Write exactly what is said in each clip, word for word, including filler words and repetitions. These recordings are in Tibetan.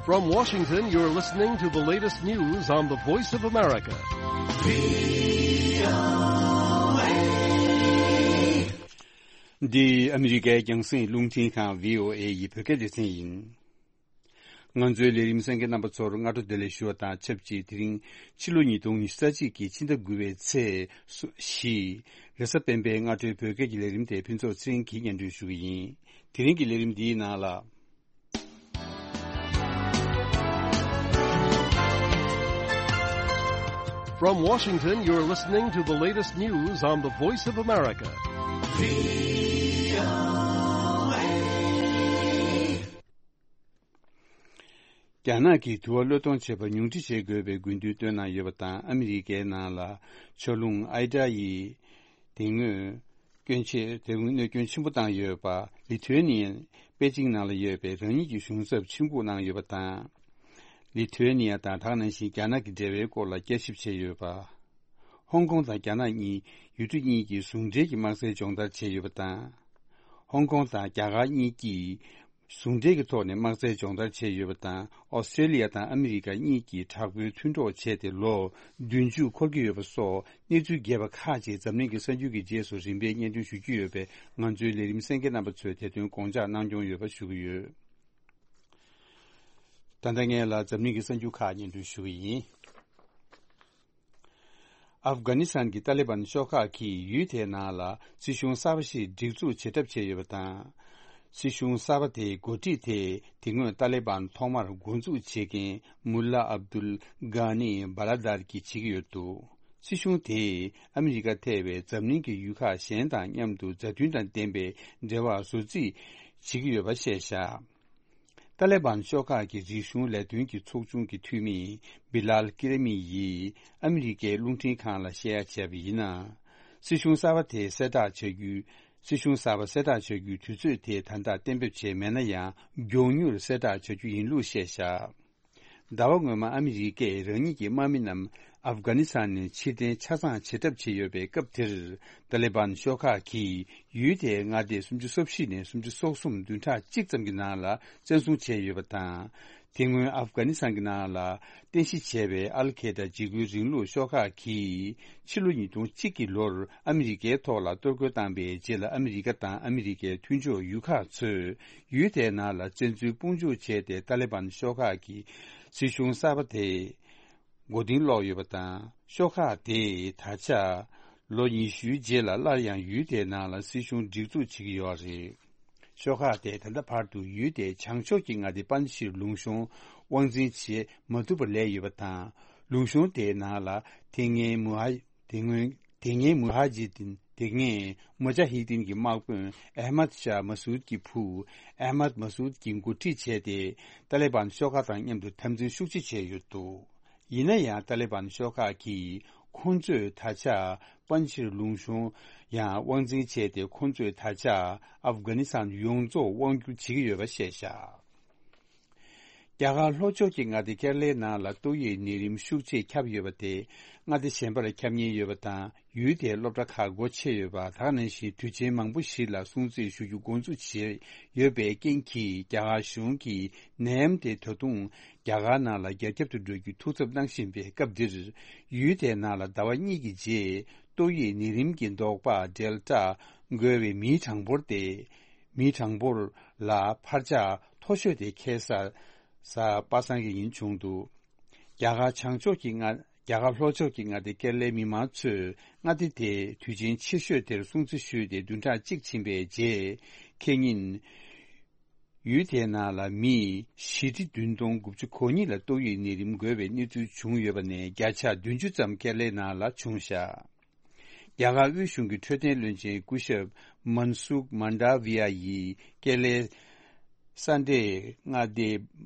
From Washington, you're listening to the latest news on the Voice of America. འདི་ཨ་མི་རི་ཀའི་རྒྱང་སྲིང་རླུང་འཕྲིན་ཁང་བྷི་ཨོ་ཨེ་ཡི་བོད་སྐད་སྡེ་ཚན་ཡིན། ང་ཚོའི་ལས་རིམ་གསན་མཁན་རྣམ་པ་ཚོར་སྔ་དྲོ་བདེ་ལེགས་ཞུ་བ་དང་ཆབས་ཅིག་དེ་རིང་ཕྱི་ལོ་ཉིས་སྟོང་ཉི་ཤུ་རྩ་གཅིག་གི་ཕྱི་ཟླ་དགུ་པའི་ཚེས་བཞི། རེས་གཟའ་སྤེན་པའི་སྔ་དྲོའི་བོད་སྐད་ཀྱི་ལས་རིམ་དེ་ཕུན་ཚོགས་ཚེ་རིང་གིས་སྙན་སྒྲོན་ཞུ་གི་ཡིན། དེ་རིང་གི་ལས་རིམ་འདིའི་ནང་ལ། From Washington, you're listening to the latest news on the Voice of America. རྒྱ་ནག་གིས་དུ་བ་གློད་གཏོང་བྱེད་པར་ཉུང་འཕྲི་བྱེད་དགོས་པའི་དགོས་འདུན་བཏོན་གནང་ཡོད་པ་དང་། ཨ་མི་རི་ཀའི་ནང་ལ་ཆར་རླུང་ཨའི་ཏྲ་ཡིས་དེ་སྔོན་སྐྱོན་ཆེ་དེ་སྔོན་གནོད་སྐྱོན་ཆེན་པོ་བཏང་ཡོད་པ། ལི་ཐུ་ཨེ་ནི་ཡས་པེ་ཅིང་ནང་ལ་ཡོད་པའི་རང་ཉིད་ཀྱི་གཞུང་ཚབ་ཆིབས་འགོད་གནང་ཡོད་པ་དང་། ལི་ཐུ་ཨེ་ནི་ཡ་དང་ད་ག་ནང་བཞིན་རྒྱ་ནག་གི་འབྲེལ་བའི་སྐོར་ལ་བསྐྱར་ཞིབ་བྱས་ཡོད་པ། ཧོང་ཀོང་དང་རྒྱ་ནག་གཉིས་ཡུལ་གྲུ་གཉིས་ཀྱི་ཟུང་འབྲེལ་གྱི་དམག་རྩལ་སྦྱོང་བརྡར་བྱས་ཡོད་པ་དང་། ཧོང་ཀོང་དང་རྒྱ་གར་གཉིས་ཀྱིས་ཟུང་འབྲེལ་གྱི་ཐོག་ནས་དམག་རྩལ་སྦྱོང་བརྡར་བྱས་ཡོད་པ་དང་། ཨོ་སི་ཀྲེ་ལི་ཡ་དང་ཨ་མི་རི་ཀ་གཉིས་ཀྱིས་དྲག་པོའི་མཐུན་གྲོགས་བྱས་ཏེ་ལོ་བདུན་ཅུ་འཁོར་གྱི་ཡོད་པ་སོགས་གནས་ཚུལ་རྒྱས་པ་ཁག་ཅིག་འཛམ་གླིང་གི་གསར་འགྱུར་གྱི་རྗེས་སུ་རིམ་པས་སྙན་སྒྲོན་ཞུ་རྒྱུ་ཡོད་པས། ང་ཚོའི་ལས་རིམ་གསན་མཁན་རྣམ་པ་ཚོས་དེ་དོན་དགོངས་འཇགས་གནང་སྐྱོང་ཡོད་པ་ཞུ་གི་ཡོད། ད་ལྟ་ངས་ལ་འཛམ་གླིང་གི་གསར་འགྱུར་ཁག་སྙན་སྒྲོན་ཞུ་གི་ཡིན། ཨབ་གྷ་ནི་སི་ཐན་གྱི་ཏཱ་ལི་བན་ཤོག་ཁག་གིས་ཡུལ་དེའི་ནང་ལ་སྲིད་གཞུང་གསར་པ་ཞིག་སྒྲིག་འཛུགས་བྱེད་གྲབས་བྱས་ཡོད་པ་དང་། སྲིད་གཞུང་གསར་པ་དེའི་འགོ་ཁྲིད་དེ་དེ་སྔོན་ཏཱ་ལི་བན་ཐོག་མར་འགོ་འཛུགས་བྱེད་མཁན་མུ་ལ་ཨབ་དུལ་གྷ་ནི་བྷ་ལ་དར་གྱིས་བྱེད་ཀྱི་ཡོད་འདུག། སྲིད་གཞུང་དེས་ཨ་མི་རི་ཀ་ཐེ་བའི་འཛམ་གླིང་གི་ཡུལ་ཁག་གཞན་དང་མཉམ་དུ་མཛའ་མཐུན་དང་ལྡན་པའི་འབྲེལ་བ་བཟོ་རྩིས་བྱེད་ཀྱི་ཡོད་པ་བཤད་བཞག། ཏཱ་ལི་བན་ཤོག་ཁག་གི་རིག་གཞུང་ལས་དོན་གྱི་ཚོགས་ཆུང་གི་འཐུས་མི་བི་ལཱལ་ཀི་རེ་མི་ཡིས་ཨ་མི་རི་ཀའི་རླུང་འཕྲིན་ཁང་ལ་བཤད་ཡ་བྱས་པ་ཡིན་ན། སྲིད་གཞུང་གསར་པ་དེ་གསལ་བསྒྲགས་བྱ་རྒྱུའི། སྲིད་གཞུང་གསར་པ་གསལ་བསྒྲགས་བྱ་རྒྱུའི་དུས་ཚོད་དེ་ད་ལྟ་གཏན་འབེབས་བྱས་མེད་ན་ཡང་། མགྱོགས་མྱུར་གསལ་བསྒྲགས་བྱ་རྒྱུ་ཡིན་ལུགས་བཤད་བཞག། ཟླ་བ་སྔོན་མ་ཨ་མི་རི་ཀས་རང་ཉིད་ཀྱི་དམག་མི་རྣམས་ཨབ་གྷ་ནི་སི་ཐན་ནས་ཕྱིར་འཐེན་ཆ་ཚང་བྱེད་གྲབས་བྱས་ཡོད་པའི་སྐབས་དེར། ཏཱ་ལི་བན་ཤོག་ཁག་གིས་ཡུལ་དེའི་མངའ་སྡེ་སུམ་ཅུ་སོ་བཞི་ནས་སུམ་ཅུ་སོ་གསུམ་བདུན་ཕྲག་གཅིག་ཙམ་གྱི་ནང་ལ་བཙན་བཟུང་བྱས་ཡོད་པ་དང་། དེ་སྔོན་ཨབ་གྷ་ནི་སི་ཐན་གྱི་ནང་ལ་རྟེན་གཞི་བྱས་པའི་ཨལ་ཁེ་ད་འཇིགས་སྐུལ་རིང་ལུགས་ཤོག་ཁག་གིས་ཕྱི་ལོ་ཉིས་སྟོང་གཅིག་གི་ལོར་ཨ་མི་རི་ཀའི་ཐོག་ལ་གཏོར་རྒོལ་བཏང་པའི་རྗེས་ལ། ཨ་མི་རི་ཀ་དང་ཨ་མི་རི་ཀའི་མཐུན་ཕྱོགས་ཡུལ་ཁག་ཚོས་ཡུལ་དེའི་ནང་ལ་བཙན་འཛུལ་དཔུང་འཇུག་བྱས་ཏེ། ཏཱ་ལི་བན་ཤོག་ཁག་གི་སྲིད་གཞུང་གསར་པ་དེ་མགོ་རྟིང་སློག་ཡོད་པ་དང་། ཤོག་ཁག་དེས་ད་ཆ་ལོ་ཉི་ཤུའི་རྗེས་ལ་སླར་ཡང་ཡུལ་དེའི་ནང་ལ་སྲིད་གཞུང་སྒྲིག་འཛུགས་བྱེད་ཀྱི་ཡོད་རེད། ཤོག་ཁག་དེས་ད་ལྟ་བར་དུ་ཡུལ་དེའི་བྱང་ཕྱོགས་ཀྱི་མངའ་སྡེ་པན་ཇི་ཤིར་ལུང་གཤོང་དབང་འཛིན་བྱེད་མ་ཐུབ་པར་ལས་ཡོད་པ་དང་། ལུང་གཤོང་དེའི་ནང་ལ་དེ་སྔའི་མུ་ཧ། དེ་སྔོན། དེ་སྔའི་མུ་ཧ་ཇི་དིན། དེ་སྔའི་མུ་ཇ་ཧི་དིན་གྱི་དམག་དཔོན་ཨེ་མད་ཤཱ་མ་སུད་ཀྱི་བུ་ཨེ་མད་མ་སུད་ཀྱིས་འགོ་ཁྲིད་བྱས་ཏེ། ཏཱ་ལི་བན་ཤོག་ཁག་དང་མཉམ་དུ་འཐབ་འཛིང་ཤུགས་ཆེ་བྱས་ཡོད་འདུག། ཡིན་ན་ཡང་། ཏཱ་ལི་བན་ཤོག་ཁག་གིས་ཁོང་ཚོས་ད་ཆ་པན་ཇི་ཤིར་ལུང་གཤོང་ཡང་དབང་འཛིན་བྱས་ཏེ། ཁོང་ཚོས་ད་ཆ་ཨབ་གྷ་ནི་སི་ཐན་ཡོངས་རྫོགས་དབང་བསྒྱུར་བྱེད་ཀྱི་ཡོད་པ་བཤད་བཞག། རྒྱ་གར་ལྷོ་ཕྱོགས་ཀྱི་མངའ་སྡེ་ཀེ་ར་ལའི་ནང་ལ་ཏོག་དབྱིབས་ནད་རིམས་ཤུགས་ཆེ་ཁྱབ་ཡོད་པ་དེ་མངའ་སྡེ་གཞན་པར་ཁྱབ་ཉེན་ཡོད་པ་དང་། ཡུལ་དེའི་སློབ་གྲྭ་ཁག་སྒོ་ཕྱེ་ཡོད་པ། ད་ག་ནང་བཞིན་དུས་ཆེན་མང་པོ་ཞིག་ལ་སྲུང་བརྩི་ཞུ་རྒྱུ་འགོ་འཛུགས་བྱས་ཡོད་པའི་རྐྱེན་གྱིས། རྒྱ་གར་གཞུང་གིས་ནད་ཡམས་དེ་ད་དུང་རྒྱ་གར་ནང་ལ་རྒྱ་ཁྱབ་ཏུ་འགྲོ་རྒྱུའི་ཐུགས་འཚབ་གནང་བཞིན་པའི་སྐབས་འདིར། ཡུལ་དེའི་ནང་ལ་ཟླ་བ་གཉིས་ཀྱི་རྗེས་ཏོག་དབྱིབས་ནད་རིམས་ཀྱི་ཟློག་པ་ཌེལ་ཊ་འགོས་པའི་མིའི་གྲངས་འབོར་དེ། མིའི་གྲངས་འབོར་ལ་འཕར་ཆག་མཐོ་ཤོས་དེ་ཁེལ་ས་ས་པ་སངས་ཀྱི་ཉིན་བྱུང་འདུག། རྒྱ་གར་བྱང་ཕྱོགས་ཀྱི་མངའ། རྒྱ་གར་ལྷོ་ཕྱོགས་ཀྱི་མངའ་སྡེ་ཀེ་ར་ལའི་མི་མང་ཚོས་མངའ་སྡེ་དེའི་དུས་ཆེན་ཆེ་ཤོས་དེར་སྲུང་བརྩི་ཞུས་ཏེ། བདུན་ཕྲག་གཅིག་ཕྱིན་པའི་རྗེས། ཁེ་ཉིན། ཡུལ་དེའི་ནང་ལ་མི་བཞི་ཁྲི་བདུན་སྟོང་དགུ་བཅུ་གོ་གཉིས་ལ་ཏོག་དབྱིབས་ནད་རིམས་འགོས་པའི་གནས་ཚུལ་བྱུང་ཡོད་པ་ནས། བརྒྱ་ཆ་བདུན་ཅུ་ཙམ་ཀེ་ར་ལའི་ནང་ལ་བྱུང་བཞག། རྒྱ་གར་དབུས་གཞུང་གི་འཕྲོད་བསྟེན་བློན་ཆེན་སྐུ་ཞབས་མན་སུག་མན་ཌ་བི་ཡ་ཡིས་ཀེ་ར་ལའི་ས་འབྲས་མངའ་སྡེ་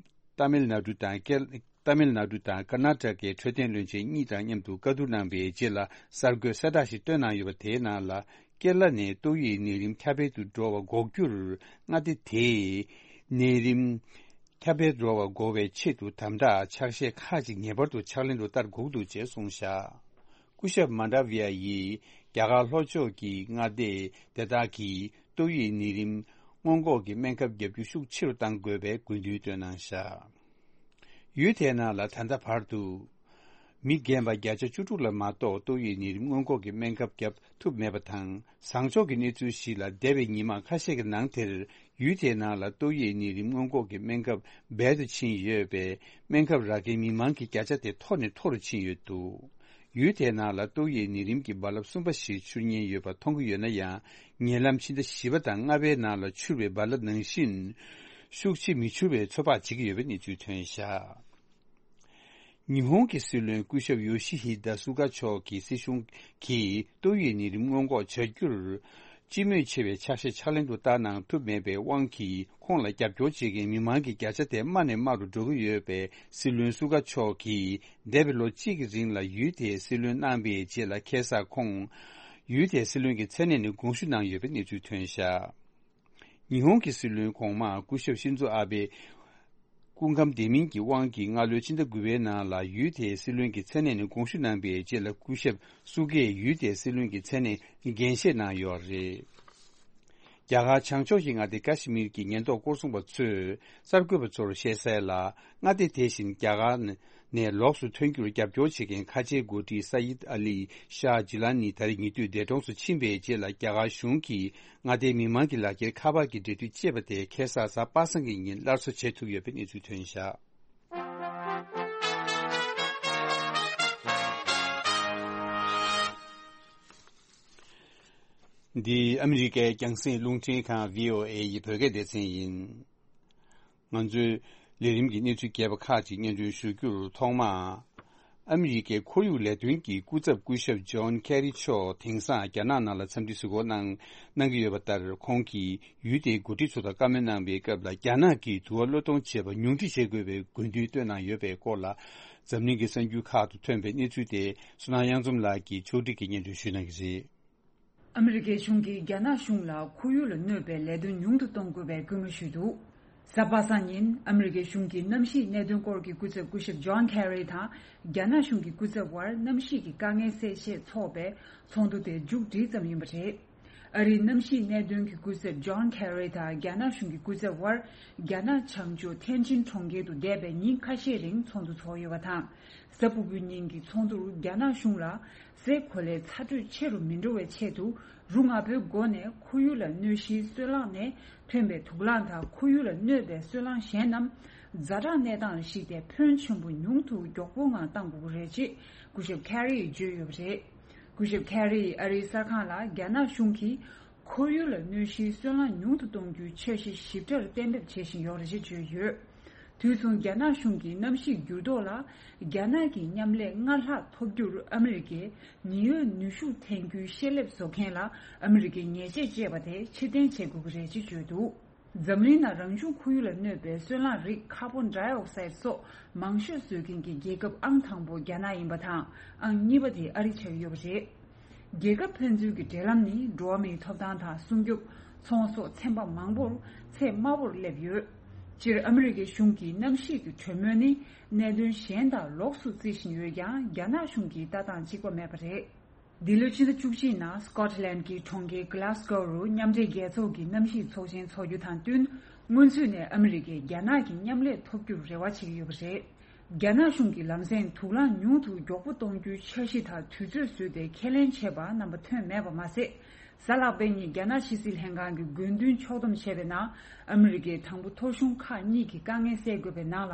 ཏཱ་མིལ་ནཱ་ཌུ་དང་ཀེ། ཏཱ་མིལ་ནཱ་ཌུ་དང་ཀར་ནཱ་ཊ་ཀའི་འཕྲོད་བསྟེན་བློན་ཆེན་གཉིས་དང་མཉམ་དུ་བཀའ་བསྡུར་གནང་བའི་རྗེས་ལ། གསར་འགོད་གསལ་བསྒྲགས་ཤིག་བཏོན་གནང་ཡོད་པ། དེའི་ནང་ལ། ཀེ་ར་ལ་ནས་ཏོག་དབྱིབས་ནད་རིམས་ཁྱབ་སྤེལ་དུ་འགྲོ་བ་འགོག་རྒྱུར། མངའ་སྡེ་དེས་ནད་རིམས་ཁྱབ་སྤེལ་འགྲོ་བ་འགོག་པའི་ཆེད་དུ་དམ་དྲག་ཕྱག་བཞེས་ཁག་ཅིག་ངེས་པར་དུ་ཕྱག་ལེན་དུ་བསྟར་དགོས་འདུག་ཅེས་གསུངས་བཞག། སྐུ་ཞབས་མན་ཌ་བི་ཡ་ཡིས་རྒྱ་གར་ལྷོ་ཕྱོགས་ཀྱི་མངའ་སྡེ་དེ་དག་གིས་ཏོག་དབྱིབས་ནད་རིམས་སྔོན་འགོག་གི་སྨན་ཁབ་བརྒྱབ་རྒྱུ་ཤུགས་ཆེ་རུ་གཏང་དགོས་པའི་དགོས་འདུན་བཏོན་གནང་བཞག། ཡུལ་དེའི་ནང་ལ་ད་ལྟ་བར་དུ། མི་རྒན་པ་བརྒྱ་ཆ་བཅུ་དྲུག་ལ་མ་གཏོགས་ཏོག་དབྱིབས་ནད་རིམས་སྔོན་འགོག་གི་སྨན་ཁབ་བརྒྱབ་ཐུབ་མེད་པ་དང་། བཟང་ཕྱོགས་ཀྱི་གནས་ཚུལ་ཞིག་ལ། འདས་པའི་ཉི་མ་ཁ་ཤས་ཀྱི་ནང་དེར། ཡུལ་དེའི་ནང་ལ་ཏོག་དབྱིབས་ནད་རིམས་སྔོན་འགོག་གི་སྨན་ཁབ་རྦད་དེ་ཕྱིན་ཡོད་པས། སྨན་ཁབ་རག་མཁན་མི་མང་གི་བརྒྱ་ཆ་དེ་མཐོ་ནས་མཐོ་རུ་ཕྱིན་ཡོད་འདུག་ཡུལ་དེའི་ནང་ལ་ཏོག་དབྱིབས་ནད་རིམས་ཀྱི་རྦ་རླབས་གསུམ་པ་ཞིག་འཕྱུར་ཉེན་ཡོད་པ་མཐོང་གི་ཡོད་ན་ཡང་། ཉེ་ལམ་ཕྱི་ཟླ་བཞི་པ་དང་ལྔ་པའི་ནང་ལ་འཕྱུར་བའི་རྦ་རླབས་ནང་བཞིན། ཤུགས་ཆེ་མི་འཕྱུར་བའི་ཚོད་དཔག་བྱེད་ཀྱི་ཡོད་པའི་གནས་ཚུལ་ཐོན་བཞག་ཉི་ཧོང་གི་སྲིད་བློན་སྐུ་ཞབས་ཡོ་ཤི་ཧི་ད་སུ་ག་མཆོག་གིས་སྲིད་གཞུང་གིས་ཏོག་དབྱིབས་ནད་རིམས་སྔོན་འགོག་བྱ་རྒྱུར། སྤྱི་མོས་ཆེ་བའི་ཕྱག་བཞེས་ཕྱག་ལེན་དུ་བསྟར་གནང་ཐུབ་མེད་པའི་དབང་གིས། ཁོང་ལ་རྒྱབ་སྐྱོར་བྱེད་མཁན་མི་མང་གི་བརྒྱ་ཆ་དེ་དམའ་ནས་དམའ་རུ་འགྲོ་གི་ཡོད་པས། སྲིད་བློན་སུ་ག་མཆོག་གིས་འདས་པའི་ལོ་གཅིག་གི་རིང་ལ་ཡུལ་དེའི་སྲིད་བློན་གནང་པའི་རྗེས་ལ། ཁ་སང་ཁོང་ཡུལ་དེའི་སྲིད་བློན་གྱི་མཚན་གནས་ནས་དགོངས་ཞུ་གནང་ཡོད་པའི་གནས་ཚུལ་ཐོན་བཞག་ཉི་ཧོང་གི་སྲིད་བློན་གོང་མ་སྐུ་ཞབས་ཤིན་ཛོ་ཨ་བྷེ་སྐུ་ཁམས་བདེ་མིན་གྱི་དབང་གིས། སྔ་ལོའི་ཕྱི་ཟླ་དགུ་པའི་ནང་ལ་ཡུལ་དེའི་སྲིད་བློན་གྱི་མཚན་གནས་ནས་དགོངས་ཞུ་གནང་པའི་རྗེས་ལ། སྐུ་ཞབས་སུ་གས་ཡུལ་དེའི་སྲིད་བློན་གྱི་མཚན་གནས་འགན་བཞེས་གནང་ཡོད་རེད། རྒྱ་གར་བྱང་ཕྱོགས་ཀྱི་མངའ་སྡེ་ཀ་ཤི་མིར་གྱི་ཉེན་རྟོག་སྐོར་སྲུང་པ་ཚོས་གསར་འགོད་པ་ཚོར་བཤད་གསལ་ལ། མངའ་སྡེ་དེ་བཞིན་རྒྱ་གར་ནས་ལོགས་སུ་ཐོན་རྒྱུར་རྒྱབ་སྐྱོར་བྱེད་མཁན་ཁ་ཆེའི་འགོ་ཁྲིད་སཱ་ཡིད་ཨ་ལི་ཤཱ་ཇི་ལ་ནི་ད་རེས་ཉེ་དུས་འདས་གྲོངས་སུ་ཕྱིན་པའི་རྗེས་ལ། རྒྱ་གར་གཞུང་གིས་མངའ་སྡེའི་མི་མང་གི་ལག་འཁྱེར་ཁ་པར་གྱི་འབྲེལ་མཐུད་ཅེས་པ་དེ་ཁ་སང་གཟའ་པ་སངས་ཀྱི་ཉིན་སླར་གསོ་བྱེད་ཐུབ་ཡོད་པའི་གནས་ཚུལ་ཐོན་བཞག་འདི་ཨ་མི་རི་ཀའི་རྒྱང་སྲིང་རླུང་འཕྲིན་ཁང་བྷི་ཨོ་ཨེ་ཡི་བོད་སྐད་སྡེ་ཚན་ཡིན། ང་ཚོའི་ལས་རིམ་གྱི་གནས་ཚུལ་རྒྱས་པ་ཁག་ཅིག་སྙན་སྒྲོན་ཞུ་རྒྱུར། ཐོག་མར། ཨ་མི་རི་ཀའི་ཁོར་ཡུག་ལས་དོན་གྱི་སྐུ་ཚབ་སྐུ་ཞབས་ཇོན་ཁེ་རི་མཆོག་དེང་སང་རྒྱ་ནག་ནང་ལ་འཚམས་འདྲི་གཟིགས་སྐོར་གནང་གནང་གི་ཡོད་པ་ལྟར། ཁོང་གིས་ཡུལ་དེའི་འགོ་ཁྲིད་ཚོ་དང་བཀའ་མོལ་གནང་པའི་སྐབས་ལ། རྒྱ་ནག་གིས་དུ་བ་གློད་གཏོང་བྱེད་པ་ཉུང་འཕྲི་བྱེད་དགོས་པའི་དགོས་འདུན་བཏོན་གནང་ཡོད་པའི་སྐོར་ལ། འཛམ་གླིང་གི་གསར་འགྱུར་ཁག་ཏུ་ཐོན་པའི་གནས་ཚུལ་དེ། བསོད་ནམས་གཡང་འཛོམས་ལགས་ཀྱིས་ཕྱོགས་སྒྲིག་གིས་སྙན་སྒྲོན་ཞུ་གནང་གི་རེད། ཨ་མི་རི་ཀའི་གཞུང་གིས་རྒྱ་ནག་གཞུང་ལ་ཁོར་ཡུག་ལ་གནོད་པའི་ལས་དོན་ཉུང་དུ་གཏོང་དགོས་པའི་སྐུལ་མ་ཞུས་འདུག་གཟའ་པ་སངས་ཉིན་ཨ་མི་རི་ཀའི་གཞུང་གི་གནམ་གཤིས་གནད་དོན་སྐོར་གྱི་སྐུ་ཚབ་སྐུ་ཞབས་ཇོན་ཁེ་རི་དང་། རྒྱ་ནག་གཞུང་གི་སྐུ་ཚབ་དབར་གནམ་གཤིས་ཀྱི་དཀའ་ངལ་སེལ་ཆེད་འཚོགས་པའི་ཚོགས་འདུ་དེ་མཇུག་སྒྲིལ་ཙམ་ཡིན་པ་རེད། ཨ་རིའི་གནམ་གཤིས་གནད་དོན་གྱི་སྐུ་ཚབ་ཇོན་ཁེ་རི་དང་རྒྱ་ནག་གཞུང་གི་སྐུ་ཚབ་དབར། རྒྱ་ནག་བྱང་ཕྱོགས་ཐེན་ཅིན་གྲོང་ཁྱེར་དུ་འདས་པའི་ཉིན་ཁ་ཤས་རིང་ཚོགས་འདུ་ཚོགས་ཡོད་པ་དང་། གཟའ་ཕུར་བུའི་ཉིན་གྱི་ཚོགས་འདུར་རྒྱ་ནག་གཞུང་ལ། སའི་གོ་ལའི་ཚ་དྲོད་ཆེ་རུ་མི་འགྲོ་བའི་ཆེད་དུ། རུ་ང་པོའི་སྒོ་ནས་ཁོར་ཡུག་ལ་གནོད་གཞིའི་སོལ་རླངས་ནས་ཐོན་པའི་དུག་རླངས་དང་། ཁོར་ཡུག་ལ་གནོད་པའི་སོལ་རླངས་གཞན་རྣམས་ཛ་དྲག་གནས་སྟངས་ལ་གཞིགས་ཏེ། ཕོན་ཆེན་པོ་ཉུང་དུ་མགྱོགས་པོའི་ངང་གཏང་དགོས་ཀྱི་རེད་ཅེས་སྐུ་ཞབས་ཁེ་རི་ཡིས་བརྗོད་ཡོད་པ་རེད། སྐུ་ཞབས་ཁེ་རི་ཡིས་ཨ་རིའི་གསར་ཁང་ལ། རྒྱ་ནག་གཞུང་གིས་ཁོར་ཡུག་ལ་གནོད་གཞིའི་སོལ་རླངས་ཉུང་དུ་གཏོང་རྒྱུའི་འཆར་གཞི་ཞིབ་ཕྲར་གཏན་འབེབས་བྱེད་བཞིན་ཡོད་རེད་ཅེས་བརྗོད་ཡོད། དུས་མཚུངས། རྒྱ་ནག་གཞུང་གིས་གནམ་གཤིས་འགྱུར་ལྡོག་ལ་རྒྱ་ནག་གི་མཉམ་ལས་སྔར་ལྷག་ཐོབ་རྒྱུར་ཨ་མི་རི་ཀས་ཉི་འོད་ནུས་ཤུགས་འཐེན་རྒྱུའི་ཤེལ་ལེབ་བཟོ་མཁན་ལ་ཨ་མི་རི་ཀའི་ཉེས་ཆད་བཅད་པ་དེ་ཕྱིར་འཐེན་བྱེད་དགོས་ཀྱི་རེད་ཅེས་བརྗོད་འདུག་འཛམ་གླིང་ནང་རང་བྱུང་ཁོར་ཡུག་ལ་གནོད་པའི་སོལ་རླངས་རིགས་ཀར་བོན་ཌའི་ཨོག་སའིད་སོགས་མང་ཤོས་བཟོ་མཁན་གྱི་རྒྱལ་ཁབ་ཨང་དང་པོ་རྒྱ་ནག་ཡིན་པ་དང་། ཨང་གཉིས་པ་དེ་ཨ་རི་ཆགས་ཡོད་པ་རེད། རྒྱལ་ཁབ་ཕན་ཚུན་གྱི་འབྲེལ་ལམ་ནི་འགྲོ་བ་མིའི་ཐོབ་ཐང་དང་སྲུང་སྐྱོབ། ཚོང་ཟོག་ཚན་པ་མང་པོར་ཚད་དམའ་བོར་སླེབས་ཡོད། སྤྱིར་ཨ་མི་རི་ཀའི་གཞུང་གིས་གནམ་གཤིས་ཀྱི་གྲོས་མོལ་ནི་གནད་དོན་གཞན་དང་ལོགས་སུ་བརྩི་བཞིན་ཡོད་ཀྱང་། རྒྱ་ནག་གཞུང་གིས་ལྟ་སྟངས་གཅིག་པ་མེད་པ་རེད། འདི་ལོའི་ཕྱི་ཟླ་བཅུ་གཅིག་ནང་སྐོ་ཊི་ལན་གྱི་གྲོང་ཁྱེར་གྷི་ལཱ་སྒོ་རུ་མཉམ་འབྲེལ་རྒྱལ་ཚོགས་ཀྱི་གནམ་གཤིས་ཚོགས་ཆེན་འཚོགས་རྒྱུ་དང་བསྟུན། སྔོན་ཚུད་ནས་ཨ་མི་རི་ཀས་རྒྱ་ནག་གི་མཉམ་ལས་ཐོབ་རྒྱུར་རེ་བ་བྱེད་ཀྱི་ཡོད་པ་རེད། རྒྱ་ནག་གཞུང་གིས་ལམ་སེང་དུག་རླངས་ཉུང་དུ་མགྱོགས་པོ་གཏོང་རྒྱུའི་འཆར་གཞི་དང་དུས་ཚོད་བཟོས་ཏེ་ཁས་ལེན་བྱས་པ་རྣམ་པ་ཐོན་མེད་པ་མ་ཟད། གཟའ་ལྷག་པའི་ཉིན་རྒྱ་ནག་ཕྱི་སྲིད་ལྷན་ཁང་གི་དགོས་འདུན་ཕྱོགས་བསྡོམས་བྱས་པའི་ནང་། ཨ་མི་རི་ཀས་དང་པོ་ཐོ་གཞུང་ཁག་གཉིས་ཀྱི་དཀའ་ངལ་སེལ་དགོས་པའི་ནང་ལ།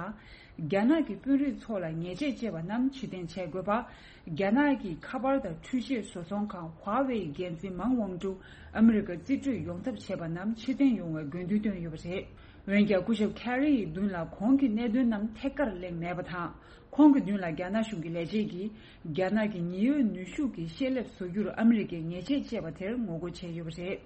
རྒྱ་ནག་གི་དཔོན་རིགས་ཚོ་ལ་ཉེས་ཆད་བཅད་པ་རྣམས་ཕྱིར་འཐེན་བྱེད་དགོས་པ། རྒྱ་ནག་གི་ཁ་པར་དང་འཕྲུལ་ཆས་བཟོ་ཚོང་ཁང་ཧྭ་ཝེ་ཡི་འགན་འཛིན་མང་ཝང་ཀྲུག་ཨ་མི་རི་ཀར་རྩིས་སྤྲོད་ཡོང་ཐབས་བྱས་པ་རྣམས་ཕྱིར་འཐེན་ཡོང་བའི་དགོས་འདུན་བཏོན་ཡོད་པ་རེད། འོན་ཀྱང་སྐུ་ཞབས་ཁེ་རི་ཡི་མདུན་ལ་གོང་གི་གནད་དོན་རྣམས་ཐད་ཀར་གླེང་མེད་པ་དང་། ཁོང་གི་མདུན་ལ་རྒྱ་ནག་གཞུང་གི་ལས་བྱེད་ཀྱིས་རྒྱ་ནག་གི་ཉི་འོད་ནུས་ཤུགས་ཀྱི་ཤེལ་ལེབ་བཟོ་རྒྱུར་ཨ་མི་རི་ཀས་ཉེས་ཆད་བཅད་པ་དེར་ངོ་རྒོལ་བྱས་ཡོད་པ་རེད།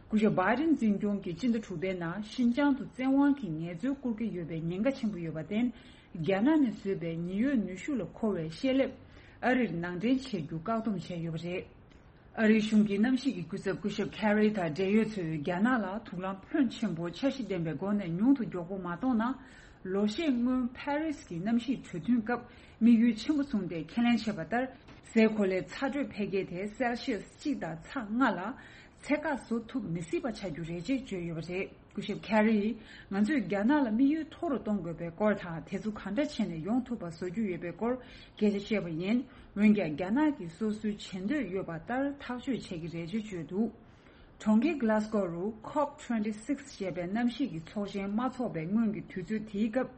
སྐུ་ཞབས་བྷའི་ཌེན་འཛིན་སྐྱོང་གིས་སྤྱི་ཟླ་དྲུག་པའི་ནང་ཤིན་ཅང་དུ་བཙན་དབང་གིས་ངལ་རྩོལ་བསྐུར་གྱི་ཡོད་པའི་ཉེན་ཁ་ཆེན་པོ་ཡོད་པར་བརྟེན། རྒྱ་ནག་ནས་བཟོས་པའི་ཉི་འོད་ནུས་ཤུགས་ལ་མཁོ་བའི་ཤེལ་ལེབ་ཨ་རིར་ནང་འདྲེན་བྱེད་རྒྱུ་བཀག་སྡོམ་བྱས་ཡོད་པ་རེད། ཨ་རིའི་གཞུང་གི་གནམ་གཤིས་ཀྱི་སྐུ་ཚབ་སྐུ་ཞབས་ཁེ་རི་དང་འབྲེལ་ཡོད་ཚོས་རྒྱ་ནག་ལ་དུག་རླངས་ཕོན་ཆེན་པོ་འཆར་གཞི་ལྡན་པའི་སྒོ་ནས་ཉུང་དུ་མགྱོགས་པོ་མ་གཏོང་ན། ལོ་ཤས་སྔོན་ཕ་རི་སི་གི་གནམ་གཤིས་གྲོས་མཐུན་སྐབས་དམིགས་ཡུལ་ཆེན་པོ་བཟུང་སྟེ་ཁས་ལེན་བྱས་པ་ལྟར། སའི་གོ་ལའི་ཚ་དྲོད་འཕེལ་རྒྱས་དེ་སེལ་ཤི་ཡས་གཅིག་དང་ཚེག་ལྔ་ལ། ཚད་བཀག་བཟོ་ཐུབ་མི་སྲིད་པ་ཆགས་རྒྱུ་རེད་ཅེས་བརྗོད་ཡོད་པ་རེད། སྐུ་ཞབས་ཁེ་རི་ཡིས་ང་ཚོས་རྒྱ་ནག་ལ་དམིགས་ཡུལ་མཐོ་རུ་གཏོང་དགོས་པའི་སྐོར་དང་། དེ་ཚོ་ག་འདྲ་བྱས་ནས་ཡོང་ཐུབ་པ་བཟོ་རྒྱུ་ཡོད་པའི་སྐོར་སྐད་ཆ་བཤད་པ་ཡིན། འོན་ཀྱང་རྒྱ་ནག་གིས་སོ་སོའི་བྱེད་འདོད་ཡོད་པ་ལྟར་ཐག་གཅོད་བྱེད་ཀྱི་རེད་ཅེས་བརྗོད་འདུག་གྲོང་ཁྱེར་Glasgow་རུ་ཁོབ་ཊུ་ཝེན་ཊི་སིགས་ཞེས་པའི་གནམ་གཤིས་ཀྱི་ཚོགས་ཆེན་མ་འཚོགས་པའི་སྔོན་གྱི་དུས་ཚོད་དེའི་སྐབས།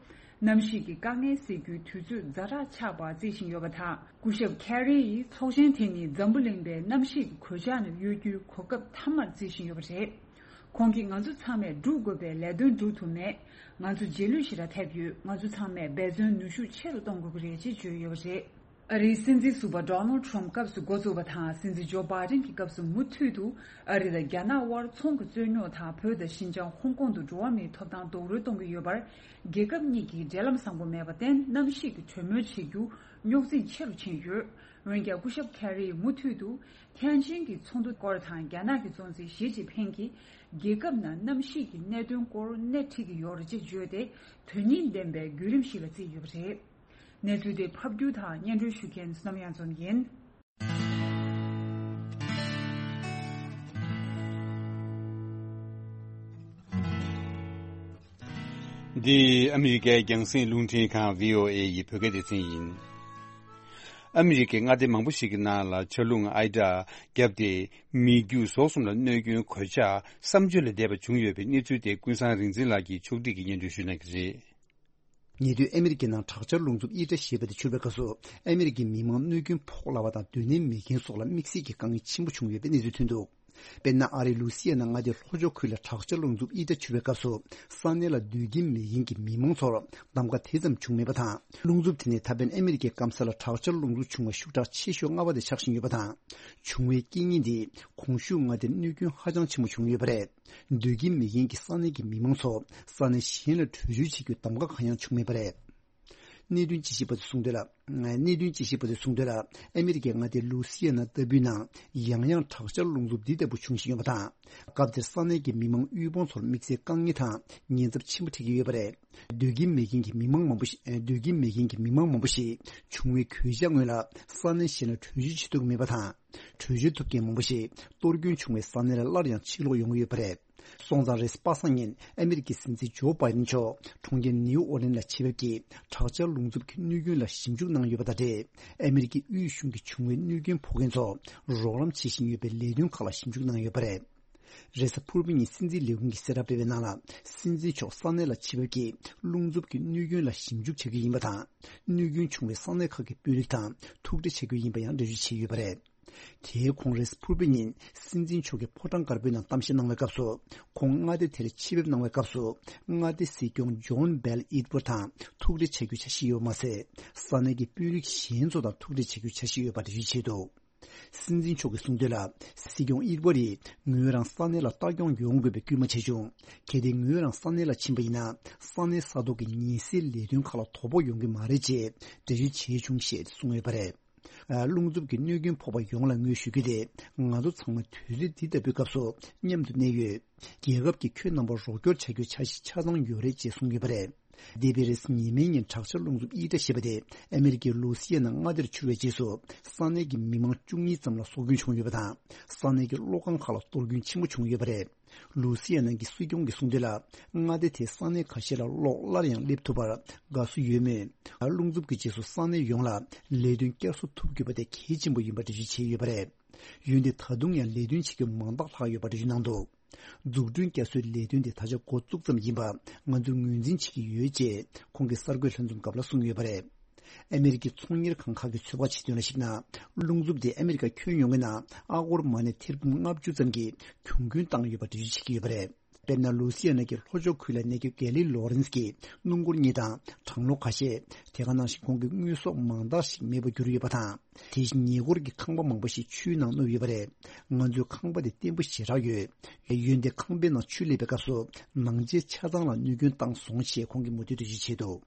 གནམ་གཤིས་ཀྱི་དཀའ་ངལ་སེལ་རྒྱུའི་དུས་ཚོད་ཛ་དྲག་ཆགས་པར་བརྩི་བཞིན་ཡོད་པ་དང་། སྐུ་ཞབས་ཁེ་རི་ཡིས་ཚོགས་ཆེན་དེ་ནི་འཛམ་བུ་གླིང་པའི་གནམ་གཤིས་ཀྱི་གོད་ཆག་ནས་གཡོལ་རྒྱུའི་གོ་སྐབས་མཐའ་མར་བརྩི་བཞིན་ཡོད་པ་རེད། ཁོང་གིས་ང་ཚོ་ཚང་མས་སྒྲུབ་དགོས་པའི་ལས་དོན་སྒྲུབ་ཐུབ་མེད། ང་ཚོ་རྗེས་ལུས་ཞེ་དྲག་ཐེབས་ཡོད། ང་ཚོ་ཚང་མས་འབད་བརྩོན་ནུས་ཤུགས་ཆེ་རུ་གཏོང་དགོས་ཀྱི་རེད་ཅེས་བརྗོད་ཡོད་པ་རེད། ཨ་རིའི་སྲིད་འཛིན་ཟུར་པ་Donald Trump་སྐབས་སུ་འགོ་བཙུགས་པ་དང་། སྲིད་འཛིན་ཇོ་བྷའི་ཌེན་གྱི་སྐབས་སུ་མུ་མཐུད་དུ་ཨ་རི་དང་རྒྱ་ནག་དབར་ཚོང་གི་རྩོད་རྙོག་དང་། བོད་དང་ཞིན་ཅང་ཧོང་ཀོང་དུ་འགྲོ་བ་མིའི་ཐོབ་ཐང་རྡོག་རོལ་གཏོང་གི་ཡོད་པར། རྒྱལ་ཁབ་གཉིས་ཀྱིས་འབྲེལ་ལམ་བཟང་པོ་མེད་པར་བརྟེན། གནམ་གཤིས་ཀྱི་གྲོས་མོལ་བྱེད་རྒྱུ་རྙོག་འཛིང་ཆེ་རུ་ཕྱིན་ཡོད། འོན་ཀྱང་སྐུ་ཞབས་ཁེ་རི་ཡིས་མུ་མཐུད་དུ་ཐེན་ཅིན་གྱི་ཚོགས་འདུ་སྐོར་དང་། རྒྱ་ནག་གི་གཙོ་འཛིན་ཞི་ཅིན་ཕིང་གིས་རྒྱལ་ཁབ་ནང་གནམ་གཤིས་ཀྱི་གནད་དོན་སྐོར་སྣེ་ཁྲིད་ཀྱི་ཡོད་རེད་ཅེས་བརྗོད་དེ། དོན་སྙིང་ལྡན་པའི་བརྒྱུད་རིམ་ཞིག་ལ་བརྩིས་ཡོད་པ་རེད། གནས་ཚུལ་དེ་ཕབ་སྒྱུར་དང་སྙན་སྒྲོན་ཞུ་མཁན་བསོད་ནམས་གཡང་འཛོམས་ཡིན། འདི་ཨ་མི་རི་ཀའི་རྒྱང་སྲིང་རླུང་འཕྲིན་ཁང་བྷི་ཨོ་ཨེ་ཡི་བོད་སྐད་སྡེ་ཚན་ཡིན། ཨ་མི་རི་ཀའི་མངའ་སྡེ་མང་པོ་ཞིག་གི་ནང་ལ་ཆར་རླུང་ཨའི་ཌ་བརྒྱབ་སྟེ། མི་རྒྱུ་ཟོག་གསུམ་ལ་གནོད་སྐྱོན་གོད་ཆག་བསམ་བརྗོད་ལས་འདས་པ་བྱུང་ཡོད་པའི་གནས་ཚུལ་དེ་ཀུན་བཟང་རིག་འཛིན་ལགས་ཀྱིས་ཕྱོགས་སྒྲིག་གིས་སྙན་སྒྲོན་ཞུ་གནང་གི་རེད། ཉེ་དུས་ཨ་མི་རི་ཀའི་ནང་དྲག་ཆར་རླུང་འཚུབ་ཨའི་ཌ་ཞེས་པ་དེ་འཕྱུར་བའི་སྐབས་སུ། ཨ་མི་རི་ཀའི་མི་མང་གནོད་སྐྱོན་ཕོག་སླ་བ་དང་། སྡོད་གནས་མེད་མཁན་སོགས་ལ་དམིགས་བསལ་གྱི་དཀའ་ངལ་ཆེན་པོ་བྱུང་ཡོད་པའི་གནས་ཚུལ་ཐོན་འདུག་དཔེར་ན། ཨ་རིའི་ལུའུ་སི་ཡ་ན་མངའ་སྡེའི་ལྷོ་ཕྱོགས་ཁུལ་ལ་དྲག་ཆར་རླུང་འཚུབ་ཨའི་ཌ་འཕྱུར་བའི་སྐབས་སུ། ས་གནས་ལ་སྡོད་ཀྱིན་མེད་ཀྱིན་གྱི་མི་མང་ཚོར་གདམ་ག་དེ་ཙམ་བྱུང་མེད་པ་དང་། རླུང་འཚུབ་དེ་ནི་ད་ཕན་ཨ་མི་རི་ཀའི་སྐམ་ས་ལ་དྲག་ཆར་རླུང་འཚུབ་བྱུང་བ་ཤུགས་དྲག་ཆེ་ཤོས་ལྔ་པ་དེ་ཆགས་བཞིན་ཡོད་པ་དང་། བྱུང་བའི་རྐྱེན་ངན་དེས་གོང་ཞུས་མངའ་སྡེར་གནོད་སྐྱོན་ཧ་ཅང་ཆེན་པོ་བྱུང་ཡོད་པ་རེད། སྡོད་ཀྱིན་མེད་ཀྱིན་གྱི་ས་གནས་ཀྱི་མི་མང་ཚོ་ས་གནས་གཞན་ལ་བྲོས་བྱོལ་བྱེད་རྒྱུའི་གདམ་ག་གང་ཡང་བྱུང་མེད་པ་རེད། གནད་དོན་དཔྱད་ཞིབ་པ་ཚོས་གསུངས་དོན་ལ། གནད་དོན་དཔྱད་ཞིབ་པ་ཚོས་གསུངས་དོན་ལ། ཨ་མི་རི་ཀའི་མངའ་སྡེ་ལུའུ་སི་ཡ་ན་ལྟ་བུའི་ནང་ཡང་ཡང་དྲག་ཆར་རླུང་འཚུབ་འདི་ལྟ་བུ་བྱུང་བཞིན་ཡོད་པ་དང་། སྐབས་དེར་ས་གནས་ཀྱི་མི་མང་དབུལ་ཕོངས་ཚོར་དམིགས་བསལ་དཀའ་ངལ་དང་ཉེན་ཚབས་ཆེན་པོ་འཕྲད་ཀྱི་ཡོད་པ་རེད། སྡོད་ཀྱིན་མེད་ཀྱིན་གྱི་མི་མང་མང་པོ་ཞིག་སྡོད་ཀྱིན་མེད་ཀྱིན་གྱི་མི་མང་མང་པོ་ཞིག་བྱུང་བའི་གོད་ཆག་སྔོན་ལ་ས་གནས་གཞན་ལ་བྲོས་བྱོལ་བྱེད་ཐུབ་ཀྱི་མེད་པ་དང་། བྲོས་བྱོལ་ཐུབ་མཁན་མང་པོ་ཞིག་གཏོར་སྐྱོན་བྱུང་བའི་ས་གནས་ལ་སླར་ཡང་ཕྱིར་ལོག་ཡོང་གི་ཡོད་པ་རེད། སོང་ཙང་རེས་གཟའ་པ་སངས་ཉིན་ཨ་མི་རི་ཀའི་སྲིད་འཛིན་ཇོ་བྷའི་ཌེན་མཆོག་གྲོང་ཁྱེར་ནིའུ་ཨོ་ལིན་ལ་ཆེད་ཕེབས་ཀྱིས་དྲག་ཆར་རླུང་འཚུབ་ཀྱི་གནོད་སྐྱོན་ལ་ཞིབ་འཇུག་གནང་ཡོད་པ་དང་འབྲེལ། ཨ་མི་རི་ཀའི་དབུས་གཞུང་གིས་བྱུང་བའི་གནོད་སྐྱོན་ཕོག་མཁན་ཚོར་རོགས་རམ་བྱེད་བཞིན་ཡོད་པའི་ལས་དོན་ཁག་ལ་ཞིབ་འཇུག་གནང་ཡོད་པ་རེད། རེས་གཟའ་ཕུར་བུ་ཉིན་སྲིད་འཛིན་ལས་ཁུངས་ཀྱིས་གསལ་བསྒྲགས་སྤེལ་བའི་ནང་ལ། སྲིད་འཛིན་མཆོག་ས་གནས་ལ་ཆེད་ཕེབས་ཀྱིས་རླུང་འཚུབ་ཀྱི་གནོད་སྐྱོན་ལ་ཞིབ་འཇུག་བྱ་རྒྱུ་ཡིན་པ་དང་། གནོད་སྐྱོན་བྱུང་བའི་ས་གནས་ཁག་གི་དཔོན་རིགས་དང་ཐུག་འཕྲད་བྱ་རྒྱུ་ཡིན་པ་ཡང་འགྲེལ་བརྗོད་བྱས་ཡོད་པ་རེད། དེའི་གོང་རེས་གཟའ་ཕུར་བུ་ཉིན་སྲིད་འཛིན་མཆོག་གིས་ཕོ་བྲང་དཀར་པོའི་ནང་གཏམ་བཤད་གནང་བའི་སྐབས་སུ། ཁོང་མངའ་སྡེ་དེར་ཆེད་ཕེབས་གནང་བའི་སྐབས་སུ། མངའ་སྡེའི་སྲིད་སྐྱོང་ཇོན་བྷེལ་ཨིད་ཝར་དང་ཐུག་འཕྲད་བྱ་རྒྱུའི་འཆར་གཞི་ཡོད་པ་མ་ཟད། ས་གནས་ཀྱི་དཔོན་རིགས་གཞན་ཚོ་དང་ཐུག་འཕྲད་བྱ་རྒྱུའི་འཆར་གཞི་ཡོད་པ་འགྲེལ་བརྗོད་བྱས་འདུག་སྲིད་འཛིན་མཆོག་གིས་གསུངས་དོན་ལ། སྲིད་སྐྱོང་ཨིད་ཝར་ཡིས་ངོས་རང་ས་གནས་ལ་ལྟ་སྐྱོང་ཡོང་དགོས་པའི་སྐུལ་མ་བྱས་བྱུང་། གལ་ཏེ་ངོས་རང་ས་གནས་ལ་ཕྱིན་པ་ཡིན་ན། ས་གནས་ས་ཐོག་གི་ཉེན་སེལ་ལས་དོན་ཁག་ལ་དོ་ཕོག་ཡོང་གི་མ་རེད་ཅེས་འགྲེལ་བརྗོད་བྱས་བྱུང་ཞེས་གསུངས་ཡོད་པ་རེད། རླུང་འཚུབ་ཀྱི་གནོད་སྐྱོན་ཕོག་པ་ཡོངས་ལ་ངོས་ཞུ་རྒྱུ་དེ། ང་ཚོ་ཚང་མ་དུས་ཚོད་འདི་ལྟ་བུའི་སྐབས་སུ་མཉམ་དུ་གནས་ཡོད། རྒྱལ་ཁབ་ཀྱིས་ཁྱོད་རྣམ་པར་རོགས་སྐྱོར་བྱ་རྒྱུའི་འཆར་གཞི་ཆ་ཚང་ཡོད་རེད་ཅེས་གསུངས་ཡོད་པ་རེད། འདས་པའི་རེས་གཟའ་ཉི་མའི་ཉིན་དྲག་ཆར་རླུང་འཚུབ་ཨི་ཏྲ་ཞེས་པ་དེ་ཨ་མེ་རི་ཀའི་ལུའུ་སི་ཡ་ན་མངའ་སྡེར་འཕྱུར་བའི་རྗེས་སུ། ས་གནས་ཀྱི་མི་མང་བཅུ་གཉིས་ཙམ་ལ་སྲོག་སྐྱོན་བྱུང་ཡོད་པ་དང་། ས་གནས་ཀྱི་གློག་ཁང་ཁག་ལ་གཏོར་སྐྱོན་ཆེན་པོ་བྱུང་ཡོད་པ་རེད། ལུའུ་སི་ཡ་ན་གྱི་སྲིད་སྐྱོང་གིས་གསུངས་དོན་ལ། མངའ་སྡེ་དེའི་ས་གནས་ཁ་ཤས་ལ་གློག་སླར་ཡང་སླེབས་ཐུབ་པར་དགའ་བསུ་ཡོད་མོད། རླུང་འཚུབ་ཀྱི་རྗེས་སུ་ས་གནས་ཡོངས་ལ་ལས་དོན་བསྐྱར་གསོ་ཐུབ་དགོས་པ་དེ་གལ་ཆེན་པོ་ཡིན་པ་འགྲེལ་བརྗོད་བྱས་ཡོད་པ་རེད། འོན་ཏེ་ད་དུང་ཡང་ལས་དོན་བྱེད་རྒྱུ་མང་དག་ལྷག་ཡོད་པ་འགྲེལ་བརྗོད་གནང་འདུག་འཛུགས་སྐྲུན་བསྐྱར་གསོའི་ལས་དོན་དེ་ད་ཆ་འགོ་བཙུགས་ཙམ་ཡིན་པ་ང་ཚོས་ངོས་འཛིན་བྱེད་ཀྱི་ཡོད་ཅེས་ཁོང་གིས་གསར་འགོད་ལྷན་འཛོམས་སྐབས་ལ་གསུངས་ཡོད་པ་རེད། ཨ་མེ་རི་ཀའི་ཚོང་གཉེར་ཁང་ཁག་གིས་ཚོད་དཔག་བྱེད་དོན་ལ་གཞིགས་ན། རླུང་འཚུབ་དེས་ཨ་མེ་རི་ཀ་ཁྱོན་ཡོངས་ཀྱི་ནང་ཨ་སྒོར་མ་ནས་ཐེར་འབུམ་ལྔ་བཅུ་ཙམ་གྱི་གྱོང་གུན་བཏང་ཡོད་པ་འགྲེལ་བརྗོད་བྱེད་ཀྱི་ཡོད་པ་རེད། དཔེར་ན། ལུའུ་སི་ཡ་ན་གྱི་ལྷོ་ཕྱོགས་ཁུལ་ལ་གནས་སྐབས་གྷེ་ལི་ལོ་རེན་སི་གིས་སྣུམ་འཁོར་གཉིས་དང་གྲང་གློག་ཁ་ཤས། དེ་ག་ནང་བཞིན་ཁོང་གི་དངོས་ཟོག་མང་དག་ཞིག་མེད་པར་གྱུར་ཡོད་པ་དང་། དེ་བཞིན་ཉེ་འཁོར་གྱི་ཁང་པ་མང་པོ་ཞིག་ཆུའི་ནང་བསྣུབས་ཡོད་པ་རེད། ང་ཚོའི་ཁང་པ་དེ་བརྟན་པོ་ཞེ་དྲག་ཡོད། འོན་ཏེ་ཁང་པའི་ནང་ཆུ་སླེབས་པའི་སྐབས་སུ་ནང་ཆས་ཆ་ཚང་ལ་གནོད་སྐྱོན་བཏང་སོང་ཞེས་ཁོང་གིས་མུ་མཐུད་དུ་འགྲེལ་བརྗོད་བྱས་འདུག་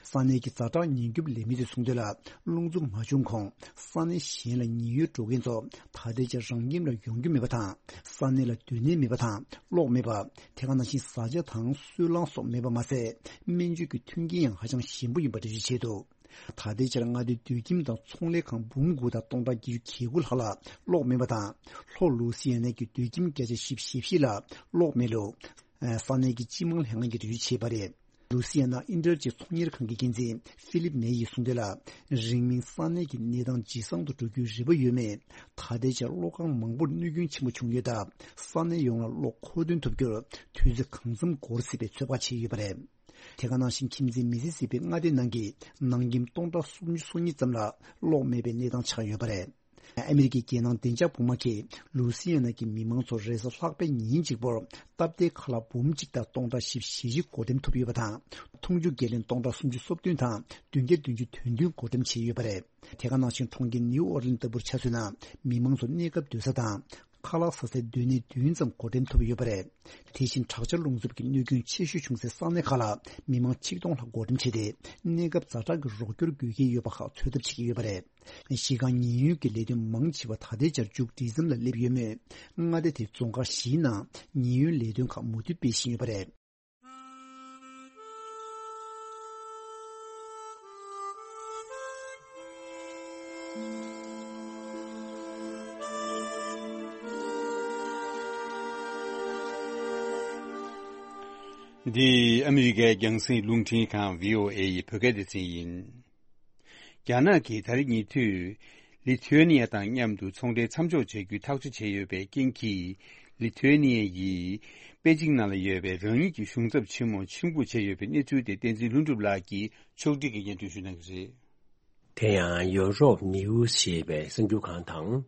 ས་གནས་ཀྱི་ཛ་དྲག་ཉེན་སྐྱོབ་ལས་མི་ཚོས་གསུངས་དོན་ལ། རླུང་འཚུབ་མ་བྱུང་གོང་ས་གནས་གཞན་ལ་ཉེན་གཡོལ་འགྲོ་མཁན་ཚོ་ད་ལྟའི་ཆར་རང་ཁྱིམ་ལ་ཡོང་རྒྱུ་མེད་པ་དང་། ས་གནས་ལ་སྡོད་གནས་མེད་པ་དང་གློག་མེད་པ། དེ་ག་ནང་བཞིན་བཟའ་བཅའ་དང་སོལ་རླངས་སོགས་མེད་པ་མ་ཟད། སྨན་བཅོས་ཀྱི་མཐུན་རྐྱེན་ཡང་ཧ་ཅང་ཞན་པོ་ཡིན་པ་འགྲེལ་བརྗོད་བྱས་འདུག་ད་ལྟའི་ཆར་མངའ་སྡེའི་སྡོད་ཁྱིམ་དང་ཚོང་ལས་ཁང་འབུམ་དགུ་དང་སྟོང་ཕྲག་བརྒྱད་ཅུ་གྱ་དགུ་ལྷག་ལ་གློག་མེད་པ་དང་། ལྷོ་ལུའུ་སི་ཡ་ན་གྱི་སྡོད་ཁྱིམ་བརྒྱ་ཆ་བཞི་བཅུ་ཞེ་བཞི་ལ་གློག་མེད་ལུགས། ས་གནས་ཀྱི་སྤྱི་དམངས་ལྷན་ཁང་གིས་འགྲེལ་བརྗོད་བྱས་པ་རེད། ལུའུ་སི་ཡ་ན་ཨིན་ཊེལ་གྱི་ཚོང་གཉེར་ཁང་གི་འགན་འཛིན་ཧྥི་ལིབ་མེ་ཡིས་གསུངས་དོན་ལ། རིང་མིན་ས་གནས་ཀྱི་གནས་སྟངས་ཇེ་བཟང་དུ་འགྲོ་རྒྱུའི་རེ་བ་ཡོད་མོད། ད་ལྟའི་ཆར་གློག་ཁང་མང་པོར་གནོད་སྐྱོན་ཆེན་པོ་བྱུང་ཡོད་སྟབས། ས་གནས་ཡོངས་ལ་གློག་མཁོ་འདོན་ཐུབ་རྒྱུར་དུས་ཚོད་གང་འཚམ་འགོར་སྲིད་པའི་ཚོད་དཔག་བྱས་ཡོད་པ་རེད། དེ་ག་ནང་བཞིན་ཁྱིམ་མཚེས་མི་སི་སི་པི་མངའ་སྡེའི་ནང་གི་ནང་ཁྱིམ་སྟོང་ཕྲག་སུམ་ཅུ་སོ་གཉིས་ཙམ་ལ་གློག་མེད་པའི་གནས་སྟངས་ཆགས་ཡོད་པ་རེད། ཨ་མི་རི་ཀའི་རྒྱལ་ནང་བདེ་འཇགས་པུས་མོ་གིས་ལུའུ་སི་ཡ་ན་གྱི་མི་མང་ཚོར་རེས་གཟའ་ལྷག་པའི་ཉིན་གཅིག་པོར་སྟབས་བདེའི་ཁ་ལག་འབུམ་གཅིག་དང་སྟོང་ཕྲག་བཞི་བཅུ་ཞེ་བཞི་བགོ་འགྲེམས་ཐུབ་ཡོད་པ་དང་། འཐུང་ཆུ་བརྒྱ་ལོན་སྟོང་ཕྲག་སུམ་ཅུ་སོ་བདུན་དང་བདུན་བརྒྱ་བདུན་ཅུ་དོན་བདུན་བགོ་འགྲེམས་བྱས་ཡོད་པ་རེད། དེ་ག་ནང་བཞིན་གྲོང་ཁྱེར་ནིའུ་ཨོར་ལིན་ལྟ་བུར་ཆ་མཚོན་ན། མི་མང་ཚོར་གནས་སྐབས་སྡོད་ས་དང་། ཁ་ལག་ཟ་སའི་སྡོད་གནས་བདུན་ཙམ་བགོ་འགྲེམས་ཐུབ་ཡོད་པ་རེད། དེ་བཞིན་དྲག་ཆར་རླུང་འཚུབ་ཀྱི་གནོད་སྐྱོན་ཆེ་ཤོས་བྱུང་སའི་ས་གནས་ཁག་ལ་མི་མང་ཆིག་སྟོང་ལྷག་བགོ་འགྲེམས་བྱས་ཏེ། གནས་སྐབས་ཛ་དྲག་གི་རོགས་སྐྱོར་དགོས་ཀྱི་ཡོད་པ་ཁག་འཚོལ་ཐབས་བྱེད་ཀྱི་ཡོད་པ་རེད། གཞི་རྐང་ཉེན་གཡོལ་གྱི་ལས་དོན་མང་ཆེ་བ་ད་ལྟའི་ཆར་མཇུག་སྒྲིལ་མཚམས་ལ་སླེབས་ཡོད་མོད། མངའ་སྡེ་དེའི་རྫོང་ཁག་བཞིའི་ནང་ཉེན་གཡོལ་ལས་དོན་ཁག་མུ་མཐུད་སྤེལ་བཞིན་ཡོད་པ་རེད། འདི་ཨ་མི་རི་ཀའི་རྒྱང་སྲིང་རླུང་འཕྲིན་ཁང་བྷི་ཨོ་ཨེ་ཡི་བོད་སྐད་སྡེ་ཚན་ཡིན། རྒྱ་ནག་གིས་ད་རེས་ཉེ་དུས་ལི་ཐུ་ཨེ་ནི་ཡ་དང་མཉམ་དུ་ཚོང་འབྲེལ་མཚམས་འཇོག་བྱ་རྒྱུའི་ཐག་གཅོད་བྱས་ཡོད་པའི་རྐྱེན་གྱིས། ལི་ཐུ་ཨེ་ནི་ཡ་ཡིས་པེ་ཅིང་ནང་ལ་ཡོད་པའི་རང་ཉིད་ཀྱི་གཞུང་ཚབ་ཆེན་མོ་ཕྱིར་འབུད་བྱས་ཡོད་པའི་གནས་ཚུལ་དེ་བསྟན་འཛིན་ལྷུན་གྲུབ་ལགས་ཀྱིས་ཕྱོགས་སྒྲིག་གིས་སྙན་སྒྲོན་ཞུ་གནང་གི་རེད། དེ་ཡང་ཡོ་རོབ་ནིའུ་སི་ཞེས་པའི་གསར་འགྱུར་ཁང་དང་།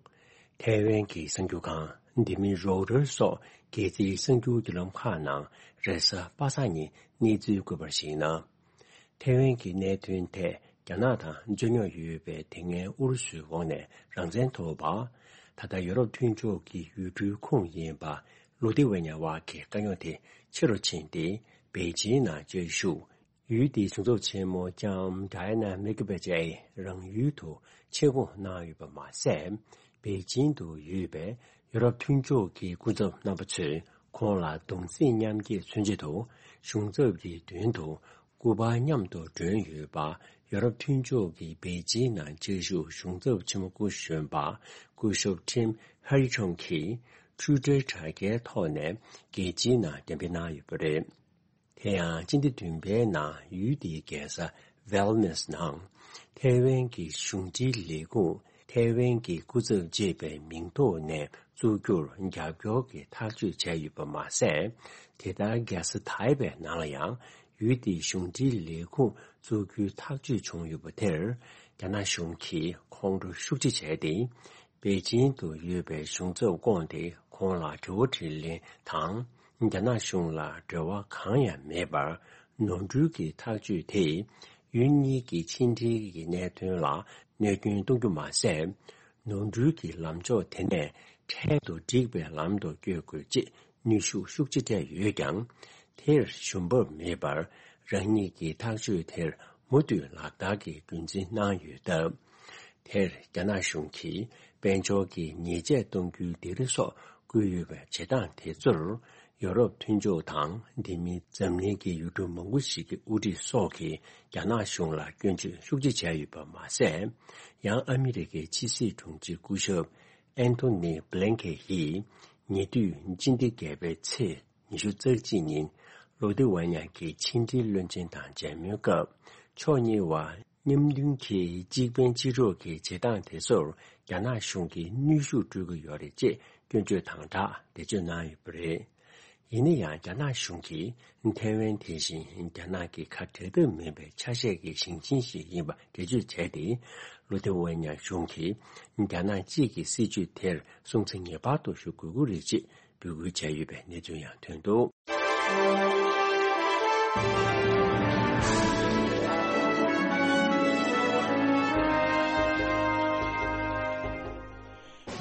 ཐའེ་ཝན་གྱི་གསར་འགྱུར་ཁང་། འདི་མིན་རོའུ་ཊར་སོགས་སྒེར་རྩིས་གསར་འགྱུར་བརྒྱུད་ལམ་ཁག་ནང་རེས་གཟའ་པ་སངས་ཉིན་གནས་ཚུལ་བཀོད་པར་གཞིགས་ན། ཐའེ་ཝན་གྱི་གནད་དོན་ཐད་རྒྱ་ནག་དང་རྩོད་རྙོག་ཡོད་པའི་དེ་སྔའི་ཨུ་རུ་སུའི་འོག་ནས་རང་བཙན་ཐོབ་པ། ད་ལྟ་ཡོ་རོབ་མཐུན་ཕྱོགས་ཀྱི་ཡུལ་གྲུའི་ཁོངས་ཡིན་པ་ལུ་ཐི་ཝེ་ཉ་བ་གི་དཀའ་རྙོག་དེ་ཆེ་རུ་ཕྱིན་ཏེ། པེ་ཅིན་ནང་བཅའ་བཞུགས་ཡུལ་དེའི་གཞུང་ཚབ་ཆེན་མོ་ལྕམ་Diana Menkbeje རང་ཡུལ་དུ་ཆེད་འགོང་གནང་ཡོད་པ་མ་ཟད། པེ་ཅིན་དུ་ཡོད་པའི་ཡོ་རོབ་མཐུན་ཕྱོགས་ཀྱི་སྐུ་ཚབ་རྣམ་པ་ཚོས་ཁོང་ལ་གདུང་སེམས་མཉམ་སྐྱེད་མཚོན་ཆེད་དུ། གཞུང་ཚབ་ཀྱི་མདུན་དུ་སྐུ་པར་མཉམ་དུ་སྒྲོན་ཡོད་པ། ཡོ་རོབ་མཐུན་ཕྱོགས་ཀྱི་པེ་ཅིན་ནང་བཅའ་བཞུགས་གཞུང་ཚབ་ཆེན་མོ་སྐུ་གཞོན་པ་སྐུ་ཞབས་Tim Harry Chung གིས་ཊུའི་ཊར་དྲ་རྒྱའི་ཐོག་ནས་རྒྱལ་སྤྱིའི་ནང་གཏན་འབེབས་གནང་ཡོད་པ་རེད། དེ་ཡང་སྤྱི་ཟླ་བདུན་པའི་ནང་ཡུལ་དེའི་རྒྱལ་ས་ཝེལ་ནེས་ནང་ཐའེ་ཝན་གྱི་གཞུང་འབྲེལ་ལས་ཁུངས་ཐའེ་ཝན་གྱི་སྐུ་ཚབ་ཅེས་པའི་མིང་ཐོག་ནས་བཙུགས་རྒྱུར་རྒྱབ་སྐྱོར་གྱི་ཐག་གཅོད་བྱས་ཡོད་པ་མ་ཟད། དེ་ལྟར་རྒྱལ་ས་ཐའེ་པེ་ནང་ལ་ཡང་ཡུལ་དེའི་གཞུང་འབྲེལ་ལས་ཁུངས་བཙུགས་རྒྱུའི་ཐག་གཅོད་བྱུང་ཡོད་པ་དེར། རྒྱ་ནག་གཞུང་གིས་ཁོང་ཁྲོ་ཤུགས་ཆེ་བྱས་ཏེ། པེ་ཅིན་དུ་ཡོད་པའི་གཞུང་ཚབ་བསྐོངས་ཏེ་ཁོང་ལ་དྲི་བ་དྲིས་ལན་དང་། རྒྱ་ནག་གཞུང་ལ་འབྲེལ་བ་གང་ཡང་མེད་པར། ནོར་འཁྲུལ་གྱི་ཐག་གཅོད་དེས་ཡུལ་གཉིས་ཀྱི་ཕྱི་འབྲེལ་གྱི་གནད་དོན་ལ་གནོད་སྐྱོན་གཏོང་རྒྱུ་མ་ཟད། ནོར་འཁྲུལ་གྱི་ལམ་ཕྱོགས་དེ་ནས་འཕྲལ་དུ་འགྲིག་པའི་ལམ་དུ་བསྐྱོད་དགོས་ཅེས་གནོན་ཤུགས་ཤུགས་ཆེ་སྤྲད་ཡོད་ཀྱང་། དེར་ཞུམ་པ་མེད་པར། རང་ཉིད་ཀྱི་ཐག་གཅོད་དེར་མུ་མཐུད་ལག་བསྟར་གྱི་རྒྱུན་འཛིན་གནང་ཡོད་སྟབས། དེར་རྒྱ་ནག་གཞུང་གིས་དཔལ་འབྱོར་གྱི་ཉེས་ཆད་གཏོང་རྒྱུའི་སྡིགས་ར་སོགས་བསྐུལ་ཡོད་པའི་བྱེད་སྟངས་དེ་ཚོར། ཡོ་རོབ་མཐུན་ཕྱོགས་དང་། དེ་མིན་འཛམ་གླིང་གི་ཡུལ་གྲུ་མང་པོ་ཞིག་གི་དབུ་ཁྲིད་སོགས་ཀྱིས་རྒྱ་ནག་གཞུང་ལ་སྐྱོན་བརྗོད་ཤུགས་ཆེ་བྱས་ཡོད་པ་མ་ཟད། ཡང་ཨ་མི་རི་ཀའི་ཕྱི་སྲིད་དྲུང་ཆེ་སྐུ་ཞབས་Antony Blinken ཡིས་ཉེ་དུས་སྤྱི་ཟླ་བརྒྱད་པའི་ཚེས་ཉི་ཤུ་རྩ་གཅིག་ཉིན། ལོ་ཏི་ཝེ་ཉ་གི་ཕྱི་འབྲེལ་བློན་ཆེན་དང་མཇལ་མོལ་སྐབས། ཕྱོགས་གཉིས་བར་མཉམ་མཐུན་གྱི་གཅིག་ཕན་གཅིག་གྲོགས་ཀྱི་བྱེད་སྟངས་དེ་ཚོར་རྒྱ་ནག་གཞུང་གིས་གནོན་ཤུགས་སྤྲོད་ཀྱི་ཡོད་རེད་ཅེས་སྐྱོན་བརྗོད་དང་སྦྲགས་འགྲེལ་བརྗོད་གནང་ཡོད་པ་རེད། ཡིན་ན་ཡང་། རྒྱ་ནག་གཞུང་གིས་ཐའེ་ཝན་དེ་བཞིན་རྒྱ་ནག་གི་ཁ་བྲལ་ཐབས་མེད་པའི་ཆ་ཤས་ཀྱི་ཞིང་ཆེན་ཞིག་ཡིན་པ་འགྲེལ་བརྗོད་བྱས་ཏེ། ལོ་ཏི་ཝེ་ཉ་གཞུང་གིས་རྒྱ་ནག་གཅིག་གི་སྲིད་བྱུས་དེར་སྲུང་བརྩི་ངེས་པར་དུ་ཞུ་དགོས་ཀྱི་རེད་ཅེས་འབོད་སྐུལ་བྱས་ཡོད་པའི་གནས་ཚུལ་ཡང་ཐོན་འདུག།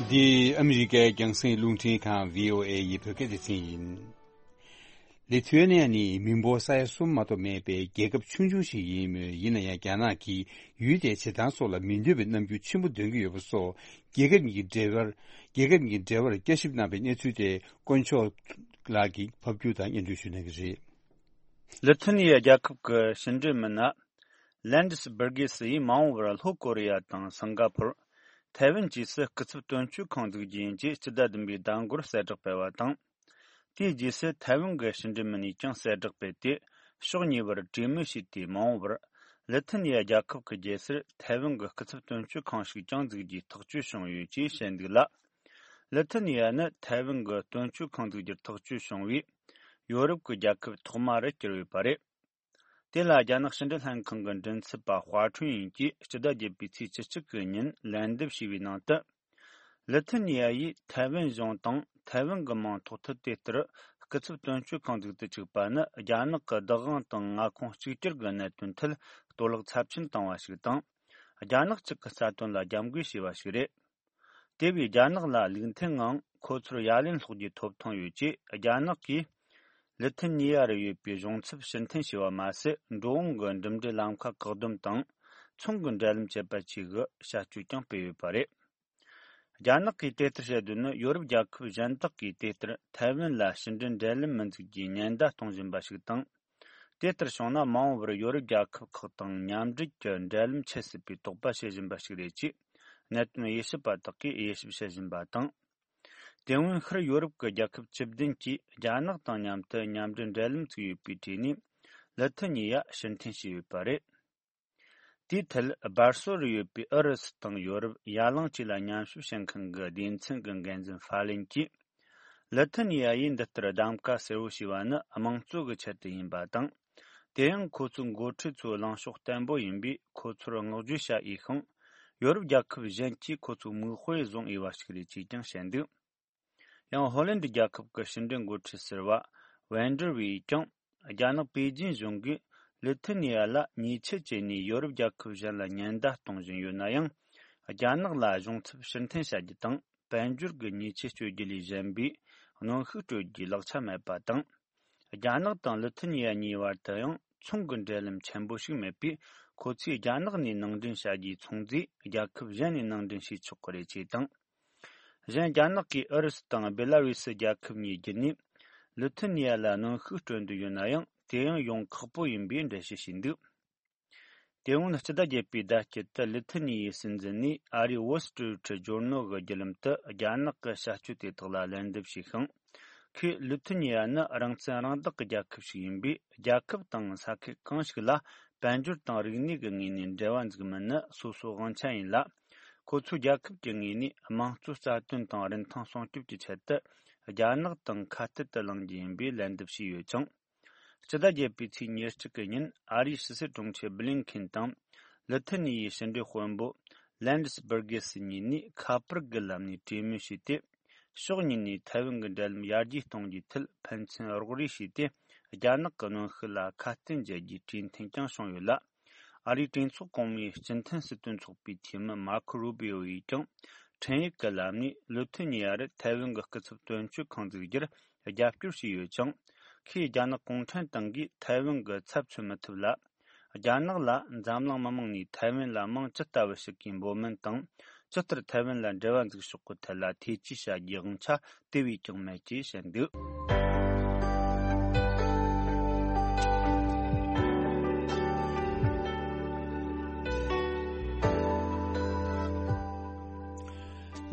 འདི་ཨ་མི་རི་ཀའི་རྒྱང་སྲིང་རླུང་འཕྲིན་ཁང་བྷི་ཨོ་ཨེ་ཡི་བོད་སྐད་སྡེ་ཚན་ཡིན། ལི་ཐུ་ཨེ་ནི་ཡ་ནི་མི་འབོར་ས་ཡ་གསུམ་མ་གཏོགས་མེད་པའི་རྒྱལ་ཁབ་ཆུང་ཆུང་ཞིག་ཡིན་མོད། ཡིན་ན་ཡང་རྒྱ་ནག་གིས་ཡུལ་དེའི་བྱེད་སྟངས་སོགས་ལ་མི་འདོད་པའི་རྣམ་འགྱུར་ཆེན་པོ་འདོན་གྱི་ཡོད་པ་སོགས། རྒྱལ་ཁབ་གཉིས་ཀྱི་འབྲེལ་བར། རྒྱལ་ཁབ་གཉིས་ཀྱི་འབྲེལ་བར་བསྐྱར་ཞིབ་གནང་བའི་གནས་ཚུལ་དེ་དཀོན་མཆོག་ལགས་ཀྱིས་ཕབ་སྒྱུར་དང་སྙན་སྒྲོན་ཞུ་གནང་གི་རེད། ལི་ཐུ་ནི་ཡ་རྒྱལ་ཁབ་ཀྱི་ཕྱི་འབྲེལ་མི་སྣ་ ལན་ཌི་སི་བྷར་གྷི་སི་ཡིས་མ་འོངས་པར་ལྷོ་ཀོ་རི་ཡ་དང་སིང་ག་ཕོར། ཐའེ་ཝན་བཅས་སུ་སྐུ་ཚབ་དོན་གཅོད་ཁང་འཛུགས་རྒྱུ་ཡིན་ཅེས་སྤྱི་ཟླ་བདུན་པའི་ཟླ་འགོར་གསལ་བསྒྲགས་སྤེལ་བ་དང་། དེའི་རྗེས་སུ་ཐའེ་ཝན་གྱི་ཕྱི་འབྲེལ་མི་སྣས་ཀྱང་གསལ་བསྒྲགས་སྤེལ་ཏེ། ཕྱོགས་གཉིས་བར་གྲོས་མོལ་བྱས་ཏེ། མ་འོངས་པར་ལི་ཐི་ནི་ཡ་རྒྱལ་ཁབ་ཀྱི་རྒྱལ་སར་ཐའེ་ཝན་གྱི་སྐུ་ཚབ་དོན་གཅོད་ཁང་ཞིག་ཀྱང་འཛུགས་རྒྱུའི་ཐག་གཅོད་བྱུང་ཡོད་ཅེས་བཤད་འདུག་ལ། ལི་ཐི་ནི་ཡ་ནི་ཐའེ་ཝན་གྱི་དོན་གཅོད་ཁང་འཛུགས་རྒྱུར་ཐག་གཅོད་བྱུང་བའི་ཡོ་རོབ་ཀྱི་རྒྱལ་ཁབ་ཐོག་མ་རུ་གྱུར་ཡོད་པ་རེད། དེ་ལ་རྒྱ་ནག་ཕྱི་འབྲེལ་ལྷན་ཁང་གི་མགྲིན་ཚབ་པ་ཧྭ་ཁྲུན་ཡིན་གྱིས་སྤྱི་ཟླ་བརྒྱད་པའི་ཚེས་བཅུ་གཅིག་གི་ཉིན་ལན་འདེབས་བྱས་པའི་ནང་དུ། ལི་ཐི་ནི་ཡ་ཡིས་ཐའེ་ཝན་གཞུང་དང་ཐའེ་ཝན་གྱི་མིང་ཐོགས་ཐུབ་དེ་ལྟར་སྐུ་ཚབ་དོན་གཅོད་ཁང་འཛུགས་དུ་བཅུག་པ་ནི། རྒྱ་ནག་གི་བདག་དབང་དང་མངའ་ཁོངས་གཅིག་གྱུར་གྱི་གནད་དོན་ཐད་གཏོར་བརླག་ཚབས་ཆེན་བཏང་བ་ཞིག་དང་། རྒྱ་ནག་གཅིག་གི་རྩ་དོན་ལ་རྒྱབ་འགལ་བྱས་པ་ཞིག་རེད། དེ་བས་རྒྱ་ནག་ལ་ལུགས་མཐུན་ངང་ཁོ་ཚོར་ཡ་ལན་སློག་རྒྱུའི་ཐོབ་ཐང་ཡོད་ཅེས། རྒྱ་ནག་གིས་ལི་ཐི་ནི་ཡ་རུ་ཡོད་པའི་གཞུང་ཚབ་ཕྱིར་འཐེན་བྱས་པ་མ་ཟད། འགྲོ་འོང་གི་འགྲིམ་འགྲུལ་ལམ་ཁ་བཀག་སྡོམ་དང་། ཚོང་གི་འབྲེལ་ལམ་བཅད་པ་བཅས་ཀྱི་བྱ་སྤྱོད་ཀྱང་སྤེལ་ཡོད་པ་རེད། རྒྱ་ནག་གིས་དེ་ལྟར་བྱེད་དོན་ནི། ཡོ་རོབ་རྒྱལ་ཁབ་གཞན་དག་གིས་དེ་ལྟར་ཐའེ་ཝན་ལ་ཕྱི་འབྲེལ་འབྲེལ་ལམ་མི་འཛུགས་རྒྱུའི་ཉེན་བརྡ་གཏོང་བཞིན་པ་ཞིག་དང་། དེ་ལྟར་བྱུང་ན། མ་འོངས་པར་ཡོ་རོབ་རྒྱལ་ཁབ་ཁག་དང་མཉམ་འབྲེལ་གྱི་འབྲེལ་ལམ་ཆད་སྲིད་པའི་དོགས་པ་བྱེད་བཞིན་པ་ཞིག་རེད་ཅེས། གནད་དོན་དབྱེ་ཞིབ་པ་དག་གིས་དབྱེ་ཞིབ་བྱེད་བཞིན་པ་དང་། དེ་སྔོན་ཤར་ཡོ་རོབ་ཀྱི་རྒྱལ་ཁབ་བཅུ་བདུན་གྱིས་རྒྱ་ནག་དང་མཉམ་དུ་མཉམ་འབྲེལ་འབྲེལ་ལམ་བཙུགས་ཡོད་པའི་གྲས་ནས། ལི་ཐི་ནི་ཡ་ཕྱིར་འཐེན་བྱས་ཡོད་པ་རེད། དེའི་ཐད། སྦར་སོག་རུ་ཡོད་པའི་ཨུ་རུ་སུ་དང་ཡོ་རོབ། ཡ་གླིང་བཅས་ལ་མཉམ་ཞུགས་བྱེད་མཁན་གྱི་སྡེ་ཚན་གྱི་འགན་འཛིན་ཧྥ་ལིན་གྱིས། ལི་ཐི་ནི་ཡ་ཡིས་འདི་ལྟར་གདམ་ཀ་གསལ་བོ་བྱས་པ་ནི་དམངས་གཙོ་གི་ཆེད་དུ་ཡིན་པ་དང་། དེ་ཡང་ཁོ་ཚོའི་འགོ་ཁྲིད་ཚོའི་ལངས་ཕྱོགས་བརྟན་པོ་ཡིན་པས། ཁོ་ཚོར་བསྔགས་བརྗོད་བྱ་འོས་ཤིང་། ཡོ་རོབ་རྒྱལ་ཁབ་གཞན་གྱིས་ཁོ་ཚོའི་མིག་དཔེ་བཟུང་འོས་པ་ཞིག་རེད་ཅེས་ཀྱང་བཤད་འདུག་ཡང་ཧོ་ལན་ཌི་རྒྱལ་ཁབ་ཀྱི་ཕྱི་འབྲེལ་འགོ་ཁྲིད་ཟུར་པ་ཝན་ཌར་ཝེ་ཡིས་ཀྱང་། རྒྱ་ནག་པེ་ཅིན་གཞུང་གིས་ལི་ཐི་ནི་ཡ་ལ་ཉེས་ཆད་བཅད་ནས་ཡོ་རོབ་རྒྱལ་ཁབ་གཞན་ལ་ཉེན་བརྡ་གཏོང་བཞིན་ཡོད་ན་ཡང་། རྒྱ་ནག་ལ་གཞུང་ཚབ་ཕྱིར་འཐེན་བྱ་རྒྱུ་དང་། དཔལ་འབྱོར་གྱི་ཉེས་ཆད་གཅོད་རྒྱུ་ལས་གཞན་པའི་གནོན་ཤུགས་སྤྲོད་རྒྱུའི་ལག་ཆ་མེད་པ་དང་། རྒྱ་ནག་དང་ལི་ཐི་ནི་ཡ་གཉིས་བར་དུ་ཡང་ཚོང་གི་འབྲེལ་ལམ་ཆེན་པོ་ཞིག་མེད་པས། ཁོ་ཚོས་རྒྱ་ནག་ནས་ནང་འདྲེན་བྱ་རྒྱུའི་ཚོང་རྫས་རྒྱལ་ཁབ་གཞན་ནས་ནང་འདྲེན་བྱས་ཆོག་གི་རེད་ཅེས་དང་། གཞན། རྒྱ་ནག་གིས་ཨུ་རུ་སུ་དང་སྦེ་ལ་རུས་སུ་རྒྱལ་ཁབ་གཉིས་བརྒྱུད་ནས་ལི་ཐི་ནི་ཡ་ལ་གནོན་ཤུགས་སྤྲོད་འདོད་ཡོད་ན་ཡང་། དེ་ཡང་ཡོང་ཁག་པོ་ཡིན་པའི་འགྲེལ་བཤད་བྱས་འདུག་དེ་སྔོན་སྤྱི་ཟླ་བརྒྱད་པའི་ཟླ་དཀྱིལ་དུ་ལི་ཐི་ནི་ཡའི་སྲིད་འཛིན་ནས་ཨ་རིའི་Wall Street Journal གྱི་བརྒྱུད་ལམ་དུ་རྒྱ་ནག་གི་བྱ་སྤྱོད་དེ་དག་ལ་ལན་འདེབས་བྱས་ཤིང་། ཁོས་ལི་ཐི་ནི་ཡ་ནི་རང་བཙན་རང་བདག་གི་རྒྱལ་ཁབ་ཞིག་ཡིན་པས། རྒྱལ་ཁབ་དང་ས་ཁུལ་གང་ཞིག་ལ་དཔལ་འབྱོར་དང་རིག་གནས་ཀྱི་ངོས་ནས་འབྲེལ་བ་འཛུགས་མིན་ནི་སོ་སོའི་དབང་ཆ་ཡིན་ལ། ཁོ་ཚོའི་རྒྱལ་ཁབ་ཀྱི་ངོས་ནས་དམངས་གཙོའི་རྩ་དོན་དང་རིན་ཐང་སྲུང་སྐྱོབ་ཀྱི་ཆེད་དུ་རྒྱ་ནག་དང་ཁ་གཏད་དུ་ལངས་རྒྱུ་ཡིན་པའི་ལན་འདེབས་བྱས་ཡོད་ཅིང་། སྤྱི་ཟླ་བརྒྱད་པའི་ཚེས་ཉེར་གཅིག་གི་ཉིན་ཨ་རིའི་ཕྱི་སྲིད་དྲུང་ཆེ་བྷི་ལིན་ཁེན་དང་། ལི་ཐི་ནི་ཡའི་ཕྱི་འབྲེལ་དཔོན་པོ་ལན་ཌི་སི་བྷར་གྷི་སི་གཉིས་ནས་ཁ་པར་གྱི་ལམ་ནས་གྲོས་མོལ་བྱས་ཏེ། ཕྱོགས་གཉིས་ནས་ཐའེ་ཝན་གྱི་འབྲེལ་ལམ་ཡར་རྒྱས་གཏོང་རྒྱུའི་ཐད་ཕན་ཚུན་རོགས་རེས་བྱས་ཏེ། རྒྱ་ནག་གི་གནོན་ཤུགས་ལ་ཁ་གཏད་འཇལ་རྒྱུའི་གྲོས་མཐུན་ཀྱང་བྱུང་ཡོད་ལ། ཨ་རིའི་གྲོས་ཚོགས་གོང་མའི་སྤྱི་མཐུན་སྲིད་དོན་ཚོགས་པའི་འཐུས་མི་མར་ཁོ་རུ་བྷི་ཨོ་ཡིས་ཀྱང་འཕྲིན་ཡིག་གི་ལམ་ནས་ལི་ཐི་ནི་ཡ་རུ་ཐའེ་ཝན་གྱི་སྐུ་ཚབ་དོན་གཅོད་ཁང་འཛུགས་རྒྱུར་རྒྱབ་སྐྱོར་བྱས་ཡོད་ཅིང་། ཁོས་རྒྱ་ནག་གུང་ཁྲན་ཏང་གིས་ཐའེ་ཝན་གྱི་ཚབ་མཚོན་མི་ཐུབ་ལ། རྒྱ་ནག་ལ་འཛམ་གླིང་མི་མང་ནས་ཐའེ་ཝན་ལ་དམངས་ཇི་ལྟ་བུ་ཞིག་གིས་འབོད་སྨན་དང་། ཇི་ལྟར་ཐའེ་ཝན་ལ་འབྲེལ་བ་འཛུགས་ཕྱོགས་ཀྱི་ཐད་ལ་ཐེ་ཇུས་བྱ་རྒྱུའི་དབང་ཆ་དེ་བས་ཀྱང་མེད་ཅེས་བཤད་འདུག་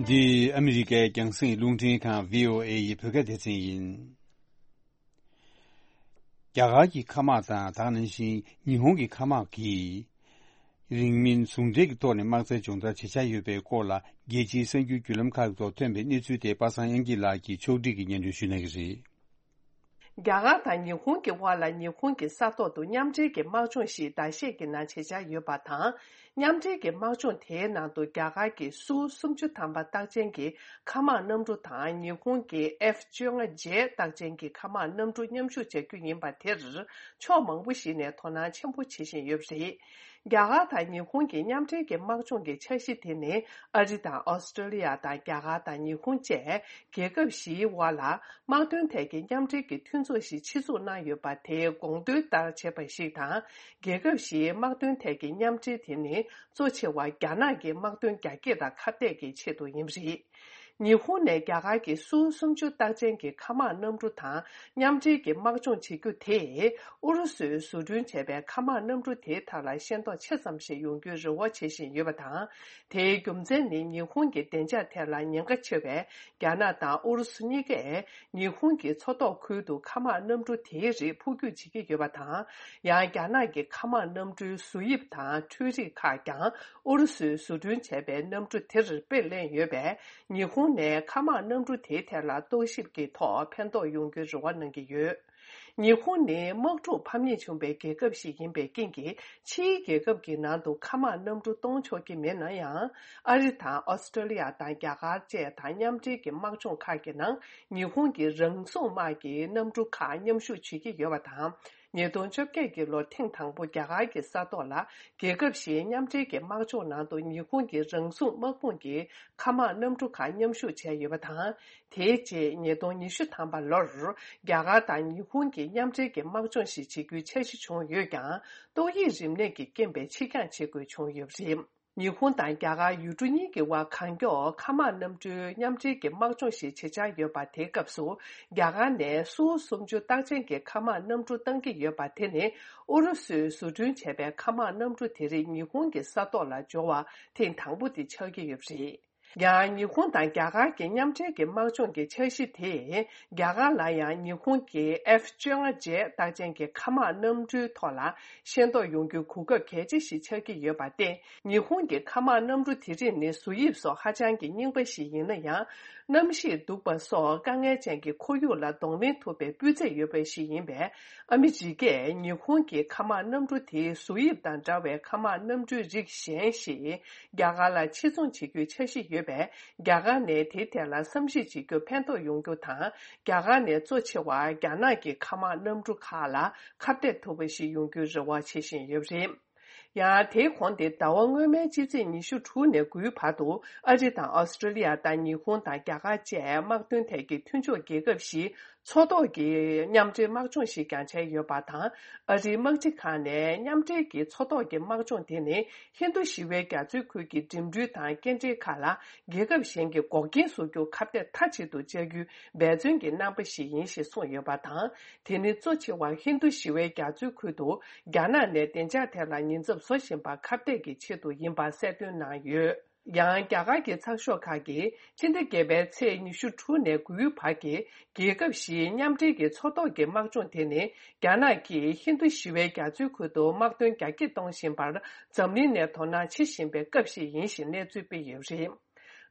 འདི་ཨ་མི་རི་ཀའི་རྒྱང་སྲིང་རླུང་འཕྲིན་ཁང་བྷི་ཨོ་ཨེ་ཡི་བོད་སྐད་སྡེ་ཚན་ཡིན། རྒྱ་གར་གྱི་མཁའ་དམག་དང་། དེ་ནང་བཞིན་ཉི་ཧོང་གི་མཁའ་དམག་གིས་རིང་མིན་ཟུང་འབྲེལ་གྱི་ཐོག་ནས་དམག་རྩལ་སྦྱོང་བརྡར་བྱེད་འཆར་ཡོད་པའི་སྐོར་ལ། རྒྱལ་སྤྱིའི་གསར་འགྱུར་བརྒྱུད་ལམ་ཁག་ཐོག་ཐོན་པའི་གནས་ཚུལ་དེ་པ་སངས་དབྱངས་སྐྱིད་ལགས་ཀྱིས་ཕྱོགས་སྒྲིག་གིས་སྙན་སྒྲོན་ཞུ་གནང་གི་རེད། རྒྱ་གར་དང་ཉི་ཧོང་གི་དབར་ལ་ཉི་ཧོང་གི་ས་ཐོག་ཏུ་མཉམ་འབྲེལ་གྱི་དམག་སྦྱོང་ཞིག་ཟླ་ཤས་ཀྱི་ནང་བྱེད་འཆར་ཡོད་པ་དང་། མཉམ་འབྲེལ་གྱི་དམག་སྦྱོང་དེའི་ནང་དུ་རྒྱ་གར་གྱི་སུ་སུམ་ཅུ་ཐམ་པ་རྟགས་ཅན་གྱི་མཁའ་དམག་གནམ་གྲུ་དང་། ཉི་ཧོང་གི་ཨེཕ་བཅོ་ལྔ་ཇེ་རྟགས་ཅན་གྱི་མཁའ་དམག་གནམ་གྲུ་མཉམ་ཞུགས་བྱ་རྒྱུ་ཡིན་པ་དེར་ཕྱོགས་མང་པོ་ཞིག་ནས་དོ་སྣང་ཆེན་པོ་བྱེད་བཞིན་ཡོད་པ་རེད། རྒྱ་གར་དང་ཉི་ཧོང་གི་མཉམ་འབྲེལ་གྱི་དམག་སྦྱོང་གི་འཆར་གཞི་དེ་ནི་ཨ་རི་དང་ཨོ་སི་ཀྲོ་ལི་ཡ་དང་རྒྱ་གར་དང་ཉི་ཧོང་བཅས་རྒྱལ་ཁབ་བཞིའི་དབར་ལ་དམག་དོན་ཐད་ཀྱི་མཉམ་འབྲེལ་གྱི་མཐུན་ཚོགས་ཤིག་ཆེད་འཛུགས་གནང་ཡོད་པ་དེའི་དགོངས་དོན་ལྟར་བྱས་པ་ཞིག་དང་། རྒྱལ་ཁབ་བཞིའི་དམག་དོན་ཐད་ཀྱི་མཉམ་འབྲེལ་དེ་ནི་གཙོ་ཆེ་བ་རྒྱ་ནག་གི་དམག་དོན་རྒྱ་སྐྱེད་དང་ཁ་གཏད་ཀྱི་ཆེད་དུ་ཡིན་པ་རེད། ཉི་ཧོང་ནས་རྒྱ་གར་གྱི་སུའུ་སུམ་ཅུ་རྟགས་ཅན་གྱི་མཁའ་དམག་གནམ་གྲུ་དང་མཉམ་འབྲེལ་གྱི་དམག་སྦྱོང་བྱེད་རྒྱུ་དེས། ཨུ་རུ་སུས་བཟོ་སྐྲུན་བྱས་པའི་མཁའ་དམག་གནམ་གྲུ་དེའི་ཐད་ལ་ཤེས་རྟོགས་ཆེ་ཙམ་ཞིག་ཡོང་རྒྱུའི་རེ་བ་བྱེད་བཞིན་ཡོད་པ་དང་། དེའི་རྒྱུ་མཚན་ནི། ཉི་ཧོང་གི་བདེ་འཇགས་ཐད་ལ་ཉེན་ཁ་ཆེ་བའི་རྒྱ་ནག་དང་ཨུ་རུ་སུ་གཉིས་ཀས། ཉི་ཧོང་གི་མཚོ་ཐོག་ཁུལ་དུ་མཁའ་དམག་གནམ་གྲུ་དེའི་རིགས་འཕུར་སྐྱོད་བྱེད་ཀྱི་ཡོད་པ་དང་། ཡང་། རྒྱ་ནག་གི་མཁའ་དམག་གནམ་གྲུའི་བཟོ་དབྱིབས་དང་འཕྲུལ་རིག་ཁག་ཀྱང་། ཨུ་རུ་སུས་བཟོ་སྐྲུན་བྱས་པའི་གནམ་གྲུ་དེར་དཔེ་ལེན་ཡོད་པས། ཉི་ཧོང་ནས་མཁའ་དམག་གནམ་གྲུ་དེའི་ཐད་ལ་རྟོག་ཞིབ་ཀྱི་ཐོག་ཕན་ཐོགས་ཡོང་རྒྱུའི་རེ་བ་གནང་གི་ཡོད། ཉི་ཧོང་ནི་དམག་འཁྲུག་ཕམ་ཉེས་བྱུང་བའི་རྒྱལ་ཁབ་ཞིག་ཡིན་པའི་རྐྱེན་གྱིས། ཕྱིའི་རྒྱལ་ཁབ་ཀྱི་ནང་དུ་མཁའ་དམག་གནམ་གྲུ་གཏོང་ཆོག་གི་མེད་ན་ཡང་། ཨ་རི་དང་ཨོ་སི་ཀྲོ་ལི་ཡ་དང་རྒྱ་གར་བཅས་དང་མཉམ་འབྲེལ་གྱི་དམག་སྦྱོང་ཁག་གི་ནང་། ཉི་ཧོང་གི་རང་བཟུང་དམག་གི་གནམ་གྲུ་ཁག་མཉམ་ཞུགས་བྱེད་ཀྱི་ཡོད་པ་དང་། ཉིས་སྟོང་བཅོ་བརྒྱད་ཀྱི་ལོར་ཐེངས་དང་པོ་རྒྱ་གར་གྱི་ས་ཐོག་ལ། རྒྱལ་ཁབ་བཞིའི་མཉམ་འབྲེལ་གྱི་དམག་སྦྱོང་ནང་དུ་ཉི་ཧོང་གི་རང་བཟུང་དམག་དཔུང་གི་མཁའ་དམག་གནམ་གྲུ་ཁག་མཉམ་ཞུགས་བྱས་ཡོད་པ་དང་། དེའི་རྗེས་ཉིས་སྟོང་ཉི་ཤུ་ཐམ་པ་ལོར། རྒྱ་གར་དང་ཉི་ཧོང་གི་མཉམ་འབྲེལ་གྱི་དམག་སྦྱོང་ཞིག་བྱེད་རྒྱུའི་འཆར་གཞི་བྱུང་ཡོད་ཀྱང་། ཏོག་དབྱིབས་རིམས་ནད་ཀྱི་རྐྱེན་པས་ཕྱིར་འགྱངས་བྱེད་དགོས་བྱུང་ཡོད་པ་རེད། ཉི་ཧོང་དང་རྒྱ་གར་ཡུལ་གྲུ་གཉིས་ཀྱི་དབར་གང་མགྱོགས་མཁའ་དམག་གནམ་གྲུའི་མཉམ་འབྲེལ་གྱི་དམག་སྦྱོང་ཞིག་བྱེད་འཆར་ཡོད་པ། དེའི་སྐབས་སུ། རྒྱ་གར་ནས་སུའུ་སུམ་ཅུ་རྟགས་ཅན་གྱི་མཁའ་དམག་གནམ་གྲུ་བཏང་གི་ཡོད་པ། དེ་ནི་ཨུ་རུ་སུས་བཟོ་སྐྲུན་བྱས་པའི་མཁའ་དམག་གནམ་གྲུ་དེ་རིགས་ཉི་ཧོང་གི་ས་ཐོག་ལ་འབྱོར་བ་ཐེངས་དང་པོ་དེ་ཆགས་ཀྱི་ཡོད་པ་རེད། ཡང་། ཉི་ཧོང་དང་རྒྱ་གར་གྱི་མཉམ་འབྲེལ་གྱི་དམག་སྦྱོང་གི་འཆར་གཞི་དེས། རྒྱ་གར་ལ་ཡང་ཉི་ཧོང་གི་ཨེཕ་བཅོ་ལྔ་ཇེ་རྟགས་ཅན་གྱི་མཁའ་དམག་གནམ་གྲུའི་ཐོག་ལ་ཤེས་རྟོགས་ཡོང་རྒྱུའི་གོ་སྐབས་གལ་ཆེ་ཞིག་ཆགས་ཀྱི་ཡོད་པར་བརྟེན། ཉི་ཧོང་གི་མཁའ་དམག་གནམ་གྲུ་དེ་རིགས་ནི་བཟོ་དབྱིབས་སོགས་ཧ་ཅང་གི་རྙིང་པ་ཞིག་ཡིན་ན་ཡང་། གནམ་གཤིས་སྡུག་པ་སོགས་དཀའ་ངལ་ཅན་གྱི་ཁོར་ཡུག་ལ་གདོང་ལེན་ཐུབ་པའི་སྤུས་ཚད་ཡོད་པ་ཞིག་ཡིན་པས། ཨ་མི་རི་ཀས་ཉི་ཧོང་གི་མཁའ་དམག་གནམ་གྲུ་དེའི་བཟོ་དབྱིབས་དང་འདྲ་བའི་མཁའ་དམག་གནམ་གྲུའི་རིགས་གཞན་ཞིག་རྒྱ་གར་ལ་ཕྱིར་ཚོང་བྱེད་རྒྱུའི་འཆར་གཞི་ཡོད་པས། རྒྱ་གར་ནས་དེའི་ཐད་ལ་བསམ་གཞིག་བྱེད་རྒྱུར་ཕན་ཐོགས་ཡོང་རྒྱུ་དང་། རྒྱ་གར་ནས་གཙོ་ཆེ་བ་རྒྱ་ནག་གི་མཁའ་དམག་གནམ་གྲུ་ཁག་ལ་ཁ་གཏད་ཐུབ་པ་ཞིག་ཡོང་རྒྱུའི་རེ་བ་བྱེད་བཞིན་ཡོད་པ་རེད། ཡང་དེའི་གོང་དེ། ཟླ་བ་སྔོན་མའི་སྤྱི་ཚེས་ཉི་ཤུ་དྲུག་ནས་དགུའི་བར་དུ། ཨ་རི་དང་ཨོ་སི་ཀྲོ་ལི་ཡ་དང་ཉི་ཧོང་དང་རྒྱ་གར་བཅས་དམག་དོན་ཐད་ཀྱི་མཐུན་ཕྱོགས་རྒྱལ་ཁབ་བཞིའི་མཚོ་ཐོག་གི་མཉམ་འབྲེལ་དམག་སྦྱོང་ཞིག་ཀྱང་བྱས་ཡོད་པ་དང་། ཨ་རིའི་དམག་སྤྱི་ཁང་ནས་མཉམ་འབྲེལ་གྱི་མཚོ་ཐོག་གི་དམག་སྦྱོང་དེ་ནི། ཧིན་རྡུ་ཞི་བའི་རྒྱ་མཚོའི་ཁུལ་གྱི་འགྲིམ་འགྲུལ་དང་སྐྱེལ་འདྲེན་ཁག་ལ། རྒྱལ་ཁབ་གཞན་གྱིས་འགོག་རྐྱེན་བཟོ་རྒྱུར་ཁ་གཏད་མཐའ་གཅིག་ཏུ་བཅག་རྒྱུའི་འབད་བརྩོན་གྱི་རྣམ་པ་ཞིག་ཡིན་ཞེས་གསུངས་ཡོད་པ་དང་། དེ་ནི་གཙོ་ཆེ་བ་ཧིན་རྡུ་ཞི་བའི་རྒྱ་མཚོའི་ཁུལ་དུ་རྒྱ་ནག་ནས་བདེ་འཇགས་ཐད་ལ་ཉེན་ཚབས་བཟོ་བཞིན་པ་ཁ་གཏད་ཀྱི་ཆེད་དུ་ཡིན་པ་གསལ་སྟོན་གནང་ཡོད། ཡང་། རྒྱ་གར་གྱི་ཚགས་ཤོག་ཁག་གིས། ཕྱི་ཟླ་བརྒྱད་པའི་ཚེས་ཉི་ཤུ་དྲུག་ནས་དགུའི་བར་གྱི་རྒྱལ་ཁབ་བཞིའི་མཉམ་འབྲེལ་གྱི་མཚོ་ཐོག་གི་དམག་སྦྱོང་དེ་ནི། རྒྱ་ནག་གིས་ཧིན་རྡུ་ཞི་བའི་རྒྱ་མཚོའི་ཁུལ་དུ་དམག་དོན་རྒྱ་སྐྱེད་གཏོང་བཞིན་པར། འཛམ་གླིང་ནས་དོ་སྣང་བྱེད་བཞིན་པའི་སྐབས་ཤིག་ཡིན་ཞེས་གནས་ཚུལ་སྤེལ་ཡོད་པ་རེད།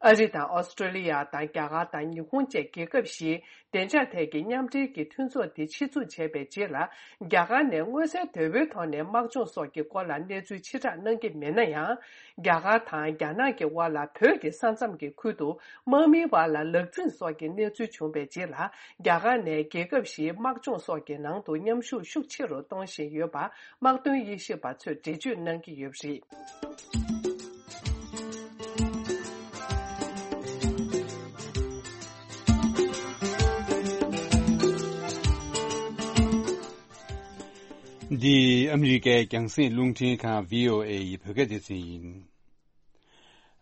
ཨ་རི་དང་ཨོ་སི་ཀྲོ་ལི་ཡ་དང་། རྒྱ་གར་དང་ཉི་ཧོང་བཅས་རྒྱལ་ཁབ་བཞིའི་བདེ་འཇགས་ཐད་ཀྱི་མཉམ་འབྲེལ་གྱི་མཐུན་ཚོགས་དེ་ཆེད་འཛུགས་བྱས་པའི་རྗེས་ལ། རྒྱ་གར་ནས་མངོན་གསལ་དོད་པོའི་ཐོག་ནས་དམག་སྦྱོང་སོགས་ཀྱི་སྐོར་ལ་གནས་ཚུལ་ཕྱིར་བསྒྲགས་གནང་གི་མེད་ན་ཡང་། རྒྱ་གར་དང་རྒྱ་ནག་གི་དབར་ལ་བོད་ཀྱི་ས་མཚམས་ཀྱི་ཁུལ་དུ་དམག་མིའི་བར་ལ་ལག་འཛིང་སོགས་ཀྱི་གནས་ཚུལ་བྱུང་བའི་རྗེས་ལ། རྒྱ་གར་ནས་རྒྱལ་ཁབ་བཞིའི་དམག་སྦྱོང་སོགས་ཀྱི་ནང་དུ་མཉམ་ཞུགས་ཤུགས་ཆེ་རུ་གཏོང་བཞིན་ཡོད་པ། དམག་དོན་དབྱེ་ཞིབ་པ་ཚོས་འགྲེལ་བརྗོད་གནང་གི་ཡོད་པ་རེད། འདི་ཨ་མི་རི་ཀའི་རྒྱང་སྲིང་རླུང་འཕྲིན་ཁང་། བྷི་ཨོ་ཨེ་ཡི་བོད་སྐད་སྡེ་ཚན་ཡིན།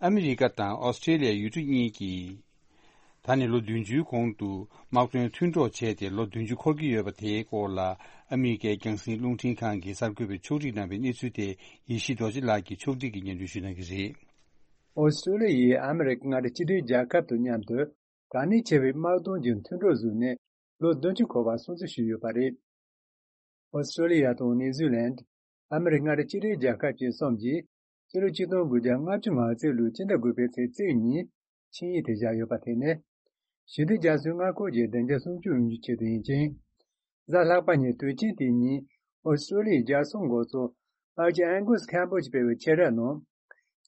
ཨ་མི་རི་ཀ་དང་ཨོ་སི་ཀྲེ་ལི་ཡ་ཡུལ་གྲུ་གཉིས་ཀྱིས། ད་ནས་ལོ་བདུན་ཅུའི་གོང་དུ་དམག་དོན་མཐུན་གྲོགས་བྱས་ཏེ་ལོ་བདུན་ཅུ་འཁོར་གྱི་ཡོད་པ་དེའི་སྐོར་ལ། ཨ་མི་རི་ཀའི་རྒྱང་སྲིང་རླུང་འཕྲིན་ཁང་གིས་གསར་འགོད་པར་ཕྱོགས་སྒྲིག་གནང་བའི་གནས་ཚུལ་དེ། ཡེ་ཤེས་རྡོ་རྗེ་ལགས་ཀྱིས་ཕྱོགས་སྒྲིག་གིས་སྙན་སྒྲོན་ཞུ་གནང་གི་རེད། ཨོ་སི་ཀྲོ་ལི་ཡས་ཨ་མི་རི་ཀ་མངའ་སྡེ་གཅིག་སྒྲིལ་རྒྱལ་ཁབ་དང་མཉམ་དུ། གལ་གནད་ཆེ་བའི་དམག་དོན་གྱི་མཐུན་གྲོགས་བཟོས་ནས་ལོ་བདུན་ཅུ་འཁོར་བ་སྲུང་བརྩི་ཞུས་ཡོད་པ་རེད། ཨོ་སི་ཀྲོ་ལི་ཡ་དང་ནིའུ་ཛི་ལན། ཨ་མི་རི་ཀ་མངའ་སྡེ་གཅིག་སྒྲིལ་རྒྱལ་ཁབ་བཅས་གསུམ་གྱིས། ཕྱི་ལོ་ཆིག་སྟོང་དགུ་བརྒྱ་ལྔ་བཅུ་ང་གཅིག་ལོའི་སྤྱི་ཟླ་དགུ་པའི་ཚེས་བཅུ་གཉིས། ཆིངས་ཡིག་དེ་བཞག་ཡོད་པ་དེ་ནི། ཞི་བདེ་རྒྱ་མཚོའི་མངའ་ཁོངས་ཀྱི་བདེ་འཇགས་སྲུང་སྐྱོབ་ཡོང་རྒྱུའི་ཆེད་དུ་ཡིན་ཅིང་། གཟའ་ལྷག་པ་ཉིན་དུས་ཆེན་དེའི་ཉིན། ཨོ་སི་ཀྲོ་ལི་ཡའི་རྒྱལ་ས་མགོ་གཙོ། ཨར་ཅི་ཨན་གུ་སི་ཁེམ་པོ་གྱིས་སྤེལ་བའི་ཆེད་ར་ནང་།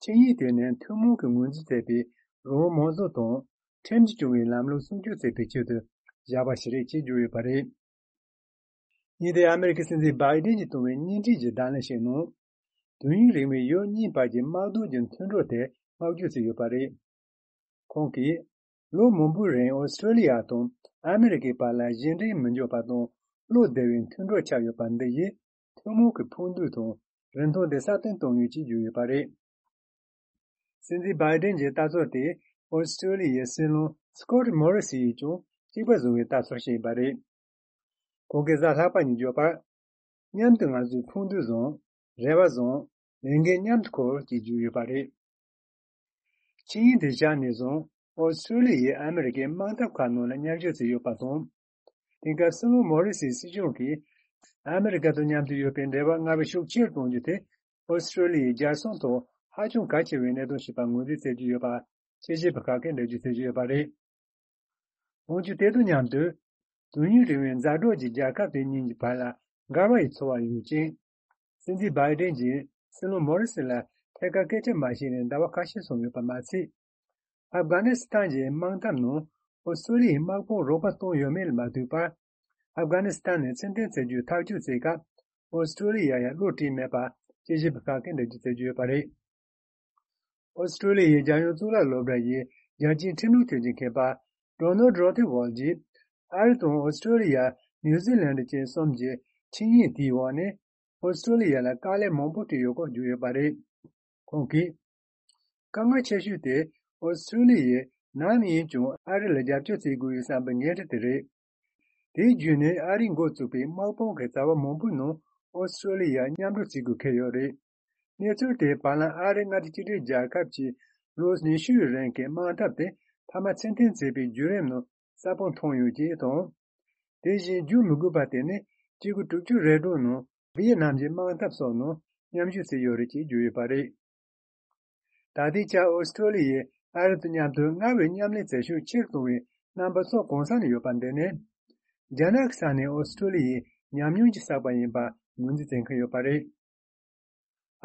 ཆིངས་ཡིག་དེ་ནི་ཐུན་མོང་གི་ངོས་འཛིན་མཛད་པའི་རང་དབང་མང་གཙོ་དང་། ཁྲིམས་ཀྱིས་སྐྱོང་བའི་ལམ་ལུགས་སྲུང་སྐྱོབ་བྱེད་པའི་ཆེད་དུ་བཞག་པ་ཞིག་རེད་ཅེས་བརྗོད་ཡོད་པ་རེད། ཉིན་དེར་ཨ་མི་རི་ཀའི་སྲིད་འཛིན་བྷའི་ཌེན་གྱིས་བཏང་བའི་བརྙན་འཕྲིན་གྱི་བརྡ་ལན་ཞིག་ནང་། དུས་ཡུན་རིང་བའི་ཡུལ་གཉིས་བར་གྱི་དམག་དོན་གྱི་མཐུན་གྲོགས་དེ་བསྔགས་བརྗོད་བྱས་ཡོད་པ་རེད། ཁོང་གིས། ལོ་མང་པོའི་རིང་ཨོ་སི་ཀྲོ་ལི་ཡ་དང་ཨ་མི་རི་ཀའི་བར་ལ་གཞན་འདྲེས་མི་འཇོག་པ་དང་བློ་བདེ་བའི་མཐུན་གྲོགས་ཆགས་ཡོད་པ་འདི་ཡིས་ཐུན་མོང་གི་ཕུགས་འདུན་དང་རིན་ཐང་དེ་སྲ་བརྟན་གཏོང་ཡོད་ཅེས་བརྗོད་ཡོད་པ་རེད། སྲིད་འཛིན་བྷའི་ཌེན་གྱི་ལྟ་ཚུལ་དེ་ ཨོ་སི་ཀྲོ་ལི་ཡའི་སྲིད་བློན་སྐོཊ་མོ་རི་སི་ཡིས་ཀྱང་གཅིག་པ་བཟུང་བའི་ལྟ་ཚུལ་བཤད་ཡོད་པ་རེད། ཁོང་གིས་གཟའ་ལྷག་པ་ཉིན་བརྗོད་པར། མཉམ་དུ་ང་ཚོས་ཕུགས་འདུན་བཟུང་། རེ་བ་བཟུང་། ལས་འགན་མཉམ་དུ་འཁུར་ཅེས་བརྗོད་ཡོད་པ་རེད། ཆིངས་ཡིག་དེ་བཞག་ནས་བཟུང་ཨོ་སི་ཀྲོ་ལི་ཡས་ཨ་མི་རི་ཀའི་དམག་འཐབ་ཁག་ནང་ལ་མཉམ་ཞུགས་བྱས་ཡོད་པ་དང་། དེང་སྐབས་སྲིད་བློན་མོ་རི་སིའི་སྲིད་གཞུང་གིས་ཨ་མི་རི་ཀ་དང་མཉམ་དུ་ཡོད་པའི་འབྲེལ་བ་སྔར་བས་ཤུགས་ཆེར་གཏོང་རྒྱུ་དེ་ཨོ་སི་ཀྲོ་ལི་ཡའི་རྒྱལ་སྲུང་ཐོག་ཧ་ཅང་གལ་ཆེ་བའི་གནད་དོན་ཞིག་པ་ངོས་འཛིན་བྱེད་ཀྱི་ཡོད་པ་དཔྱད་ཞིབ་པ་ཁག་གིས་འགྲེལ་བརྗོད་བྱེད་ཀྱི་ཡོད་པ་རེད། འོན་ཀྱང་དེ་དང་མཉམ་དུ། དོན་སྙིང་རིང་བའི་མཛའ་གྲོགས་ཀྱི་རྒྱལ་ཁབ་དེ་གཉིས་ཀྱི་བར་ལ་འགལ་བ་ཡི་ཚོར་བ་ཡོད་ཅིང་། སྲིད་འཛིན་བྷའི་ཌེན་གྱིས་སྲིད་བློན་མོ་རི་སི་ལ་ཐད་ཀར་སྐད་ཆ་མ་བཤད་ནས་ཟླ་བ་ཁ་ཤས་སོང་ཡོད་པ་མ་ཚད། ཨབ་གྷ་ནི་སི་ཐན་གྱི་དམག་འཐབ་ནང་ཨོ་སི་ཀྲོ་ལི་ཡའི་དམག་དཔུང་རོགས་པ་བཏང་ཡོད་མེད་ལ་མ་ལྟོས་པར། ཨབ་གྷ་ནི་སི་ཐན་ནས་ཕྱིར་འཐེན་བྱེད་རྒྱུའི་ཐག་གཅོད་བྱེད་སྐབས་ཨོ་སི་ཀྲོ་ལི་ཡ་ཡང་བློ་བཀྲེས་མེད་པ་དཔྱད་ཞིབ་པ་ཁག་གིས་འགྲེལ་བརྗོད་བྱེད་ཀྱི་ཡོད་པ་རེད། ཨོ་སི་ཀྲོ་ལི་ཡའི་རྒྱལ་ཡོངས་གཙུག་ལག་སློབ་གྲྭ་ཡི་རྒྱལ་སྤྱིའི་ཁྲིམས་ལུགས་ཐོན་སྐྱེད་མཁས་པ་ཌོ་ནལ་ཌི་རོ་ཐི་ཝོལ་གྱིས། ཨ་རི་དང་ཨོ་སི་ཀྲོ་ལི་ཡ། ནིའུ་ཛི་ལན་ཌི་བཅས་གསུམ་གྱི་ཆིངས་ཡིག་དེའི་འོག་ནས་ཨོ་སི་ཀྲོ་ལི་ཡ་ལ་དཀའ་ལས་མང་པོ་སྤྲད་ཡོད་སྐོར་བརྗོད་ཡོད་པ་རེད། ཁོང་གིས། དཀའ་ངལ་ཆེ་ཤོས་དེ་ཨོ་སི་ཀྲོ་ལི་ཡས་ནམ་ཡིན་ཀྱང་ཨ་རི་ལ་རྒྱབ་སྐྱོར་བྱེད་དགོས་ཡོད་བསམ་པའི་འགན་འཁྲི་དེ་རེད། དེའི་བརྒྱུད་ནས་ཨ་རིས་འགོ་བཙུགས་པའི་དམག་དཔུང་གི་རྩ་བ་མང་པོའི་ནང་ཨོ་སི་ཀྲོ་ལི་ཡ་མཉམ་རུབ་བྱེད་དགོས་འཁེལ་ཡོད་རེད། གནས་ཚུལ་དེས་བར་ལམ་ཨ་རི་མངའ་སྡེ་གཅིག་སྒྲིལ་རྒྱལ་ཁབ་ཀྱི་ལོ་ཉི་ཤུའི་རིང་གི་དམག་འཐབ་དེ་མཐའ་མ་ཕྱིར་འཐེན་བྱས་པའི་བརྒྱུད་རིམ་ནང་ས་ཕོག་མཐོང་ཡོད་ཅེས་དང་། དེ་བཞིན་བརྗོད་མི་དགོས་པ་དེ་ནི་གཅིག་དགུ་དྲུག་ཅུ་རེ་དྲུག་ནང་ཝི་ཡེ་ནམ་གྱི་དམག་འཐབ་སོགས་ནང་མཉམ་ཞུགས་བྱས་ཡོད་རེད་ཅེས་བརྗོད་ཡོད་པ་རེད། ད་ལྟའི་ཆར་ཨོ་སི་ཀྲོ་ལི་ཡས་ཨ་རི་དང་མཉམ་དུ་སྔར་བས་མཉམ་ལས་བྱེད་ཤུགས་ཆེར་གཏོང་བའི་རྣམ་པ་ཚོ་གང་ས་ནས་ཡོད་པ་འདི་ནི། རྒྱ་ནག་གི་ས་ནས་ཨོ་སི་ཀྲོ་ལི་ཡའི་ཉམས་མྱོང་གིས་བསགས་པ་ཡིན་པ་ངོས་འཛིན་བྱེད་མཁན་ཡོད་པ་རེད།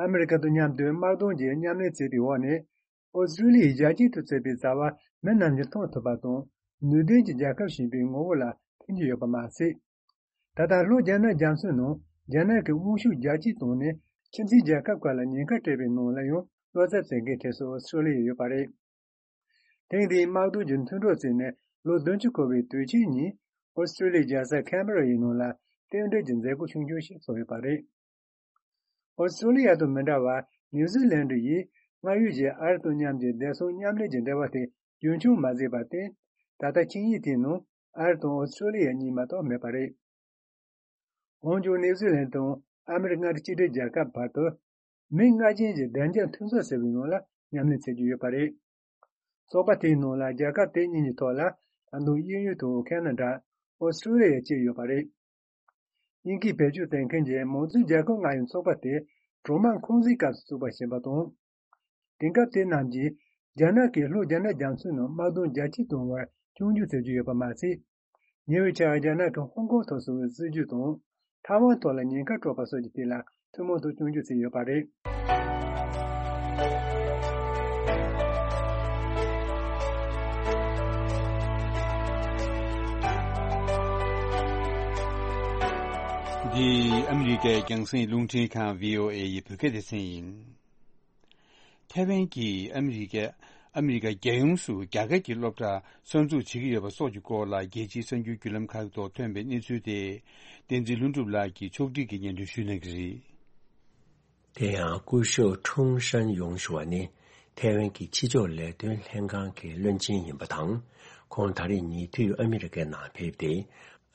ཨ་མི་རི་ཀ་དང་མཉམ་དུ་དམག་དོན་གྱི་མཉམ་ལས་བྱས་པའི་འོག་ནས། ཨོ་སི་ཀྲོ་ལི་ཡའི་རྒྱལ་སྤྱིའི་ཐོག་བྱས་པའི་བྱ་བ་མི་རྣམས་ཀྱིས་མཐོང་ཐུབ་པ་དང་། ནུས་ལྡན་གྱི་རྒྱལ་ཁབ་ཞེས་པའི་ངོ་བོ་ལ་ཐིམ་གྱི་ཡོད་པ་མ་ཟད། ད་ལྟ་ལྷོ་རྒྱ་ནག་རྒྱ་མཚོའི་ནང་རྒྱ་ནག་གི་དབང་ཤུགས་རྒྱ་སྐྱེད་བཏང་ནས་ཁྱིམ་མཚེས་རྒྱལ་ཁབ་ཁག་ལ་ཉེན་ཁ་སྤྲད་པའི་ནང་ལ་ཡང་བློ་འཚབ་བྱེད་མཁན་གྲས་སུ་ཨོ་སི་ཀྲོ་ལི་ཡ་ཡོད་པ་རེད། ཐེངས་འདིའི་དམག་དོན་གྱི་མཐུན་གྲོགས་བརྩིས་ནས་ལོ་བདུན་ཅུ་འཁོར་བའི་དུས་ཆེན་ཉིན་ཨོ་སི་ཀྲོ་ལི་ཡའི་རྒྱལ་ས་ཁན་བྷེ་ར་ཡི་ནང་ལ་རྟེན་འབྲེལ་གྱི་མཛད་སྒོ་ཆུང་ཆུང་ཞིག་ཚོགས་ཡོད་པ་རེད། ཨོ་སི་ཀྲོ་ལི་ཡ་དང་མི་འདྲ་བར་ནིའུ་ཛི་ལན་ཌི་ཡིས་སྔར་ཡོད་ཀྱི་ཨ་རི་དང་མཉམ་གྱི་བདེ་སྲུང་མཉམ་ལས་ཀྱི་འབྲེལ་བ་དེ་རྒྱུན་འཁྱོངས་མ་བྱས་པར་བརྟེན། ད་ལྟ་ཆིངས་ཡིག་དེའི་ནང་ཨ་རི་དང་ཨོ་སི་ཀྲོ་ལི་ཡ་གཉིས་མ་གཏོགས་མེད་པ་རེད། འོན་ཀྱང་ནིའུ་ཛི་ལན་དང་ཨ་མི་རི་ཀ་མངའ་སྡེ་གཅིག་སྒྲིལ་རྒྱལ་ཁབ་བར་དུ་མིང་སྔ་རྗེས་ཀྱི་བདེ་འཇགས་མཐུན་ཚོགས་ཟེར་བའི་ནང་ལ་མཉམ་ལས་བྱེད་ཀྱི་ཡོད་པ་རེད། ཚོགས་པ་དེའི་ནང་ལ་རྒྱལ་ཁབ་དེ་གཉིས་ཀྱི་ཐོག་ལ་ད་དུང་དབྱིན་ཡུལ་དང་ཁེ་ན་ཌ། ཨོ་སི་ཀྲོ་ལི་ཡ་བཅས་ཡོད་པ་རེད། དབྱིན་སྐད་བེད་སྤྱོད་བྱེད་མཁན་གྱི་མང་གཙོའི་རྒྱལ་ཁབ་ལྔ་ཡི་ཚོགས་པ་དེ་གྲོག་དམག་འཁོན་འཛིན་སྐབས་སུ་བཙུགས་པ་ཞིག་ཡིན་པ་དང་། དེང་སྐབས་དེ་རྣམས་ཀྱིས་རྒྱ་ནག་གིས་ལྷོ་རྒྱ་ནག་རྒྱ་མཚོའི་ནང་དམག་དོན་རྒྱ་སྐྱེད་གཏོང་བར་སྐྱོན་བརྗོད་བྱེད་ཀྱི་ཡོད་པ་མ་ཟད། ཉེ་བའི་ཆར་རྒྱ་ནག་གིས་ཧོང་ཀོང་ཐོག་བཟོ་བའི་སྲིད་ཇུས་དང་། ཐའེ་ཝན་ཐོག་ལ་ཉེན་ཁ་སྤྲོད་པ་སོགས་ཀྱི་ཐད་ལ་ཐུན་མོང་དུ་སྐྱོན་བརྗོད་བྱས་ཡོད་པ་རེད། འདི་ཨ་མི་རི་ཀའི་རྒྱང་སྲིང་རླུང་འཕྲིན་ཁང་བྷི་ཨོ་ཨེ་ཡི་བོད་སྐད་སྡེ་ཚན་ཡིན། ཐའེ་ཝན་གྱིས་ཨ་མི་རི་ཀ་ཨ་མི་རི་ཀ་རྒྱལ་ཡོངས་སུ་རྒྱ་སྐད་ཀྱི་སློབ་གྲྭ་གསར་འཛུགས་བྱེད་ཀྱི་ཡོད་པ་སོགས་ཀྱི་སྐོར་ལ་རྒྱལ་སྤྱིའི་གསར་འགྱུར་བརྒྱུད་ལམ་ཁག་ཐོག་ཐོན་པའི་གནས་ཚུལ་དེ། བསྟན་འཛིན་ལྷུན་གྲུབ་ལགས་ཀྱིས་ཕྱོགས་སྒྲིག་གིས་སྙན་སྒྲོན་ཞུ་གནང་གི་རེད། དེ་ཡང་སྐུ་ཞབས་ཁྲུང་ཧྲན་ཡུང་ཞུ་བ་ནི་ཐའེ་ཝན་གྱི་ཕྱི་ཕྱོགས་ལས་དོན་ལྷན་ཁང་གི་བློན་ཆེན་ཡིན་པ་དང་། ཁོང་ད་རེས་ཉེ་དུས་ཨ་མི་རི་ཀའི་ནང་ཕེབས་ཏེ།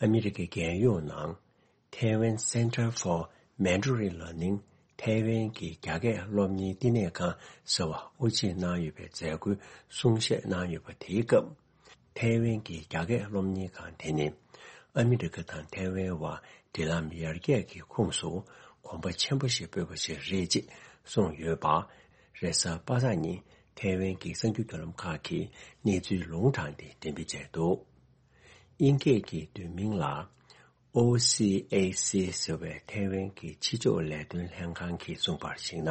ཨ་མི་རི་ཀའི་རྒྱལ་ཡོངས་ནང་Taiwan Center for Mandarin Learning ཐའེ་ཝན་གྱི་རྒྱ་སྐད་སློབ་གཉེར་བསྟི་གནས་ཁང་ཟེར་བ་དབུ་འབྱེད་གནང་ཡོད་པའི་མཛད་སྒོའི་གསུང་བཤད་གནང་ཡོད་པ་དེའི་སྐབས། ཐའེ་ཝན་གྱི་རྒྱ་སྐད་སློབ་གཉེར་ཁང་དེ་ནི་ཨ་མི་རི་ཀ་དང་ཐའེ་ཝན་བར་འབྲེལ་ལམ་ཡར་རྒྱས་ཀྱི་ཁོངས་སུ་གོམ་པ་ཆེན་པོ་ཞིག་སྤོས་པ་ཞིག་རེད་ཅེས་གསུངས་ཡོད་པ། རེས་གཟའ་པ་སངས་ཉིན་ཐའེ་ཝན་གྱི་གསར་འགྱུར་བརྒྱུད་ལམ་ཁག་གིས་གནས་ཚུལ་ལུང་དྲངས་ཏེ་འགྲེམས་སྤེལ་བྱས་འདུག་དབྱིན་སྐད་ཀྱི་བསྡུས་མིང་ལ། ཨོ་སི་ཨེ་སི་ཟེར་བའི་ཐའེ་ཝན་གྱི་ཕྱི་ཕྱོགས་ལས་དོན་ལྷན་ཁང་གིས་གསུངས་པར་གཞིགས་ན།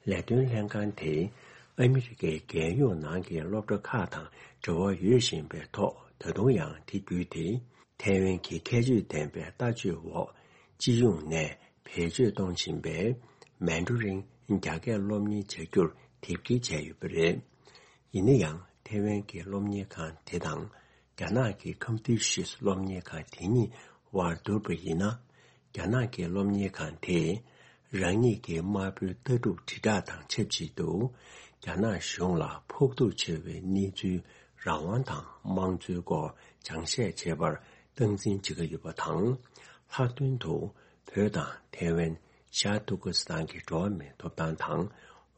ལས་དོན་ལྷན་ཁང་དེས་ཨ་མི་རི་ཀའི་རྒྱལ་ཡོངས་ནང་གི་སློབ་གྲྭ་ཁག་དང་འབྲེལ་བ་ཡོད་བཞིན་པའི་ཐོག་ད་དུང་ཡང་དེ་བརྒྱུད་དེ་ཐའེ་ཝན་གྱི་ཁྱད་ཆོས་ལྡན་པའི་ལྟ་སྤྱོད་འོག་སྤྱི་ཡོངས་ནས་བེད་སྤྱོད་གཏོང་བཞིན་པའི་མན་ཌ་རིན་རྒྱ་སྐད་སློབ་གཉེར་བྱ་རྒྱུར་དེབ་སྐྱེལ་བྱས་ཡོད་པ་རེད། ཡིན་ན་ཡང་ཐའེ་ཝན་གྱི་སློབ་གཉེར་ཁང་དེ་དང་། རྒྱ་ནག་གི་ཁོན་ཕུ་ཤུས་སློབ་གཉེར་ཁང་དེ་གཉིས་དབར་བསྡུར་བ་ཡིན་ན། རྒྱ་ནག་གི་སློབ་གཉེར་ཁང་དེས་རང་ཉིད་ཀྱི་དམར་པོའི་ལྟ་གྲུབ་དྲིལ་བསྒྲགས་དང་ཆབས་ཅིག་ཏུ། རྒྱ་ནག་གཞུང་ལ་ཕོག་ཐུག་ཆེ་བའི་གནས་ཚུལ་རང་དབང་དང་དམངས་གཙོའི་སྐོར་སྦྱང་བཤད་བྱེད་པར་སྟངས་འཛིན་བྱེད་ཀྱི་ཡོད་པ་དང་། ལྷག་དོན་དུ་བོད་དང་ཐའེ་ཝན། ཤར་ཏུར་ཀི་སི་ཐན་གྱི་འགྲོ་བ་མིའི་ཐོབ་ཐང་དང་།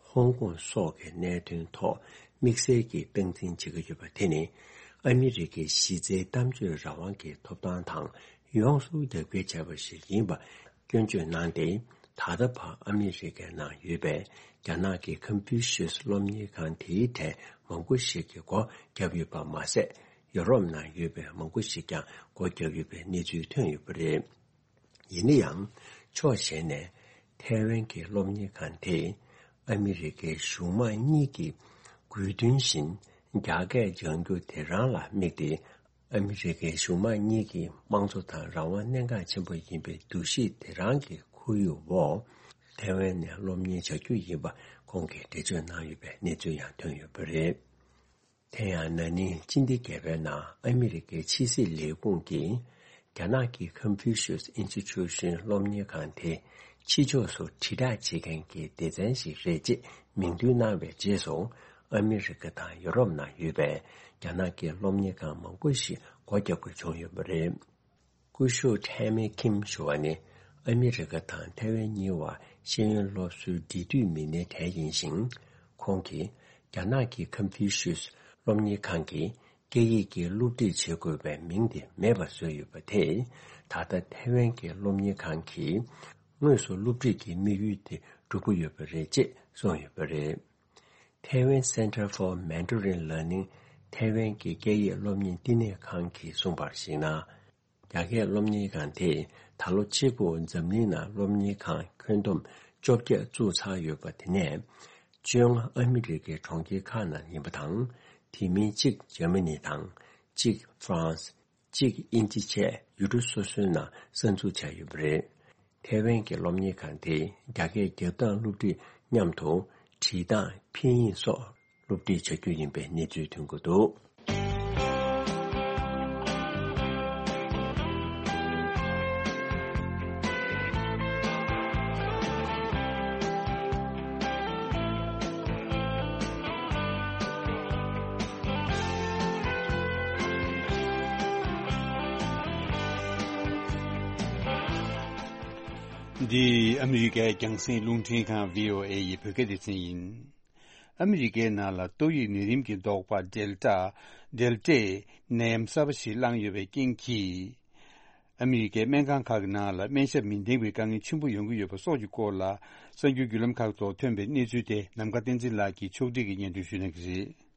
ཧོང་ཀོང་སོགས་ཀྱི་གནད་དོན་ཐོག་དམིགས་བསལ་གྱིས་སྟངས་འཛིན་བྱེད་ཀྱི་ཡོད་པ་དེ་ནི། ཨ་མི་རི་ཀའི་གཞི་རྩའི་གཏམ་བརྗོད་རང་དབང་གི་ཐོབ་ཐང་དང་ཡོངས་སུ་རྒྱབ་འགལ་བྱས་པ་ཞིག་ཡིན་པ་སྐྱོན་བརྗོད་གནང་སྟེ། ད་ལྟ་བར་ཨ་མི་རི་ཀའི་ནང་ཡོད་པའི་རྒྱ་ནག་གི་ཀོན་ཕུའུ་ཤུས་སློབ་གཉེར་ཁང་དེའི་གྲས་མང་པོ་ཞིག་གིས་སྒོ་བརྒྱབ་ཡོད་པ་མ་ཟད། ཡོ་རོབ་ནང་ཡོད་པའི་མང་པོ་ཞིག་ཀྱང་སྒོ་བརྒྱབ་ཡོད་པའི་གནས་ཚུལ་ཐོན་ཡོད་པ་རེད། ཡིན་ན་ཡང་། ཕྱོགས་གཞན་ནས། ཐའེ་ཝན་གྱི་སློབ་གཉེར་ཁང་དེས་ཨ་མི་རི་ཀའི་གཞུང་དམངས་གཉིས་ཀྱི་དགོས་འདུན་བཞིན་རྒྱ་སྐད་སྦྱང་རྒྱུ་དེ་རང་ལ་དམིགས་ཏེ། ཨ་མི་རི་ཀའི་གཞུང་དམངས་གཉིས་ཀྱི་དམངས་གཙོ་དང་རང་དབང་གནད་འགག་ཆེན་པོ་ཡིན་པའི་འདུ་ཤེས་དེ་རང་གི་ཁོར་ཡུག་འོག་ཐའེ་ཝན་ནས་སློབ་གཉེར་བྱ་རྒྱུ་ཡིན་པ་ཁོང་གིས་འགྲེལ་བརྗོད་གནང་ཡོད་པའི་གནས་ཚུལ་ཡང་ཐོན་ཡོད་པ་རེད། དེ་ཡང་ན་ནིང་སྤྱི་ཟླ་བརྒྱད་པའི་ནང་ཨ་མི་རི་ཀའི་ཕྱི་སྲིད་ལས་ཁུངས་ཀྱིས་རྒྱ་ནག་གི་ཀོན་ཕུའུ་ཤུས་ཨིན་སི་ཊི་ཊུ་ཤན་སློབ་གཉེར་ཁང་དེ་ཕྱི་ཕྱོགས་སུ་དྲིལ་བསྒྲགས་བྱེད་མཁན་གྱི་སྡེ་ཚན་ཞིག་རེད་ཅེས་མིང་འདོན་གནང་བའི་རྗེས་སུ། ཨ་མི་རི་ཀ་དང་ཡོ་རོབ་ནང་ཡོད་པའི་རྒྱ་ནག་གི་སློབ་གཉེར་ཁང་མང་པོ་ཞིག་སྒོ་བརྒྱབ་དགོས་བྱུང་ཡོད་པ་རེད། སྐུ་ཞབས་ཐེ་མེ་ཁིམ་ཞུ་བ་ནི་ཨ་མི་རི་ཀ་དང་ཐའེ་ཝན་གཉིས་བར་ཤེས་ཡོན་སློབ་གསོའི་འབྲེལ་མཐུད་མི་སྣའི་གྲས་ཡིན་ཞིང་། ཁོང་གིས་རྒྱ་ནག་གི་ཀོན་ཕུའུ་ཤུས་སློབ་གཉེར་ཁང་གི་སྐད་ཡིག་གི་སློབ་ཁྲིད་བྱེད་དགོས་པའི་མིང་དེ་མེད་པར་བཟོས་ཡོད་པ་དེས། ད་ལྟ་ཐའེ་ཝན་གྱི་སློབ་གཉེར་ཁང་གིས་དངོས་སུ་སློབ་ཁྲིད་ཀྱི་དམིགས་ཡུལ་དེ་སྒྲུབ་ཀྱི་ཡོད་པ་རེད་ཅེས་གསུངས་ཡོད་པ་རེད། Taiwan Center for Mandarin Learning ཐའེ་ཝན་གྱི་སྐད་ཡིག་སློབ་གཉེར་བསྟི་གནས་ཁང་གིས་གསུངས་པར་གཞིགས་ན། རྒྱ་སྐད་སློབ་གཉེར་ཁང་དེས་ད་ལོ་གཅིག་པུར་འཛམ་གླིང་ནང་སློབ་གཉེར་ཁང་ཁྱོན་བསྡོམས་བཅོ་བརྒྱད་བཙུགས་ཚར་ཡོད་པ་དེ་ནས། བཅོ་ལྔ་ཨ་མི་རི་ཀའི་གྲོང་ཁྱེར་ཁག་ནང་ཡིན་པ་དང་། དེ་མིན་གཅིག་འཇར་མ་ནི་དང་། གཅིག་ཧྥ་རན་སི། གཅིག་དབྱིན་ཇི་བཅས་ཡུལ་གྲུ་སོ་སོའི་ནང་གསར་འཛུགས་བྱས་ཡོད་པ་རེད། ཐའེ་ཝན་གྱི་སློབ་གཉེར་ཁང་དེས་རྒྱ་སྐད་རྒྱབ་སྟངས་སློབ་ཁྲིད་མཉམ་དུ་བྲིས་སྟངས་འཕེན་ཡིག་སོགས་སློབ་ཁྲིད་བྱ་རྒྱུ་ཡིན་པའི་གནས་ཚུལ་ཐོན་གྱི་འདུག། འདི་ཨ་མི་རི་ཀའི་རྒྱང་སྲིང་རླུང་འཕྲིན་ཁང་བྷི་ཨོ་ཨེ་ཡི་བོད་སྐད་སྡེ་ཚན་ཡིན། ཨ་མི་རི་ཀའི་ནང་ལ་ཏོག་དབྱིབས་ནད་རིམས་ཀྱི་ཟློག་པ་ཌེལ་ཊ། ཌེལ་ཊའི་ནད་ཡམས་གསར་པ་ཞིག་བསླངས་ཡོད་པའི་རྐྱེན་གྱིས། ཨ་མི་རི་ཀའི་སྨན་ཁང་ཁག་གི་ནང་ལ་སྨན་ཞབས་མི་ལྡན་པའི་དཀའ་ངལ་ཆེན་པོ་ཡོང་གི་ཡོད་པ་སོགས་ཀྱི་སྐོར་ལ། གསར་འགྱུར་བརྒྱུད་ལམ་ཁག་ཐོག་ཐོན་པའི་གནས་ཚུལ་དེ་ནམ་མཁའ་བསྟན་འཛིན་ལགས་ཀྱིས་ཕྱོགས་སྒྲིག་གིས་སྙན་སྒྲོན་ཞུ་གནང་གི་རེད།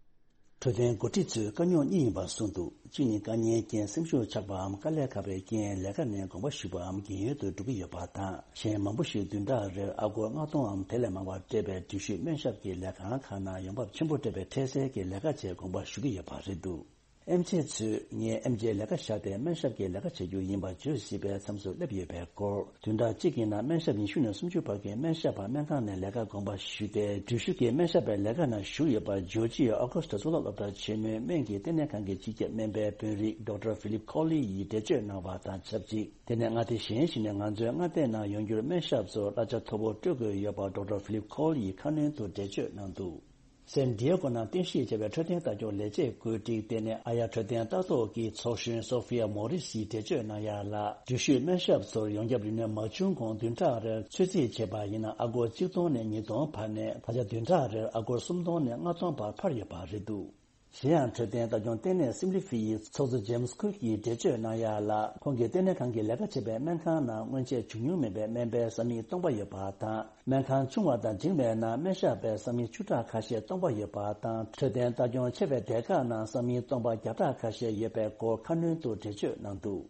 འཕྲོད་བསྟེན་འགོ་ཁྲིད་ཚོས་དཀའ་རྙོག་གཉིས་ཡིན་པ་གསུངས་འདུག། གཅིག་ནི་དཀའ་ངལའི་རྐྱེན་སེམས་ཤུགས་ཆག་པའམ་དཀའ་ལས་ཁག་པའི་རྐྱེན་ལས་ཀ་ནས་དགོངས་པ་ཞུས་པའམ་རྒན་ཡོལ་དུ་འགྲོ་གི་ཡོད་པ་དང་། གཞན་མང་པོ་ཞིག་བདུན་ཕྲག་རེར་ཨ་སྒོར་ལྔ་སྟོང་འམ་དེ་ལས་མང་བ་སྤྲད་པའི་འགྲུལ་བཞུད་སྨན་ཞབས་ཀྱི་ལས་ཁང་ཁག་ནང་ཡོང་འབབ་ཆེན་པོ་སྤྲད་པའི་འཕྲལ་སེལ་གྱི་ལས་ཀ་བྱེད་དགོངས་པ་ཞུ་གི་ཡོད་པ་རེད་འདུག། ཨེམ་ཆི་ཚོས་ངས་ཨེམ་ཆིའི་ལས་ཀ་བཞག་སྟེ་སྨན་ཞབས་ཀྱི་ལས་ཀ་བྱ་རྒྱུ་ཡིན་པ་བརྗོད་སྲིད་པའི་མཚམས་སུ་སླེབས་ཡོད་པའི་སྐོར། བདུན་ཕྲག་གཅིག་གི་ནང་སྨན་ཞབས་ཉི་ཤུ་ནས་སུམ་ཅུ་བར་གྱི་སྨན་ཞབས་པ་སྨན་ཁང་ནས་ལས་ཀ་དགོངས་པ་ཞུས་ཏེ། འགྲུལ་བཞུད་ཀྱི་སྨན་ཞབས་པའི་ལས་ཀ་ནང་ཞུགས་ཡོད་པ་ཇོར་ཇི་ཡའི་ཨོ་ཁུ་སི་ཊི་གཙུག་ལག་སློབ་གྲྭ་ཆེན་མོའི་སྨན་གྱི་ལྟེ་གནས་ཁང་གི་སྤྱི་ཁྱབ་སྨན་པའི་དཔོན་རིགས་ཌོག་ཊར་ཕི་ལིབ་ཁོ་ལི་ཡིས་འགྲེལ་བརྗོད་གནང་བ་དང་ཆབས་ཅིག། དེ་ནས་མངའ་སྡེ་གཞན་ཞིག་ནས་ང་ཚོའི་མངའ་སྡེ་ནང་ཡོང་རྒྱུར་སྨན་ཞབས་ཚོར་གླ་ཆ་མཐོ་པོ་སྤྲོད་དགོས་ཡོད་པ་ཌོག་ཊར་ཕི་ལིབ་ཁོ་ལི་ཡིས་ཁ་སྣོན་དུ་འགྲེལ་བརྗོད་གནང་འདུག། སན་ཌི་ཡེ་གོ་ནང་རྟེན་གཞི་བྱས་པའི་འཕྲོད་བསྟེན་ལྟ་སྐྱོང་ལས་བྱེད་བཀོད་སྒྲིག་ལྟེ་གནས་ཨ་ཡ་འཕྲོད་བསྟེན་ལྟ་རྟོག་གི་ཚོགས་གཞོན་སོ་ཧྥི་ཡ་མོ་རི་སིས་འགྲེལ་བརྗོད་གནང་ཡ་ལ། འགྲུལ་བཞུད་སྨན་ཞབས་ཚོར་ཡོངས་ཁྱབ་རིན་མེད་མ་བྱུང་གོང་བདུན་ཕྲག་རེར་ཚོད་རྩིས་བྱས་པ་ཡིན་ན་ཨ་སྒོར་གཅིག་སྟོང་ནས་ཉིས་སྟོང་བར་ནས་ད་ཆ་བདུན་ཕྲག་རེར་ཨ་སྒོར་སུམ་སྟོང་ནས་ལྔ་སྟོང་བར་འཕར་ཡོད་པ་རེད་འདུག། གཞན་ཡང་འཕྲོད་བསྟེན་ལྟ་སྐྱོང་ལྟེ་གནས་སིམ་ལི་ཕི་ཡི་ཚོགས་གཙོ་ཇེམ་སི་ཁུག་གིས་འགྲེལ་བརྗོད་གནང་ཡ་ལ། ཁོང་གིས་ལྟེ་གནས་ཁང་གིས་ལས་ཀ་བྱེད་པའི་སྨན་ཁང་ནང་སྔོན་ཆད་བྱུང་མྱོང་མེད་པའི་སྨན་པའི་ས་མིག་སྟོང་པ་ཡོད་པ་དང་། སྨན་ཁང་ཆུང་བ་དང་འབྲིང་བའི་ནང་སྨན་ཞབས་པའི་ས་མིག་བཅུ་ཕྲག་ཁ་ཤས་སྟོང་པ་ཡོད་པ་དང་། འཕྲོད་བསྟེན་ལྟ་སྐྱོང་ཆེ་བའི་སྡེ་ཁག་ནང་ས་མིག་སྟོང་པ་བརྒྱ་ཕྲག་ཁ་ཤས་ཡོད་པའི་སྐོར་ཁ་སྣོན་དུ་འགྲེལ་བརྗོད་གནང་འདུག།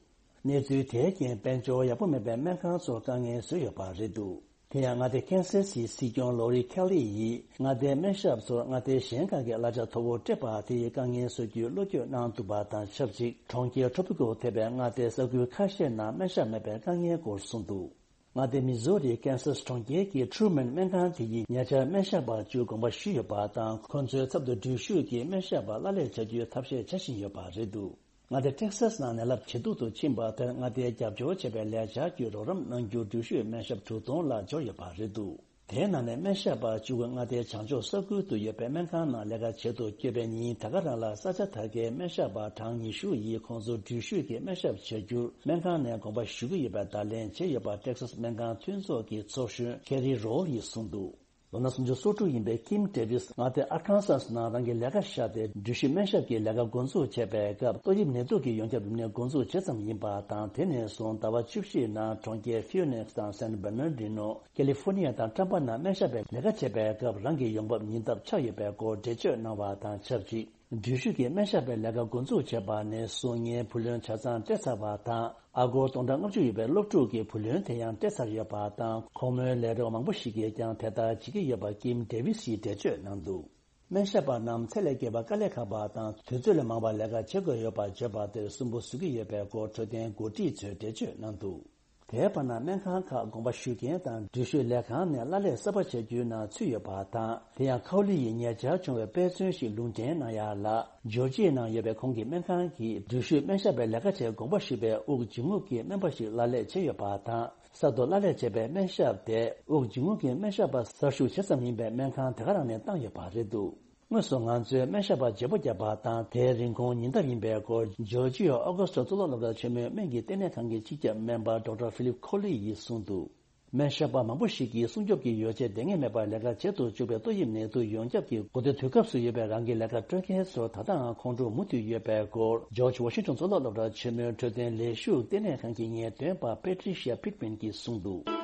གནས་ཚུལ་དེའི་རྐྱེན་དཔལ་འབྱོར་ཡག་པོ་མེད་པའི་སྨན་ཁང་ཚོར་དཀའ་ངལ་བཟོས་ཡོད་པ་རེད་འདུག། དེ་ཡང་མངའ་སྡེ་ཁེན་སཱ་སིའི་སྲིད་སྐྱོང་ལོ་རི་ཁེ་ལི་ཡིས་མངའ་སྡེའི་སྨན་ཞབས་ཚོར་མངའ་སྡེ་གཞན་ཁག་གི་གླ་ཆ་མཐོ་བོ་སྤྲད་པ་དེ་ཡིས་དཀའ་ངལ་བཟོ་རྒྱུའི་བློ་འགྱོད་གནང་འདུག་པ་དང་ཆབས་ཅིག། གྲོང་ཁྱེར་ཊོ་པི་ཀོ་ཐེ་བའི་མངའ་སྡེའི་ས་ཁུལ་ཁ་ཤས་ནང་སྨན་ཞབས་མེད་པའི་དཀའ་ངལ་སྐོར་གསུངས་འདུག། མངའ་སྡེ་མི་ཟོ་རིའི་ཀེན་སཱ་སི་གྲོང་ཁྱེར་གྱི་ཁྲུ་མན་སྨན་ཁང་དེ་ཡིས་ཉེ་ཆར་སྨན་ཞབས་པ་བཅུ་དགོངས་པ་ཞུས་ཡོད་པ་དང་། ཁོང་ཚོའི་ཚབ་ཏུ་འགྲུལ་བཞུད་ཀྱི་སྨན་ཞབས་པ་གླ་ལེན་བྱ་རྒྱུའི་ཐབས་ཤེས་བྱ་བཞིན་ཡོད་པ་རེད་འདུག། མངའ་སྡེ་ཊེག་སཱ་སི་ནང་ནད་རླབས་ཇེ་སྡུག་ཏུ་ཕྱིན་པ་དེར་མངའ་སྡེའི་རྒྱབ་སྐྱོར་བྱེད་པའི་ལས་འཆར་གྱི་རོགས་རམ་གནང་རྒྱུར་འགྲུལ་བཞུད་སྨན་ཞབས་དྲུག་སྟོང་ལ་འབྱོར་ཡོད་པ་རེད་འདུག། དེའི་ནང་ནས་སྨན་ཞབས་པ་བཅུ་དགུ་མངའ་སྡེའི་བྱང་ཕྱོགས་ས་ཁུལ་དུ་ཡོད་པའི་སྨན་ཁང་ནང་ལས་ཀ་བྱེད་དུ་བསྐྱོད་པའི་ཉིན་ད་ག་རང་ལ་ས་ཆ་དེ་གའི་སྨན་ཞབས་པ་གྲངས་ཉི་ཤུ་ཡིས་ཁོང་ཚོ་འགྲུལ་བཞུད་ཀྱི་སྨན་ཞབས་བྱ་རྒྱུར་སྨན་ཁང་ནས་དགོངས་པ་ཞུ་གི་ཡོད་པའི་བརྡ་ལན་བྱས་ཡོད་པ་ཏེག་སཱས་སྨན་ཁང་མཐུན་ཚོགས་ཀྱི་ཚོགས་གཞོན་ཁེ་རི་རོལ་ཡིས་གསུངས་འདུག་ལོ་ན་སུམ་ཅུ་སོ་དྲུག་ཡིན་པའི་ཀིམ་ཌེ་ཝིས་མངའ་སྡེ་ཨར་ཁན་སཱས་ནང་རང་གི་ལས་ཀ་བཞག་སྟེ་འགྲུལ་བཞུད་སྨན་ཞབས་ཀྱི་ལས་ཀ་འགོ་འཛུགས་བྱས་པའི་སྐབས་ཏོག་དབྱིབས་ནད་དུག་གི་ཡོངས་ཁྱབ་རིམས་ནད་འགོ་འཛུགས་བྱེད་མཚམས་ཡིན་པ་དང་། དེ་ནས་བཟུང་ཟླ་བ་བཅུ་བཞིའི་ནང་གྲོང་ཁྱེར་ཕིའུ་ནིག་སི་དང་སན་བར་ནར་ཌི་ནོ། ཀེ་ལི་ཧྥོར་ནི་ཡ་དང་ཊམ་པ་ནང་སྨན་ཞབས་པའི་ལས་ཀ་བྱེད་པའི་སྐབས་རང་གི་ཡོང་འབབ་ཉུང་མཐའ་ཆགས་ཡོད་པའི་སྐོར་འགྲེལ་བརྗོད་གནང་བ་དང་ཆབས་ཅིག་འགྲུལ་བཞུད་ཀྱི་སྨན་ཞབས་པའི་ལས་ཀ་འགོ་འཛུགས་བྱས་པ་ནས་བཟུང་ངའི་བུ་ལོན་ཆ་ཚང་སྤྲད་ཚར་བ་དང་། ཨ་སྒོར་སྟོང་ཕྲག་ལྔ་བཅུ་ཡོད་པའི་སློབ་ཕྲུག་གི་བུ་ལོན་དེ་ཡང་སྤྲད་ཚར་ཡོད་པ་དང་། ཁོ་མོའི་ལས་རོགས་མང་པོ་ཞིག་གིས་ཀྱང་དེ་ལྟར་བྱེད་ཀྱི་ཡོད་པ་ཀིམ་ཌེ་ཝིས་ཡིས་འགྲེལ་བརྗོད་གནང་འདུག་སྨན་ཞབས་པ་རྣམས་ཚེ་ལས་བརྒལ་བ་དཀའ་ལས་ཁག་པ་དང་དུས་ཚོད་ལས་མང་བ་ལས་ཀ་བྱེད་དགོས་ཡོད་པར་བརྗོད་པ་དེར་སུན་པོ་བཟོ་གི་ཡོད་པའི་སྐོར་འཕྲོད་བསྟེན་འགོ་ཁྲིད་ཚོས་འགྲེལ་བརྗོད་གནང་འདུག་དེའི་བར་ན་སྨན་ཁང་ཁག་དགོངས་པ་ཞུ་མཁན་དང་འགྲུལ་བཞུད་ལས་ཁང་ནས་གླ་ལས་གསར་པ་བྱ་རྒྱུའི་ནང་ཚུད་ཡོད་པ་དང་། དེ་ཡང་ཁའོ་ལི་ཡིས་ཉེ་ཆར་བྱུང་བའི་དཔེ་མཚོན་ཞིག་ལུང་འདྲེན་གནང་ཡ་ལ། ཇོར་ཇི་ཡའི་ནང་ཡོད་པའི་ཁོང་གི་སྨན་ཁང་གིས་འགྲུལ་བཞུད་སྨན་ཞབས་པའི་ལས་ཀ་བྱེད་དགོངས་པ་ཞུས་པའི་དབུགས་འབྱིན་རྔུབ་ཀྱི་སྨན་པ་ཞིག་གླ་ལས་བྱས་ཡོད་པ་དང་། གསར་དུ་གླ་ལས་བྱས་པའི་སྨན་ཞབས་དེ་དབུགས་འབྱིན་རྔུབ་ཀྱི་སྨན་ཞབས་པ་གསར་ཞུགས་བྱེད་མཚམས་ཡིན་པའི་སྨན་ཁང་དེ་ག་རང་ནས་བཏང་ཡོད་པ་རེད་འདུག་དངོས་སུ་ང་ཚོའི་སྨན་ཞབས་པ་བརྗེ་པོ་བརྒྱབ་པ་དང་། དེའི་རིན་གོང་ཉིན་ལྟར་ཡིན་པའི་སྐོར་ཇོར་ཇི་ཡ་ཨོ་གྷ་སི་ཊོ་གཙུག་ལག་སློབ་གྲྭ་ཆེན་མོའི་སྨན་གྱི་ལྟེ་གནས་ཁང་གི་སྤྱི་ཁྱབ་སྨན་པ་ཌོག་ཊར་ཕི་ལིབ་ཁོ་ལི་ཡིས་གསུངས་འདུག་སྨན་ཞབས་པ་མང་པོ་ཞིག་གིས་སྲུང་སྐྱོབ་ཀྱི་ཡོ་བྱད་ལྡང་མེད་པར་ལས་ཀ་བྱེད་དུ་བཅུག་པའི་ཏོག་དབྱིབས་ནད་དུག་ཡོངས་ཁྱབ་ཀྱི་འགོ་སྟོད་དུས་སྐབས་སུ་ཡོད་པའི་རང་གི་ལས་ཀ་སྤྲོད་མཁན་ཚོར་ད་ལྟའང་ཁོང་ཁྲོ་མུ་མཐུད་ཡོད་པའི་སྐོར། ཇོར་ཇི་ཝ་ཤིང་ཊོན་གཙུག་ལག་སློབ་གྲྭ་ཆེན་མོའི་འཕྲོད་བསྟེན་ལས་ཞུགས་ལྟེ་གནས་ཁང་གི་ངེས་སྟོན་པ་པེ་ཊི་རི་ཤི་ཡ་ཕིཊ་མན་གྱིས་གསུངས་འདུག་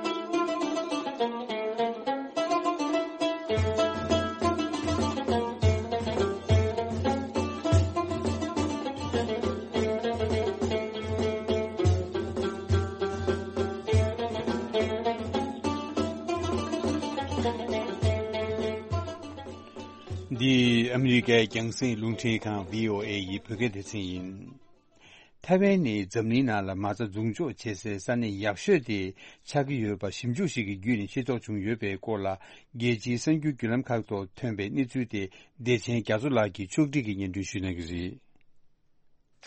འདི་ཨ་མི་རི་ཀའི་རྒྱང་སྲིང་རླུང་འཕྲིན་ཁང་བྷི་ཨོ་ཨེ་ཡི་བོད་སྐད་སྡེ་ཚན་ཡིན། ཐའེ་ཝན་ནི་འཛམ་གླིང་ནང་ལ་མ་རྩ་འཛུགས་འཇོག་བྱེད་སའི་ས་གནས་ཡག་ཤོས་དེ་ཆགས་ཀྱི་ཡོད་པ་ཞིབ་འཇུག་ཞིག་གི་བརྒྱུད་ནས་ཤེས་རྟོགས་བྱུང་ཡོད་པའི་སྐོར་ལ། རྒྱལ་སྤྱིའི་གསར་འགྱུར་བརྒྱུད་ལམ་ཁག་ཐོག་ཐོན་པའི་གནས་ཚུལ་དེ། བདེ་ཆེན་རྒྱ་མཚོ་ལགས་ཀྱིས་ཕྱོགས་སྒྲིག་གིས་སྙན་སྒྲོན་ཞུ་གནང་གི་རེད།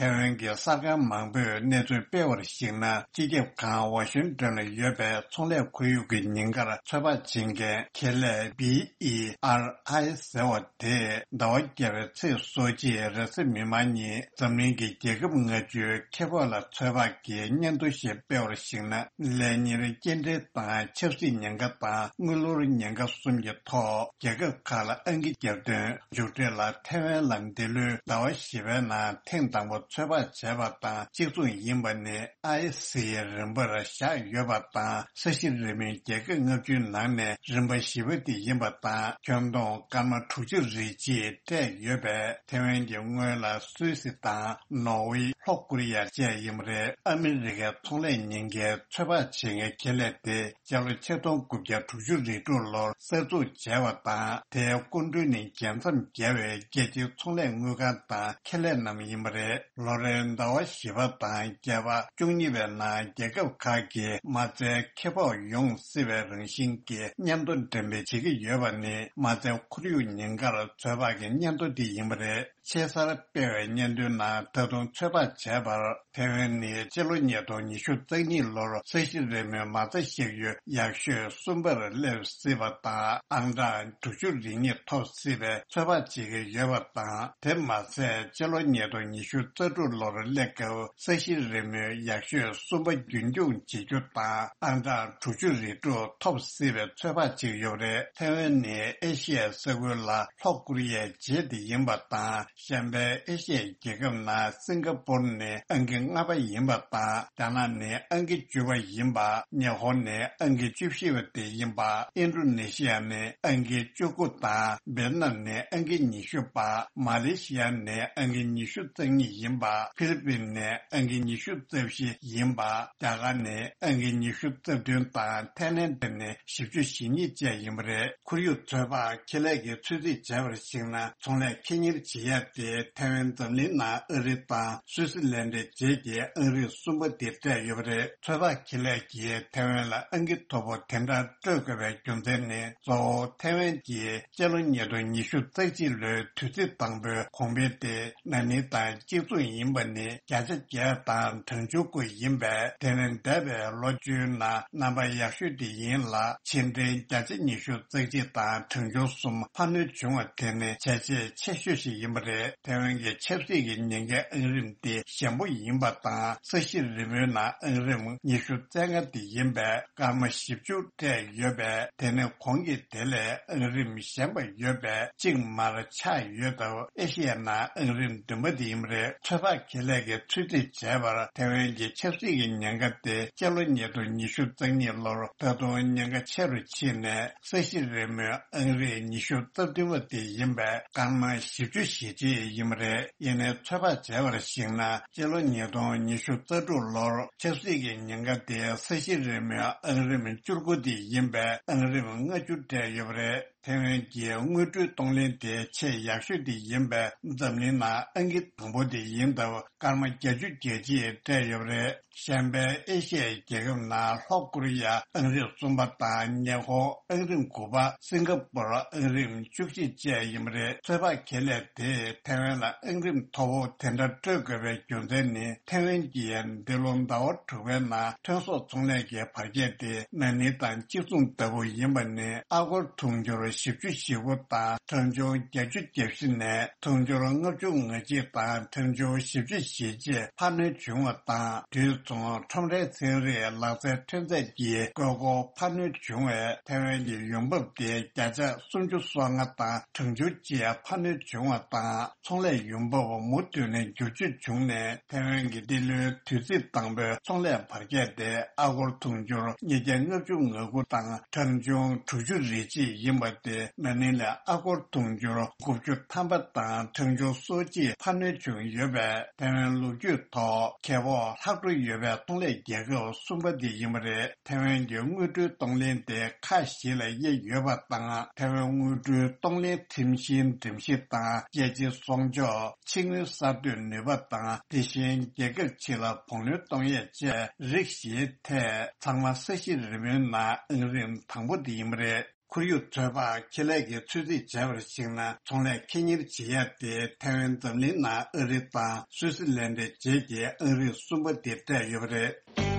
ཐའེ་ཝན་གྱི་གསར་ཁང་མང་པོས་གནས་ཚུལ་སྤེལ་བར་གཞིགས་ན། སྤྱི་ཁྱབ་ཁང་ཝ་ཤིང་ཏོན་ལ་ཡོད་པའི་ཚོང་ལས་ཁོར་ཡུག་གི་ཉེན་ཁར་ཚོད་དཔག་བྱེད་མཁན་ཁེ་ལས་བྷི་ཨི་ཨར་ཨའི་ཟེར་བ་དེས་ཟླ་བ་བརྒྱད་པའི་ཚེས་སོ་གཅིག་རེས་གཟའ་མིག་དམར་ཉིན་འཛམ་གླིང་གི་རྒྱལ་ཁབ་ལྔ་བཅུའི་ཁེ་སྤོགས་ལ་ཚོད་དཔག་གི་སྙན་ཐོ་ཞིག་སྤེལ་བར་གཞིགས་ན། ལས་གཉེར་སྐྱེལ་འདྲེན་དང་ཆབ་སྲིད་ཉེན་ཁ་དང་དངུལ་ལོར་ཉེན་ཁ་གསུམ་གྱི་ཐོག་རྒྱལ་ཁབ་ཁག་ལ་ཨང་ཀི་བརྒྱབ་དོན། མཇུག་འབྲས་ལ་ཐའེ་ཝན་ལ་འདི་ལོའི་ཟླ་བ་བཞི་པའི་ནང་ཐེངས་དང་པོ་ཚོད་དཔག་བྱས་པ་དང་གཅིག་མཚུངས་ཡིན་པ་ནི་ཨའི་སི་ཡི་རིམ་པར་བཞག་ཡོད་པ་དང་། ས་གཞི་རིལ་མོའི་རྒྱལ་ཁབ་ལྔ་བཅུའི་ནང་ནས་རིམ་པ་བཞི་པ་དེ་ཡིན་པ་དང་། ཁྱོན་བསྡོམས་སྐར་མ་དྲུག་ཅུ་རེ་གཅིག་སྤྲད་ཡོད་པས། ཐའེ་ཝན་གྱི་སྔོན་ལ་སུད་སི་དང་ནོར་ཝེ། ལྷོ་ཀོ་རི་ཡ་བཅས་ཡིན་པ་རེད། ཨ་མི་རི་ཀའི་ཚོང་ལས་ཉེན་ཁའི་ཚོད་དཔག་བྱེད་མཁན་ཁེ་ལས་དེ། སྤྱི་ལོ་ཆིག་སྟོང་དགུ་བརྒྱ་དྲུག་ཅུ་རེ་དྲུག་ལོར་གསར་འཛུགས་བྱས་པ་དང་། དེའི་སྐུ་མགྲོན་ནི་རྒྱལ་མཚམས་བརྒལ་བའི་རྒྱལ་སྤྱིའི་ཚོང་ལས་དངུལ་ཁང་དང་ཁེ་ལས་རྣམས་ཡིན་པ་རེད། ལོ་རེའི་ཟླ་བ་བཞི་པ་དང་བརྒྱད་པ། བཅུ་གཉིས་པའི་ནང་རྒྱལ་ཁབ་ཁག་གིས་མ་རྩའི་ཁེ་སྤོགས་ཡོང་སྲིད་པའི་རང་བཞིན་གྱི་སྙན་ཐོ་འགྲེམས་སྤེལ་བྱེད་ཀྱི་ཡོད་པ་ནི། མ་རྩའི་ཁོར་ཡུག་ཉེན་ཁར་ཚོད་དཔག་གི་སྙན་ཐོ་དེ་ཡིན་པ་རེད། ཆེས་གསར་སྤེལ་བའི་སྙན་ཐོའི་ནང་། ད་དུང་ཚོད་དཔག་བྱས་པར། ཐའེ་ཝན་ནི་སྤྱི་ལོ་ཉིས་སྟོང་ཉི་ཤུ་རྩ་གཉིས་ལོར་ས་གཞི་རིལ་མོའི་མ་རྩ་བཞག་ཡུལ་ཡག་ཤོས་གསུམ་པར་སླེབས་སྲིད་པ་དང་། ཨང་གྲངས་དྲུག་ཅུ་རེ་གཉིས་ཐོབ་སྲིད་པའི་ཚོད་དཔག་བྱེད་ཀྱི་ཡོད་པ་དང་། དེ་མ་ཟད། སྤྱི་ལོ་ཉིས་སྟོང་ཉི་ཤུ་རྩ་དྲུག་ལོར་སླེབས་སྐབས། ས་གཞི་རིལ་མོའི་ཡག་ཤོས་གསུམ་པ་རྒྱུན་འཁྱོངས་བྱེད་རྒྱུ་དང་། ཨང་གྲངས་དྲུག་ཅུ་རེ་དྲུག་ཐོབ་སྲིད་པའི་ཚོད་དཔག་བྱེད་ཀྱི་ཡོད་པ་རེད། ཐའེ་ཝན་ནི་ཨེ་ཤི་ཡའི་ས་ཁུལ་ལ་ལྷོ་ཀོ་རི་ཡའི་རྗེས་དེ་ཡིན་པ་དང་། གཞན་པའི་ཨེ་ཤི་ཡའི་རྒྱལ་ཁབ་ནང་སིང་ག་པོར་ནི་ཨང་ཀི་ལྔ་པ་ཡིན་པ་དང་། རྒྱ་ནག་ནི་ཨང་ཀི་བཅུ་པ་ཡིན་པ། ཉི་ཧོང་ནི་ཨང་ཀི་བཅུ་བཞི་པ་དེ་ཡིན་པ། ཨིན་ཌོ་ནེ་ཤི་ཡ་ནི་ཨང་ཀི་བཅུ་དགུ་དང་། ཝེ་ཏི་ནམ་ནི་ཨང་ཀི་ཉི་ཤུ་པ། མ་ལེ་ཤི་ཡ་ནི་ཨང་ཀི་ཉི་ཤུ་རྩ་གཉིས་ཡིན་པ། ཧྥི་ལི་པིན་ནི་ཨང་ཀི་ཉི་ཤུ་རྩ་བཞི་ཡིན་པ། རྒྱ་གར་ནི་ཨང་ཀི་ཉི་ཤུ་རྩ་བདུན་དང་། ཐའི་ལེན་ཌ་ནི་བཞི་བཅུ་ཞེ་གཉིས་བཅས་ཡིན་པ་རེད། ཁོར་ཡུག་ཚོད་དཔག་ཁེ་ལས་ཀྱིས་ཚོད་རྩིས་བྱས་པར་གཞིགས་ན། ཚོང་ལས་ཁེ་གཉེར་བྱེད་ཡ་ དེ་ཐའེ་ཝན་འཛམ་གླིང་ནང་ཨ་རི་དང་སུའུ་སི་ལན་ཌའི་རྗེས་ཀྱི་ཨང་རིམ་གསུམ་པ་དེ་སྤྲད་ཡོད་པ་རེད། ཚོད་དཔག་ཁེ་ལས་ཀྱིས་ཐའེ་ཝན་ལ་ཨང་ཀི་མཐོ་པོ་དེ་འདྲ་སྤྲོད་དགོས་པའི་རྒྱུ་མཚན་ནི། གཙོ་བོ་ཐའེ་ཝན་གྱི་སྤྱི་ལོ་ཉིས་སྟོང་ཉི་ཤུ་རྩ་གཅིག་ལོའི་དུས་ཚིགས་དང་པོའི་གོང་འཕེལ་དེ་ན་ནིང་དང་གཅིག་མཚུངས་ཡིན་པ་ནི་བརྒྱ་ཆ་བརྒྱད་དང་གྲངས་ཆུང་དགུ་ཡིན་པས། དེ་ནི་འདས་པའི་ལོ་བཅུའི་ནང་རྣམ་པ་ཡག་ཤོས་དེ་ཡིན་ལ། ཕྱི་འབྲེལ་བརྒྱ་ཆ་ཉི་ཤུ་རྩ་གཅིག་དང་གྲངས་ཆུང་གསུམ་འཕར་སྣོན་བྱུང་བ་དེ་ནི་བྱས་རྗེས་ཆེ་ཤོས་ཤིག་ཡིན་པ་རེད། ཐའེ་ཝན་གྱི་ཆབ་སྲིད་ཀྱི་ཉེན་ཁའི་ཨང་རིམ་དེ་ཞན་པོ་ཡིན་པ་དང་། ས་གཞི་རིལ་མོའི་ནང་ཨང་རིམ་ཉི་ཤུ་རྩ་ལྔ་དེ་ཡིན་པས། སྐར་མ་བཞི་བཅུ་སྤྲད་ཡོད་པས། དེ་ནི་གོང་གི་དེ་ལས་ཨང་རིམ་ཞན་པ་ཡོད་པས་གཅིག་མར་ཆག་ཡོད་སྟབས། ཨེ་ཤི་ཡའི་ནང་ཨང་རིམ་བདུན་པ་དེ་ཡིན་པ་རེད། ཚོད་དཔག་ཁེ་ལས་ཀྱིས་ཚོད་རྩིས་བྱས་པར། ཐའེ་ཝན་གྱི་ཆབ་སྲིད་ཀྱི་ཉེན་ཁ་དེ་སྤྱི་ལོ་ཉིས་སྟོང་ཉི་ཤུ་རྩ་གཉིས་ལོར་ད་དུང་ཉེན་ཁ་ཆེ་རུ་ཕྱིན་ནས། ས་གཞི་རིལ་མོའི་ཨང་རིམ་ཉི་ཤུ་རྩ་བདུན་པ་དེ་ཡིན་པས། སྐར་མ་བཞི་བཅུ་ཞེ་གཅིག་ཡིན་པ་རེད། ཡིན་ནའི་ཚོད་དཔག་བྱས་པར་གཞིགས་ན། སྤྱི་ལོ་ཉིས་སྟོང་ཉི་ཤུ་རྩ་དྲུག་ལོར་ཆབ་སྲིད་ཀྱི་ཉེན་ཁ་དེ་ས་གཞི་རིལ་མོའི་ཨང་རིམ་བཅུ་དགུ་དེ་ཡིན་པས། ཨང་རིམ་ལྔ་བཅུ་སྤྲད་ཡོད་པ་རེད། ཐའེ་ཝན་གྱི་དངུལ་འབྲེལ་གཏོང་ལེན་དེ་ཆེས་ཡག་ཤོས་དེ་ཡིན་པས། འཛམ་གླིང་ནང་ཨང་ཀི་དང་པོ་དེ་ཡིན་སྟབས། སྐར་མ་བརྒྱད་ཅུ་གྱ་གཅིག་སྤྲད་ཡོད་པ་རེད། གཞན་པའི་ཨེ་ཤི་ཡའི་རྒྱལ་ཁབ་ནང་ལྷོ་ཀོ་རི་ཡ་ཨང་རིམ་གསུམ་པ་དང་། ཉེ་འཁོར་ཨང་རིམ་དགུ་པ། སིང་ག་པུར་ཨང་རིམ་བཅུ་གཅིག་བཅས་ཡིན་པ་རེད། ཚོད་དཔག་ཁེ་ལས་དེས་ཐའེ་ཝན་ལ་ཨང་རིམ་མཐོ་བོ་དེ་འདྲ་སྤྲོད་དགོས་པའི་རྒྱུ་མཚན་ནི། ཐའེ་ཝན་གྱིས་འདི་ལོ་ཟླ་བ་དྲུག་པའི་ནང་ཐོན་ཟོག་ཚོང་ལས་ཀྱི་འཕར་ཁྱད་དེ་ན་ནིང་དང་གཅིག་མཚུངས་ལྟ་བུ་ཡིན་པ་ནི། ཨ་སྒོར་དུང་ཕྱུར་བཞི་བཅུ་ཞེ་དགུ་དང་གྲངས་ཆུང་བརྒྱད་ཅུ་གྱ་བཞི་ནས་དུང་ཕྱུར་ལྔ་བཅུ་ང་གཅིག་དང་གྲངས་ཆུང་བཞི་བཅུ་ཞེ་གཅིག་འཕར་སྣོན་བྱུང་བ་དང་། དུས་མཚུངས་ཁྲོམ་རའི་ཚན་རིག་ལག་རྩལ་ཐོན་རྫས་ཀྱི་དགོས་མཁོ་འཕར་སྣོན་བྱུང་བས། ཐའེ་ཝན་གྱི་ཡོང་འབབ་དེ་བརྒྱ་ཆ་སུམ་ཅུ་སོ་ལྔ་དང་གྲངས་ཆུང་གཅིག་འཕར་སྣོན་བྱུང་བ་དང་། ཚོང་ལས་ཡོང་འབབ་མུ་མཐུད་ནས་འགྱུར་བཅོས་བྱུང་ནས། ཐའེ་ཝན་གྱི་འདི་ལོའི་དུས་ཚིགས་དང་པོའི་ཚོང་ལས་འཕར་ཁྱད་དེ་ཨ་སྒོར་དུང་ཕྱུར་ཉིས་བརྒྱ་ལྔ་བཅུ་ང་དགུ་དང་གྲངས་ཆུང་དྲུག་ཅུ་རེ་གཅིག་ཡིན་པ་དེ་ན་ནིང་ལས་ཨ་སྒོར་དུང་ཕྱུར་དགུ་བཅུ་ཐམ་པ་དང་གྲངས་ཆུང་སོ་གཅིག་འཕར་སྣོན་བྱུང་ཡོད་པས། ཐའེ་ཝན་ལོ་རྒྱུས་ཐོག་གལ་འགངས་ལྷག་འཕྲོ་ཡོད་པའི་ཚོང་ལས་རྒྱལ་ཁབ་གསུམ་པ་དེ་ཡིན་པ་རེད། ཐའེ་ཝན་གྱི་དངུལ་འབྲེལ་གཏོང་ལེན་དེ་ཁག་བཞི་ལ་དབྱེ་ཡོད་པ་དང་། ཐའེ་ཝན་དངུལ་འབྲེལ་གཏོང་ལེན་ཁྲིམས་གཞིའི་སྒྲོམ་གཞི་དང་། རྒྱལ་སྤྱིའི་གསོག་འཇོག་ཕྱི་དངུལ་གསར་གཏོད་ནུས་པ་དང་། དེ་བཞིན་རྒྱལ་ཁབ་ཕྱི་ལ་བང་ལོན་གཏོང་ཡས་བཅས་རིགས་བཞིའི་ཐད་ཚང་མ་ས་གཞི་རིལ་མོའི་ནང་ཨང་རིམ་དང་པོ་དེ་ཡིན་པ་རེད། ཁོར་ཡུག་ཚོད་དཔག་ཁེ་ལས་ཀྱིས་ཚོད་རྩིས་བྱས་པར་གཞིགས་ན། ཚོང་ལས་ཁེ་གཉེར་བྱེད་ཡ་དེ་ཐའེ་ཝན་འཛམ་གླིང་ནང་ཨ་རི་དང་སུའུ་སི་ལན་ཌའི་རྗེས་ཀྱི་ཨང་རིམ་གསུམ་པ་དེ་སྤྲད་ཡོད་པ་རེད།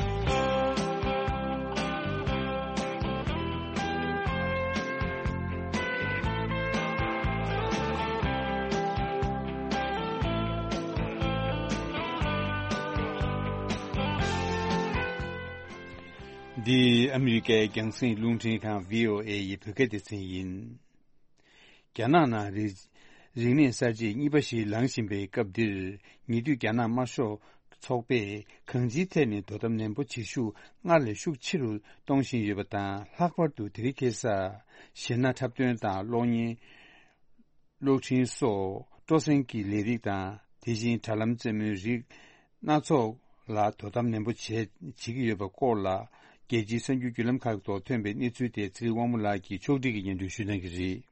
འདི་ཨ་མི་རི་ཀའི་རྒྱང་སྲིང་རླུང་འཕྲིན་ཁང་བྷི་ཨོ་ཨེ་ཡི་བོད་སྐད་སྡེ་ཚན་ཡིན། རྒྱ་ནག་ནང་རིག་རིག་གནས་གསར་བརྗེ་གཉིས་པ་ཞིག་ལངས་བཞིན་པའི་སྐབས་འདིར། ཉེ་དུས་རྒྱ་ནག་དམར་ཤོག་ཚོགས་པས་གང་ཅིའི་ཐད་ནས་དོ་དམ་ནན་པོ་བྱེད་ཤུགས་སྔར་ལས་ཤུགས་ཆེ་རུ་གཏོང་བཞིན་ཡོད་པ་དང་། ལྷག་པར་དུ་དེ་རིང་ཁ་སང་གཞས་སྣ་འཁྲབ་སྟོན་དང་གློག་བརྙན། གློག་འཕྲིན་སོགས་སྤྲོ་གསེང་གི་ལས་རིགས་དང་། དེ་བཞིན་དྲ་ལམ་རྩེད་མོའི་རིགས་སྣ་ཚོགས་ལ་དོ་དམ་ནན་པོ་བྱས་བྱེད་ཀྱི་ཡོད་པའི་སྐོར་ལ། རྒྱལ་སྤྱིའི་གསར་འགྱུར་བརྒྱུད་ལམ་ཁག་ཐོག་ཐོན་པའི་གནས་ཚུལ་དེ་ཚེ་རིང་དབང་མོ་ལགས་ཀྱིས་ཕྱོགས་སྒྲིག་གིས་སྙན་སྒྲོན་ཞུ་གནང་གི་རེད།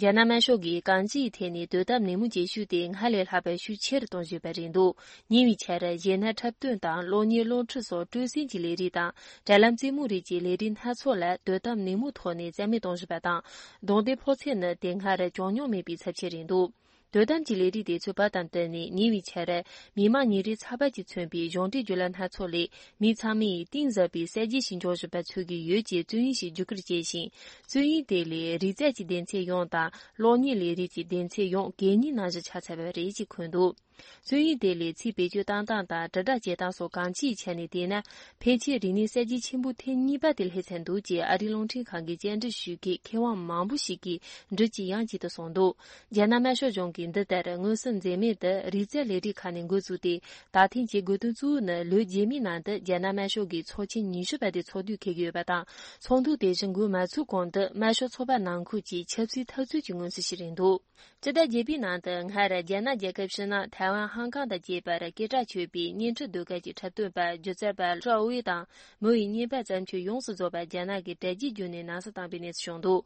རྒྱ་ནག་དམར་ཤོག་གིས་གང་ཅིའི་ཐད་ནས་དོ་དམ་ནན་མོ་བྱེད་ཤུགས་དེ་སྔར་ལས་ལྷག་པའི་ཤུགས་ཆེ་རུ་གཏོང་བཞིན་པ་རེད་འདུག་ཉེ་བའི་ཆར་གཞས་སྣ་འཁྲབ་སྟོན་དང་གློག་བརྙན་གློག་འཕྲིན་སོགས་སྤྲོ་གསེང་གི་ལས་རིགས་དང་། དྲ་ལམ་རྩེད་མོ་རིགས་ཀྱི་ལས་རིགས་སྣ་ཚོགས་ལ་དོ་དམ་ནན་མོའི་ཐོག་ནས་རྩ་མེད་གཏོང་བཞིན་པ་དང་། རྡུང་རྡེག་ཕོག་ཚད་ནི་དེ་སྔར་བྱུང་མྱོང་མེད་པའི་ཚབས་ཆེ་རེད་འདུག་དོ་དམ་གྱི་ལས་རིགས་དེ་ཚོའི་བར་དང་བསྟུན་ནས། ཉེ་བའི་ཆར་མི་མང་ཉིན་རེའི་ཚགས་པར་གྱིས་མཚོན་པའི་གཞུང་འབྲེལ་བརྒྱུད་ལམ་སྣ་ཚོགས་ལས། མི་ཚང་མས་གཏིང་ཟབ་པའི་གསར་བརྗེ་ཞིག་འབྱུང་བཞིན་པ་མཚོན་གྱི་ཡོད་ཅེས་རྩོམ་ཡིག་ཞིག་བརྒྱུད་སྐུར་བྱས་ཤིང་། རྩོམ་ཡིག་དེ་ལས་རིག་རྩལ་གྱི་སྡེ་ཚན་ཡོངས་དང་། གློག་བརྙན་ལས་རིགས་ཀྱི་སྡེ་ཚན་ཡོངས་གད་སྙིགས་ནང་བཞིན་ཆགས་ཚར་བ་རེད་ཅེས་འཁོད་འདུག་རྩོམ་ཡིག་དེ་ལས་ཚིག་བེད་སྤྱོད་བཏང་སྟངས་དང་། དྲིལ་བསྒྲགས་བྱེད་སྟངས་སོགས་གང་ཅིའི་ཆ་ནས་བལྟས་ན། ཕལ་ཆེར་རིག་གནས་གསར་བརྗེ་ཆེན་པོ་ཐེངས་གཉིས་པ་དེ་སླེབས་ཚར་འདུག་ཅེས་ཨ་རིའི་རླུང་འཕྲིན་ཁང་གི་བཅར་འདྲི་ཞུ་མཁན་མཁས་དབང་མང་པོ་ཞིག་གིས་འགྲིག་ཅིང་ཡང་ཅིག་ཏུ་གསུངས་འདུག་རྒྱ་ནག་དམར་ཤོག་གཞུང་གིས་འདི་ལྟར་མངོན་གསལ་མཛད་མེད་དུ་རིག་རྩལ་ལས་རིགས་ཁག་ནས་འགོ་བཙུགས་ཏེ། ད་ཐེངས་ཀྱི་དགོས་དོན་གཙོ་བོ་ནི། ལོ་རྗེས་མའི་ནང་དུ་རྒྱ་ནག་དམར་ཤོག་གི་ཚོགས་ཆེན་ཉི་ཤུ་པ་དེ་ཚོགས་དུས་འཁེལ་གྱི་ཡོད་པ་དང་། ཚོགས་འདུ་དེ་བཞིན་འགོ་མ་ཚུགས་གོང་དུ་དམར་ཤོག་ཚོགས་པ་ནང་ཁུལ་གྱི་ཆབ་སྲིད་འཐབ་རྩོད་ཀྱི་མངོན་གསལ་ཞིག་རེད་འདུག་སྤྱི་ཟླ་བརྒྱད་པའི་ནང་དུ་སྔར་རྒྱ་ནག་རྒྱལ་ཁབ་ཕྱི་ནང་ཐའེ་ ཝང་ཧང་ཀང་དང་བཅས་པར་སྐད་གྲགས་ཆོད་པའི་བརྙན་འཕྲིན་ཟློས་གར་གྱི་འཁྲབ་སྟོན་པ་སྒྱུ་རྩལ་པ་ཧྲོ་ཝེ་དང་མོ་ཡི་བརྙན་པར་བརྩམས་ཆོས་ཡོངས་སུ་རྫོགས་པ་རྒྱ་ནག་གི་དྲ་རྒྱའི་བརྒྱུད་ནས་ནང་སྲིད་བཏང་པའི་གནས་ཚུལ་བྱུང་འདུག་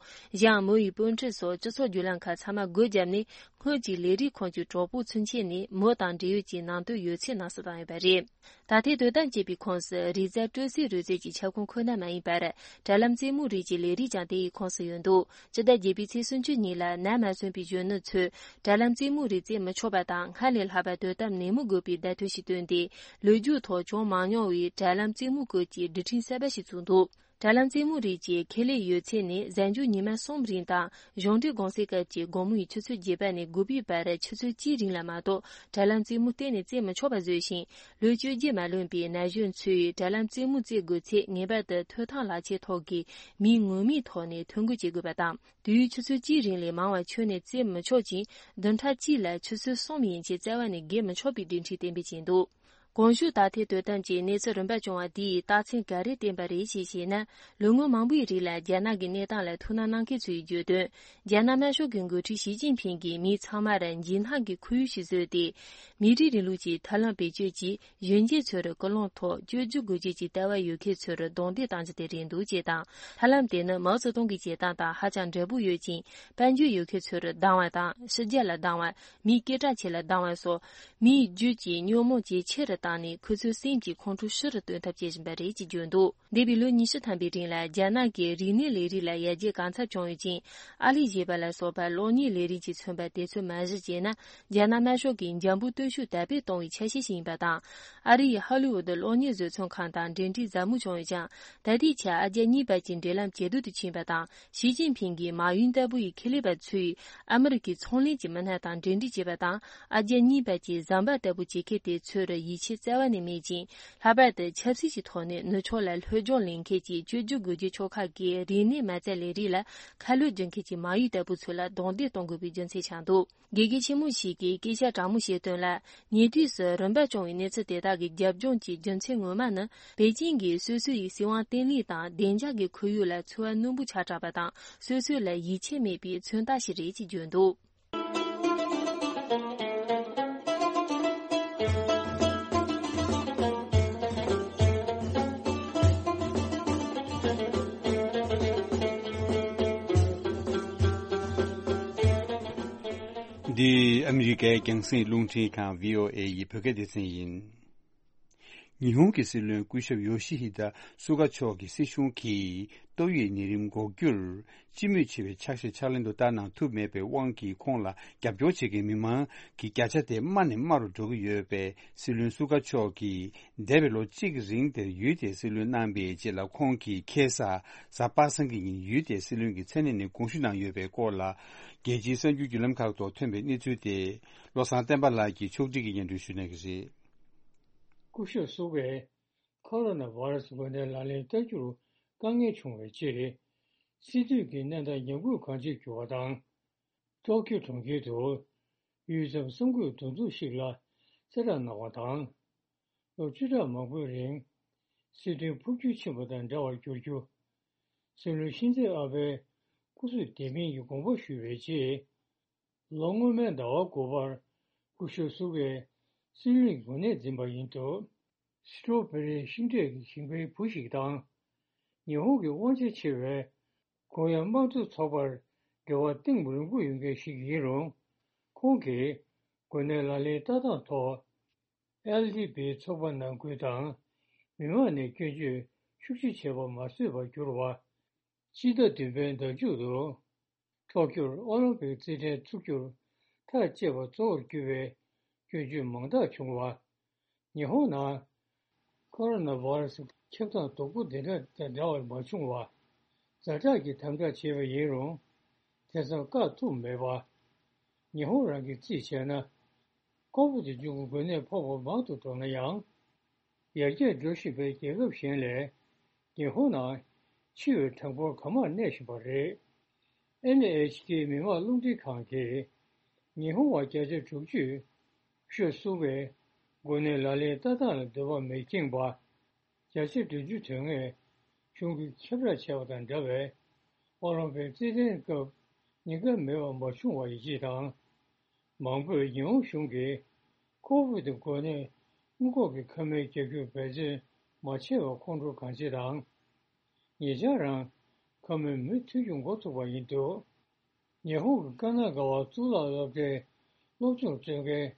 ཡང་མོ་ཡི་སྤོས་འཕྲུལ་སོགས་སྤྱི་ཚོགས་བརྒྱུད་ལམ་ཁག་ཚང་མ་སྒོ་བརྒྱབ་ནས། སྔོན་གྱི་ལས་རིགས་ཁང་གི་གྲོགས་པོ་ཚུན་ཆད་ནས་མོ་དང་འབྲེལ་ཡོད་ཀྱི་ནང་དོན་ཡོད་ཚད་ནང་སྲིད་བཏང་ཡོད་པ་རེད། ད་ཐེངས་དོ་དམ་བྱས་པའི་ཁོངས་སུ་རིག་རྩལ་སྤྲོ་སའི་རོལ་རྩེད་ཀྱི་ཁྱབ་ཁོངས་ཁོ་ན་མ་ཡིན་པར། དྲ་ལམ་རྩེད་མོའི་རིགས་ཀྱི་ལས་རིགས་ཀྱང་དེ་ཡི་ཁོངས་སུ་ཡོད་འདུག་སྤྱི་ཟླ་བརྒྱད་པའི་ཚེས་སུམ་ཅུ་ཉིན་ལ་ནད་མ་སོན་པའི་གཞོན་ནུ་ཚོས་དྲ་ལམ་རྩེད་མོའི་རིགས་རྩེད་མི་ཆོག་པ་དང་སྔར་ལས་ལྷག་པར་དོ་དམ་ནན་མོ་དགོས་པའི་བརྡ་དོན་ཞིག་བཏོན་ཏེ། ལོ་རྒྱུས་ཐོག་བྱུང་མ་མྱོང་བའི་དྲ་ལམ་རྩེད་མོའི་སྐོར་གྱི་སྒྲིག་ཁྲིམས་གསར་པ་ཞིག་བཙུགས་འདུག་དྲ་ལམ་རྩེད་མོའི་རིགས་ཀྱི་ཁེ་ལས་ཡོད་ཚད་ནི་གཟའ་མཇུག་ཉི་མ་གསུམ་རིང་དང་གཞུང་འབྲེལ་གུང་སེང་སྐབས་ཀྱི་དགོང་མོའི་ཆུ་ཚོད་བརྒྱད་པ་ནས་དགུ་པའི་བར་ཆུ་ཚོད་གཅིག་རིང་ལ་མ་གཏོགས་དྲ་ལམ་རྩེད་མོ་གཏན་ནས་རྩེད་མི་ཆོག་པ་བཟོས་ཤིང་། ལོ་བཅོ་བརྒྱད་མ་ལོན་པའི་ན་གཞོན་ཚོས་དྲ་ལམ་རྩེད་མོ་རྩེ་དགོས་ཚེ་ངེས་པར་དུ་ཐོབ་ཐང་ལག་ཁྱེར་ཐོག་གི་མིང་ངོ་མའི་ཐོག་ནས་ཐོ་འགོད་བྱེད་དགོས་པ་དང་། དུས་ཡུན་ཆུ་ཚོད་གཅིག་རིང་ལས་མང་བ་ཁྱོན་ནས་རྩེད་མི་ཆོག་ཅིང་། བདུན་ཕྲག་གཅིག་ལ་ཆུ་ཚོད་གསུམ་ཡན་ཆད་བཙལ་བ་ནས་བརྒལ་མི་ཆོག་པའི་སྒྲིག་ཁྲིམས་གཏན་འབེབས་བྱས་འདུག་གོང་ཞུས་ད་ཐེངས་དོ་དམ་གྱི་གནས་ཚུལ་རིམ་པ་བྱུང་བ་འདིས་རྟགས་མཚན་ག་རེ་བསྟན་པ་རེད་ཅེས་བཤད་ན། ལོ་ངོ་མང་པོའི་རིང་ལ་རྒྱ་ནག་གི་གནས་སྟངས་ལ་ཐུགས་སྣང་གནང་མཁན་ཚོས་བརྗོད་དོན། རྒྱ་ནག་དམར་ཤོག་གི་འགོ་ཁྲིད་ཞི་ཅིན་ཕིང་གིས་མི་ཚང་མར་འཇིགས་སྣང་གི་ཁོར་ཡུག་ཞིག་བཟོས་ཏེ། མི་རིགས་རིང་ལུགས་ཀྱི་ཐབས་ལམ་བེད་སྤྱོད་ཀྱིས་གཞོན་སྐྱེས་ཚོར་ཀུན་སློང་ཐོག་བཅོས་བསྒྱུར་དགོས་ཀྱི་ལྟ་བ་ཡོད་མཁན་ཚོར་རྡུང་རྡེག་བཏང་རྒྱུ་དེ་རེད་འདུག་ཅེས་དང་། ཐབས་ལམ་དེ་ནི་མའོ་ཙེ་ཏུང་གི་བྱེད་སྟངས་དང་ཧ་ཅང་འདྲ་པོ་ཡོད་ཅིང་། དཔལ་འབྱོར་ཡོད་མཁན་ཚོར་སྡང་བ་དང་། ཕྱི་རྒྱལ་ལ་སྡང་བ། མིའི་སྐད་གྲགས་ཆེ་ལ་སྡང་བ་སོགས་མིའི་རྒྱུད་ཀྱི་ཉོན་མོངས་ཇེ་ཆེ་རུ་བཏང་ནས་ཁོ་ཚོའི་སེམས་ཀྱི་ཁོང་ཁྲོ་ཤུགས་རུ་བཏོན་ཐབས་བྱེད་བཞིན་པ་རེད་ཅེས་བརྗོད་འདུག་འདས་པའི་ལོ་ཉི་ཤུ་ཐམ་པའི་རིང་ལ་རྒྱ་ནག་གི་རིག་གནས་ལས་རིགས་ལ་ཡར་རྒྱས་གང་འཚམ་བྱུང་ཡོད་ཅིང་། ཨ་ལི་ཞེས་པ་ལ་སོགས་པ་གློག་བརྙན་ལས་རིགས་ཀྱིས་མཚོན་པ་དེ་ཚོ་མ་གཞི་བྱས་ན། རྒྱ་ནག་དམར་ཤོག་གིས་འཇམ་པོའི་སྟོབས་ཤུགས་དར་སྤེལ་གཏོང་བའི་ཆ་ཤས་ཤིག་ཡིན་པ་དང་། ཨ་རིའི་ཧོ་ལི་ཝུད་གློག་བརྙན་བཟོ་ཚོང་ཁང་དང་འབྲེལ་འདྲིས་ཟབ་མོ་བྱུང་ཡོད་ཀྱང་། ད་ལྟའི་ཆར་ཨ་རྒྱ་གཉིས་བར་གྱི་འབྲེལ་ལམ་ཇེ་སྡུག་ཏུ་ཕྱིན་པ་དང་། ཞི་ཅིན་ཕིང་གིས་མ་ཡུན་ལྟ་བུ་ཡི་ཁེ་ལས་པ་ཚོས་ཨ་མི་རི་ཀའི་ཚོང་ལས་ཀྱི་མི་སྣ་དང་འབྲེལ་འདྲིས་བྱས་པ་དང་། ཨ་རྒྱ་གཉིས་བར་གྱི་ཟམ་པ་ལྟ་བུ་བྱེད་མཁན་དེ་ཚོར་ཡིད་ཆེས་རྩ་བ་ནས་མེད་ཅིང་། ལྷག་པར་དུ་ཆབ་སྲིད་ཀྱི་ཐོག་ནས་ནུབ་ཕྱོགས་ལ་སློབ་སྦྱོང་ལེན་མཁན་གྱི་བཅོས་བསྒྱུར་དགོས་རྒྱུ་ཕྱོགས་ཁག་གི་རིག་གནས་མ་རྩ་ལས་རིགས་ལ་ཁ་ལོ་སྒྱུར་མཁན་གྱི་མ་ཡུལ་ལྟ་བུ་ཚོ་ལ་རྡུང་རྡེག་གཏོང་དགོས་པའི་རྒྱུ་མཚན་ཆགས་འདུག་དགེ་རྒན་ཆེན་མོ་ཞིག་གིས་སྐད་ཆ་དྲང་མོ་བཤད་དོན་ལ། ཉེ་དུས་སུ་རིམ་པ་བྱུང་བའི་གནས་ཚུལ་དེ་དག་གི་རྒྱབ་ལྗོངས་ཀྱི་རྒྱུ་མཚན་ངོ་མ་ནི། པེ་ཅིང་གིས་སོ་སོ་ཡི་སྲིད་དབང་བརྟན་ལྷིང་དང་བདེ་འཇགས་ཀྱི་ཁོར་ཡུག་ལ་ཚོར་བ་རྣོན་པོ་ཆགས་དྲགས་པ་དང་། སོ་སོ་ལ་ཡིད་ཆེས་མེད་པའི་མཚོན་རྟགས་ཤིག་རེད་ཅེས་བརྗོད་འདུག་འདི་ཨ་མི་རི་ཀའི་རྒྱང་སྲིང་རླུང་འཕྲིན་ཁང་བྷི་ཨོ་ཨེ་ཡི་བོད་སྐད་སྡེ་ཚན་ཡིན། ཉི་ཧོང་གི་སྲིད་བློན་སྐུ་ཞབས་ཡོ་ཤི་ཧི་ད་སུ་ག་མཆོག་གི་སྲིད་གཞུང་གིས་ཏོག་དབྱིབས་ནད་རིམས་འགོག་རྒྱུར་སྤྱི་མོས་ཆེ་བའི་ཕྱག་བཞེས་ཕྱག་ལེན་དུ་བསྟར་གནང་ཐུབ་མེད་པའི་དབང་གིས་ཁོང་ལ་རྒྱབ་སྐྱོར་བྱེད་མཁན་མི་མང་གི་བརྒྱ་ཆ་དེ་དམའ་ནས་དམའ་རུ་འགྲོ་གི་ཡོད་པས། སྲིད་བློན་སུ་ག་མཆོག་གིས་འདས་པའི་ལོ་གཅིག་རིང་དེར་ཡུལ་དེའི་སྲིད་བློན་གནང་པའི་རྗེས་ལ། ཁོང་གིས་ཁ་སང་གཟའ་པ་སངས་ཀྱི་ཉིན་ཡུལ་དེའི་སྲིད་བློན་གྱི་མཚན་གནས་ནས་དགོངས་ཞུ་གནང་ཡོད་པའི་སྐོར་ལ། རྒྱལ་སྤྱིའི་གསར་འགྱུར་བརྒྱུད་ལམ་ཁག་ཐོག་ཐོན་པའི་གནས་ཚུལ་དེ། བློ་བཟང་བསྟན་པ་ལགས་ཀྱིས་ཕྱོགས་སྒྲིག་གིས་སྙན་སྒྲོན་ཞུ་གནང་གི་རེད། སྐུ་ཞབས་སུ་གས་ཁོ་རོ་ན་བྷ་ར་སི་འགོས་ནད་ལག་ལེན་བསྟར་རྒྱུར་དཀའ་ངལ་བྱུང་བའི་རྗེས། སྲིད་དོན་གྱི་གནས་སྟངས་ཉམས་རྒུད་གང་ཆེར་གྱུར་བ་དང་། ཏོག་ཀྱོ་གྲོང་ཁྱེར་དུ་ཡུད་ཙམ་གསང་འགུལ་འདུ་འཛོམས་ཤིག་ལ་གསལ་བསྒྲགས་གནང་བ་དང་། ལོ་བཅུ་ཕྲག་མང་པོའི་རིང་སྲིད་དོན་འཕོ་འགྱུར་ཕྱིན་པ་དང་འདྲ་བར་གྱུར་རྒྱུ། སྲིད་བློན་ཤིན་ཛེ་ཨ་བྷེའི་སྐུ་གཟུགས་བདེ་མིན་གྱི་དགོངས་པ་ཞུས་པའི་རྗེས། ལོ་སྔོན་མའི་ཟླ་བ་དགུ་པར་སྐུ་ཞབས་སུ་གས་སྲིད་བློན་གྱི་གོ་གནས་འཛིན་པ་ཡིན་འདུག་སི་ཀྲོ་བེ་རི་ཤིང་འབྲས་ཀྱི་ཞིང་པའི་བུ་ཞིག་དང་། ཉི་ཧོང་གི་དབང་ཆ་ཆེ་བའི་ཀོ་ཡ་དམངས་གཙོ་ཚོགས་པར་འབྲེལ་བ་གཏིང་རིང་པོ་ཡོད་མཁན་ཞིག་ཡིན་རུང་། ཁོང་གིས་འགོས་ནད་ལག་ལེན་ལྟ་སྟངས་ཐོག་ཨེལ་ཌི་པིའི་ཚོགས་པ་ནང་ཁུལ་དང་མི་མང་ནས་སྐྱོན་བརྗོད་ཤུགས་ཆེ་བྱས་པ་མ་བཟོད་པར་གྱུར་བ། སྤྱི་ཟླ་བདུན་པའི་ཟླ་མཇུག་ཏུ། ཏོག་ཀྱོར་ཨོ་ལིམ་པིག་རྩེད་འགྲན་འཚུགས་རྒྱུར་ཐག་བཅད་པ་གཙོ་བོར་གྱུར་པའི་སྐྱོན་བརྗོད་མང་དག་བྱུང་བ། ཉི་ཧོང་ནང་ཁོ་རོ་ན་བྷ་ར་སི་ཁྱབ་སྟངས་སྡུག་པོ་འདི་འདྲ་དང་འདྲ་བར་མ་བྱུང་བ། ཛ་དྲག་གི་དམ་དྲག་བྱས་པ་ཡིན་རུང་། དེ་ཙམ་བཀག་ཐུབ་མེད་པ། ཉི་ཧོང་རང་གིས་རྩིས་བྱས་ན། ཁོག་པ་དེ་མཇུག་གི་འགོས་ནད་ཕོག་པ་མང་དུ་འགྲོ་ན་ཡང་། ཡར་རྒྱས་འགྲོ་བཞིན་པའི་རྒྱལ་ཁབ་གཞན་ལས། ཉི་ཧོང་ནང་འཆི་བའི་གྲངས་འབོར་གང་མང་གནས་བཞིན་པ་རེད། ཨེན་ཨེཆ་ཀེ་མི་དམངས་རླུང་འཕྲིན་ཁང་གིས། ཉི་ཧོང་བ་བརྒྱ་ཆ་དྲུག་ཅུས་ཤོད་སུ་བའི་འགོས་ནད་ལག་ལེན་ལྟ་སྟངས་ལ་འདོད་པ་མི་འཁྱེངས་པ། བརྒྱ་ཆ་བདུན་ཅུ་དོན་ལྔས་གཞུང་གིས་ཁྱབ་བསྒྲགས་བྱས་པ་དང་འདྲ་བའི་ཨོ་ལིམ་པིག་རྩེད་འགྲན་སྐབས་ཉེན་ཁ་མེད་པ་མ་བྱུང་བ་ཡིན་ཅེས་དང་། མང་པོས་ཉི་ཧོང་གཞུང་གིས་ ཁོ་བིད་འགོས་ནད་སྔོན་འགོག་གི་ཁབ་སྨན་རྒྱག་རྒྱུར་འབད་བརྩོན་མ་བྱས་པར་ཁོང་ཁྲོ་གང་ཆེ་དང་། ཉེ་ཆར་རང་ཁབ་སྨན་མུ་མཐུད་རྒྱུ་འགོ་ཚུགས་པ་ཡིན་འདུག། ཉི་ཧོང་གི་ཀ་ན་ག་བ་གཙུག་ལག་སློབ་གྲྭའི་སློབ་སྦྱོང་སྤྲོད་མཁན་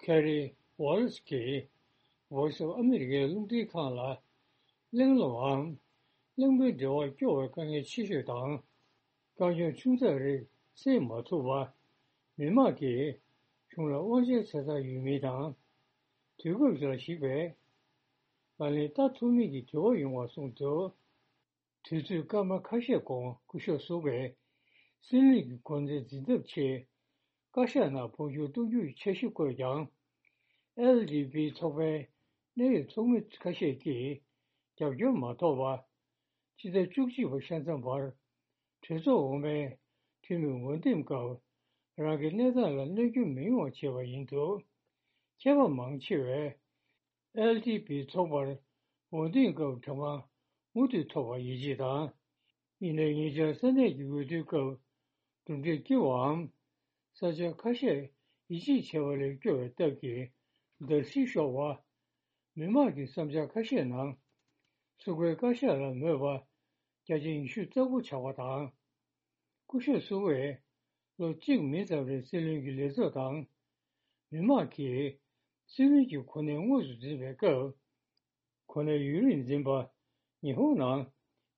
ཁེ་རི་ཝ་ལེ་སི་གིས་Voice of America ལུང་འདྲེན་ཁང་ལ་གླེང་སློང་འམ་གླེང་མོལ་འབྲེལ་བར་སྐྱོ་བའི་དཀའ་ངལ་ཆེ་ཤོས་དང་། དཀའ་སྐྱོན་ཆུང་ཙག་རིགས་སེལ་མ་ཐུབ་པ། མི་མང་གིས་གཞུང་ལ་དབང་ཆའི་ཆ་ཚང་ཡོད་མིན་དང་། དུས་སྐབས་ལ་གཞིགས་པའི་ལག་ལེན་བསྟར་ཐུབ་མིན་གྱི་དྲི་བ་ཡོང་བ་གསུངས་འདུག། དུས་ཚོད་སྐར་མ་ཁ་ཤས་གོང་སྐུ་ཞབས་སུ་ཀེས་སྲིད་བློན་གྱི་གོ་གནས་འཛིན་ཐབས་ཆེད་བཀའ་ཤག་ནང་འབོད་སྐྱོར་གཏོང་རྒྱུའི་འཆར་གཞི་བཀོད་ཀྱང་། ཨེལ་ཌི་པི་ཚོགས་པའི་གནད་ཡོད་ཚོགས་མི་ཁ་ཤས་ཀྱིས་རྒྱབ་སྐྱོར་མ་ཐོབ་པ། ཕྱི་ཟླ་བཅུ་གཅིག་པ་ཤ་ཚ་བར་གྲོས་ཚོགས་འོག་མའི་འཐུས་མི་འོས་འདེམས་སྐབས་རང་གི་གནས་སྟངས་ལ་གནོད་སྐྱོན་མི་ཡོང་བ་བྱས་པ་ཡིན་འདུག། མཁས་པ་མང་ཆེ་བས་ཨེལ་ཌི་པི་ཚོགས་པར་འོས་འདེམས་སྐབས་གྲངས་ཀ་མུ་མཐུད་ཐོབ་པར་ཡིད་ཆེས་དང་། ཡིན་ནའི་ཉེ་ཆར་ས་གནས་ཀྱི་འོས་བསྡུའི་སྐབས་གྲུབ་འབྲས་སྐྱིད་པའམ། ས་ཆ་ཁ་ཤས་ཡིད་ཆེས་བྱས་པ་ལས་སྐྱོ་བའི་སྟབས་ཀྱིས་བརྡབ་གསིག་ཤོར་བ། མི་མང་གི་བསམ་འཆར་ཁ་ཤས་ནང་སུ་ཀེའི་བཀའ་ཤག་ལ་མོས་པ་བརྒྱ་ཆ་ཉི་ཤུ་རྩ་དགུ་ཆག་པ་དང་། སྐུ་ཞབས་སུ་ཀེས་ལོ་གཅིག་མིན་ཙམ་རིང་སྲིད་བློན་གྱི་ལས་ཚབ་དང་། མི་མང་གིས་སྲིད་བློན་གྱི་གོ་གནས་དངོས་སུ་འཛིན་པའི་སྐབས། གོ་གནས་ཡུན་རིང་འཛིན་པ། ཉི་ཧོང་ནང་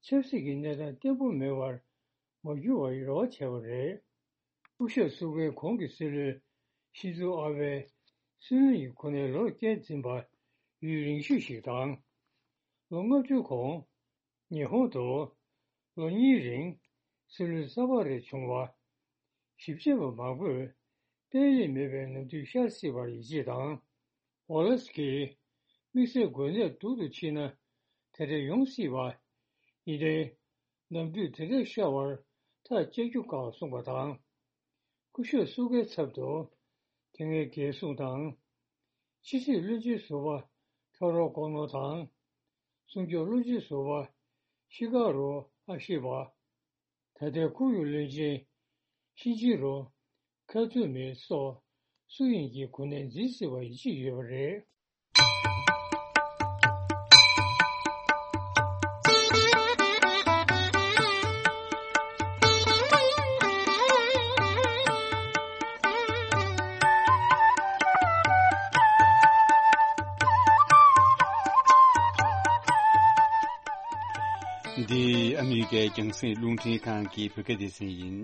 ཆབ་སྲིད་ཀྱི་གནས་སྟངས་བརྟན་པོ་མེད་པར་མ་གྱུར་བར་རེ་བ་བྱས་པ་རེད། སྐུ་ཞབས་སུ་ཀེའི་གོང་གི་སྲིད་བློན་ཤིན་ཛོ་ཨ་བྷེ་སྲིད་བློན་གྱི་གོ་གནས་ལོ་བརྒྱད་འཛིན་པ་ཡུན་རིང་ཤོས་ཤིག་དང་། ལོ་ལྔ་བཅུ་གོང་ཉི་ཧོང་དུ་ལོ་གཉིས་རིང་སྲིད་བློན་གསར་པ་རེ་བྱུང་བ། ཞིབ་དཔྱད་པ་མང་པོས་གཏན་ལས་མེད་པའི་ནམ་དུས་ཤར་སྲིད་པར་ཡིད་ཆེས་དང་། ཝ་ལེ་སི་གིས་དམིགས་བསལ་འགོས་ནད་སྡུག་ཏུ་ཕྱིན་ན་དེ་འདྲ་ཡོང་སྲིད་པ། ཡིན་ནའི་ནམ་དུས་དེ་འདྲ་ཤར་བར་ཐག་བཅད་རྒྱུ་དཀའ་གསུངས་པ་དང་། སྐུ་ཞབས་སུ་ཀེའི་ཚབ་ཏུ་དེ་སྔའི་རྒྱལ་སྲུང་དང་། ཕྱི་སྲིད་བློན་ཆེན་ཟུར་པ་ཁྲོ་རོ་ཀོ་ནོ་དང་། སྲུང་སྐྱོབ་བློན་ཆེན་ཟུར་པ་ཤི་ཀ་རུ་ཨ་ཤི་བ། ད་ལྟའི་ཁོར་ཡུག་བློན་ཆེན་ཤིན་ཅི་རོ་ཁ་ཐུ་མི་སོགས་སུ་ཡིན་གྱིས་གོ་གནས་འཛིན་སྲིད་པ་ཡིད་ཆེས་ཡོད་པ་རེད། འདི་ཨ་མི་རི་ཀའི་རྒྱང་སྲིང་རླུང་འཕྲིན་ཁང་གི་བོད་སྐད་སྡེ་ཚན་ཡིན།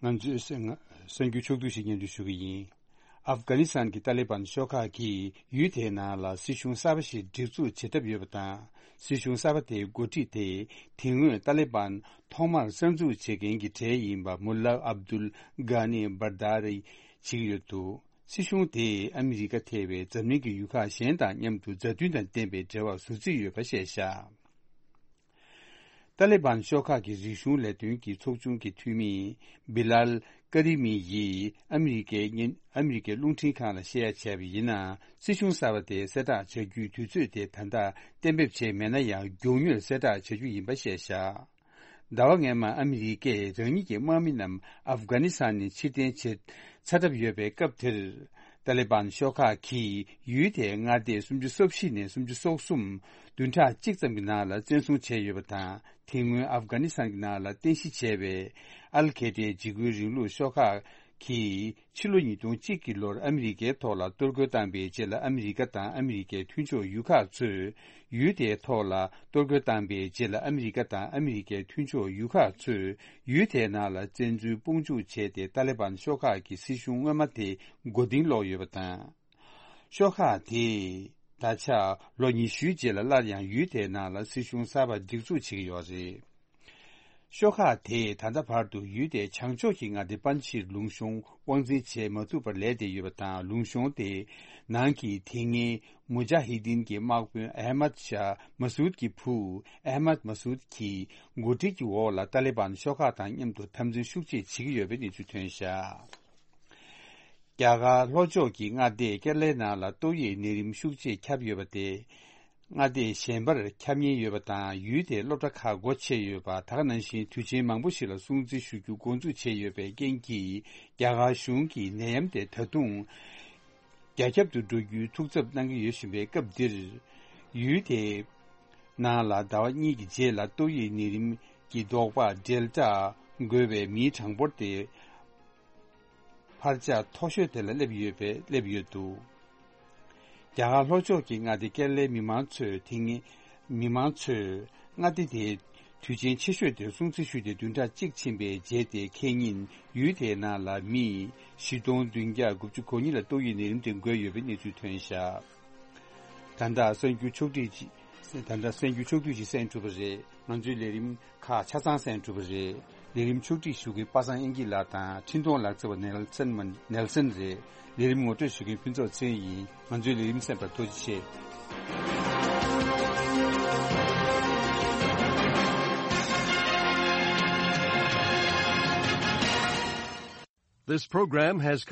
ང་ཚོས་གསར་གསར་འགྱུར་ཕྱོགས་བསྡུས་ཤིག་སྙན་སྒྲོན་ཞུ་གི་ཡིན། ཨབ་གྷ་ནི་སི་ཐན་གྱི་ཏཱ་ལི་བན་ཤོག་ཁག་གིས་ཡུལ་དེའི་ནང་ལ་སྲིད་གཞུང་གསར་པ་ཞིག་སྒྲིག་འཛུགས་བྱེད་ཐབས་ཡོད་པ་དང་། སྲིད་གཞུང་གསར་པ་དེའི་འགོ་ཁྲིད་དེ་དེ་སྔོན་ཏཱ་ལི་བན་ཐོག་མར་གསར་འཛུགས་བྱེད་མཁན་གྱི་གྲས་ཡིན་པ་མུ་ལ་ཨབ་དུལ་གྷ་ནི་བར་དཱ་རི་བྱེད་ཀྱི་ཡོད་འདུག། སྲིད་གཞུང་དེས་ཨ་མི་རི་ཀ་ཐེ་བའི་འཛམ་གླིང་གི་ཡུལ་ཁག་གཞན་དང་མཉམ་དུ་མཛའ་མཐུན་དང་ལྡན་པའི་འབྲེལ་བ་བཟོ་རྩིས་ཡོད་པ་བཤད་བཞག། ཏཱ་ལི་བན་ཤོག་ཁག་གི་རིག་གཞུང་ལས་དོན་གྱི་ཚོགས་ཆུང་གི་འཐུས་མི་བི་ལཱལ་ཀ་རི་མི་ཡིས་ཨ་མི་རི་ཀའི་ཨ་མི་རི་ཀའི་རླུང་འཕྲིན་ཁང་ལ་བཤད་ཡ་བྱས་པ་ཡིན་ན། སྲིད་གཞུང་གསར་པ་དེ་གསལ་བསྒྲགས་བྱ་རྒྱུའི་དུས་ཚོད་དེ་ད་ལྟ་གཏན་འབེབས་བྱས་མེད་ན་ཡང་། མགྱོགས་མྱུར་གསལ་བསྒྲགས་བྱ་རྒྱུ་ཡིན་པ་བཤད་བཞག། ཟླ་བ་སྔོན་མ་ཨ་མི་རི་ཀས་རང་ཉིད་ཀྱི་དམག་མི་རྣམས་ཨབ་གྷ་ནི་སི་ཐན་ནས་ཕྱིར་འཐེན་བྱེད་ཚར་གྲབས་ཡོད་པའི་སྐབས་དེར། ཏཱ་ལི་བན་ཤོག་ཁག་གིས་ཡུལ་དེའི་མངའ་སྡེ་སུམ་ཅུ་སོ་བཞི་ནས་སུམ་ཅུ་སོ་གསུམ་བདུན་ཕྲག་གཅིག་ཙམ་གྱི་ནང་ལ་བཙན་བཟུང་བྱས་ཡོད་པ་དང་། དེ་སྔོན་ཨབ་གྷ་ནི་སི་ཐན་གྱི་ནང་ལ་རྟེན་གཞི་བྱས་པའི་ཨལ་ཁེ་ཏའི་འཇིགས་སྐུལ་རིང་ལུགས་ཤོག་ཁག་གིས་ཕྱི་ལོ་ཉིས་སྟོང་གཅིག་གི་ལོར་ཨ་མི་རི་ཀའི་ཐོག་ལ་གཏོར་རྒོལ་བཏང་པའི་རྗེས་ལ། ཨ་མི་རི་ཀ་དང་ཨ་མི་རི་ཀའི་མཐུན་ཕྱོགས་ཡུལ་ཁག་ཚོས་ཡུལ་དེའི་ཐོག་ལ་གཏོར་རྒོལ་བཏང་པའི་རྗེས་ལ། ཨ་མི་རི་ཀ་དང་ཨ་མི་རི་ཀའི་མཐུན་ཕྱོགས་ཡུལ་ཁག་ཚོས་ཡུལ་དེའི་ནང་ལ་བཙན་འཛུལ་དཔུང་འཇུག་བྱས་ཏེ། ཏཱ་ལི་བན་ཤོག་ཁག་གི་སྲིད་གཞུང་སྔོན་མ་དེ་མགོ་རྟིང་སློག་ཡོད་པ་དང་། ཤོག་ཁག་དེས་ད་ཆ་ལོ་ཉི་ཤུའི་རྗེས་ལ་སླར་ཡང་ཡུལ་དེའི་ནང་ལ་སྲིད་གཞུང་གསར་པ་སྒྲིག་འཛུགས་བྱེད་ཀྱི་ཡོད་རེད། ཤོག་ཁག་དེས་ད་ལྟ་བར་དུ་ཡུལ་དེའི་བྱང་ཕྱོགས་ཀྱི་མངའ་སྡེ་པན་ཇི་ཤིར་ལུང་གཤོང་དབང་འཛིན་བྱེད་མ་ཐུབ་པར་ལས་བསྡད་ཡོད་པ་དང་། ལུང་གཤོང་དེའི་ནང་གི་དེ་སྔའི་མུ་ཇཱ་ཧི་དིན་གྱི་དམག་དཔོན་ཨེ་མད་ཤཱ་མ་སུད་ཀྱི་བུ་ཨེ་མད་མ་སུད་ཀྱི་འགོ་ཁྲིད་ཀྱི་འོག་ལ་ཏཱ་ལི་བན་ཤོག་ཁག་དང་མཉམ་དུ་འཐབ་འཛིང་ཤུགས་ཆེ་བྱེད་ཀྱི་ཡོད་པའི་གནས་ཚུལ་ཐོན་བཞག། རྒྱ་གར་ལྷོ་ཕྱོགས་ཀྱི་མངའ་སྡེ་ཀེ་ར་ལའི་ནང་ལ་ཏོག་དབྱིབས་ནད་རིམས་ཤུགས་ཆེ་ཁྱབ་ཡོད་པ་དེ། མངའ་སྡེ་གཞན་པར་ཁྱབ་ཉེན་ཡོད་པ་དང་། ཡུལ་དེའི་སློབ་གྲྭ་ཁག་སྒོ་ཕྱེ་ཡོད་པ། ད་ག་ནང་བཞིན་དུས་ཆེན་མང་པོ་ཞིག་ལ་སྲུང་བརྩི་ཞུ་རྒྱུ་འགོ་འཛུགས་བྱས་ཡོད་པའི་རྐྱེན་གྱིས། རྒྱ་གར་གཞུང་གིས་ནད་ཡམས་དེ་ད་དུང་རྒྱ་ཁྱབ་ཏུ་འགྲོ་རྒྱུའི་ཐུགས་འཚབ་གནང་གི་ཡོད་བཞིན་པའི་སྐབས་འདིར། ཡུལ་དེའི་ནང་ལ་ཟླ་བ་གཉིས་ཀྱི་རྗེས་ལ་ཏོག་དབྱིབས་ནད་རིམས་ཀྱི་ཟློག་པ་ཌེལ་ཊ་འགོས་པའི་མིའི་གྲངས་འབོར་དེ་འཕར་ཆག་མཐོ་ཤོས་དེ་ལ་སླེབས་ཡོད་པས། སླེབས་ཡོད་འདུག་རྒྱ་གར་ལྷོ་ཕྱོགས་ཀྱི་མངའ་སྡེ་ཀེ་ར་ལའི་མི་མང་ཚོས་དེ་སྔ་མི་མང་ཚོས་མངའ་སྡེ་དེའི་དུས་ཆེན་ཆེ་ཤོས་དེ་སྲུང་བརྩི་ཞུས་ཏེ་བདུན་ཕྲག་གཅིག་ཕྱིན་པའི་རྗེས་དེ་ཁེ་ཉིན་ཡུལ་དེའི་ནང་ལ་མི་བཞི་སྟོང་བདུན་བརྒྱ་དགུ་བཅུ་གོ་གཉིས་ལ་ཏོག་དབྱིབས་ནད་རིམས་དེ་འགོས་ཡོད་པའི་གནས་ཚུལ་ཐོན་བཞག་ད་ལྟ་གསར་འགྱུར་ཕྱོགས་བསྒྲིགས་ཅིག་ད་ལྟ་གསར་འགྱུར་ཕྱོགས་བསྒྲིགས་ཅིག་གསན་གྲུབ་པ་རེད། ང་ཚོའི་ལས་རིམ་ཁག་ཆ་ཚང་གསན་གྲུབ་པ་རེད། ལས་རིམ་ཕྱོགས་སྒྲིག་ཞུ་མཁན་པ་སངས་དབྱངས་སྐྱིད་ལགས་དང་འཕྲིན་གཏོང་ལག་རྩལ་བ་ནེལ་སན་མ་ནེལ་སན་རེད། ལས་རིམ་ངོ་སྤྲོད་ཞུ་མཁན་ཕུན་ཚོགས་ཚེ་རིང་ཡིན། ང་ཚོའི་ལས་རིམ་གསན་པར་ཐུགས་རྗེ་ཆེ། This program has come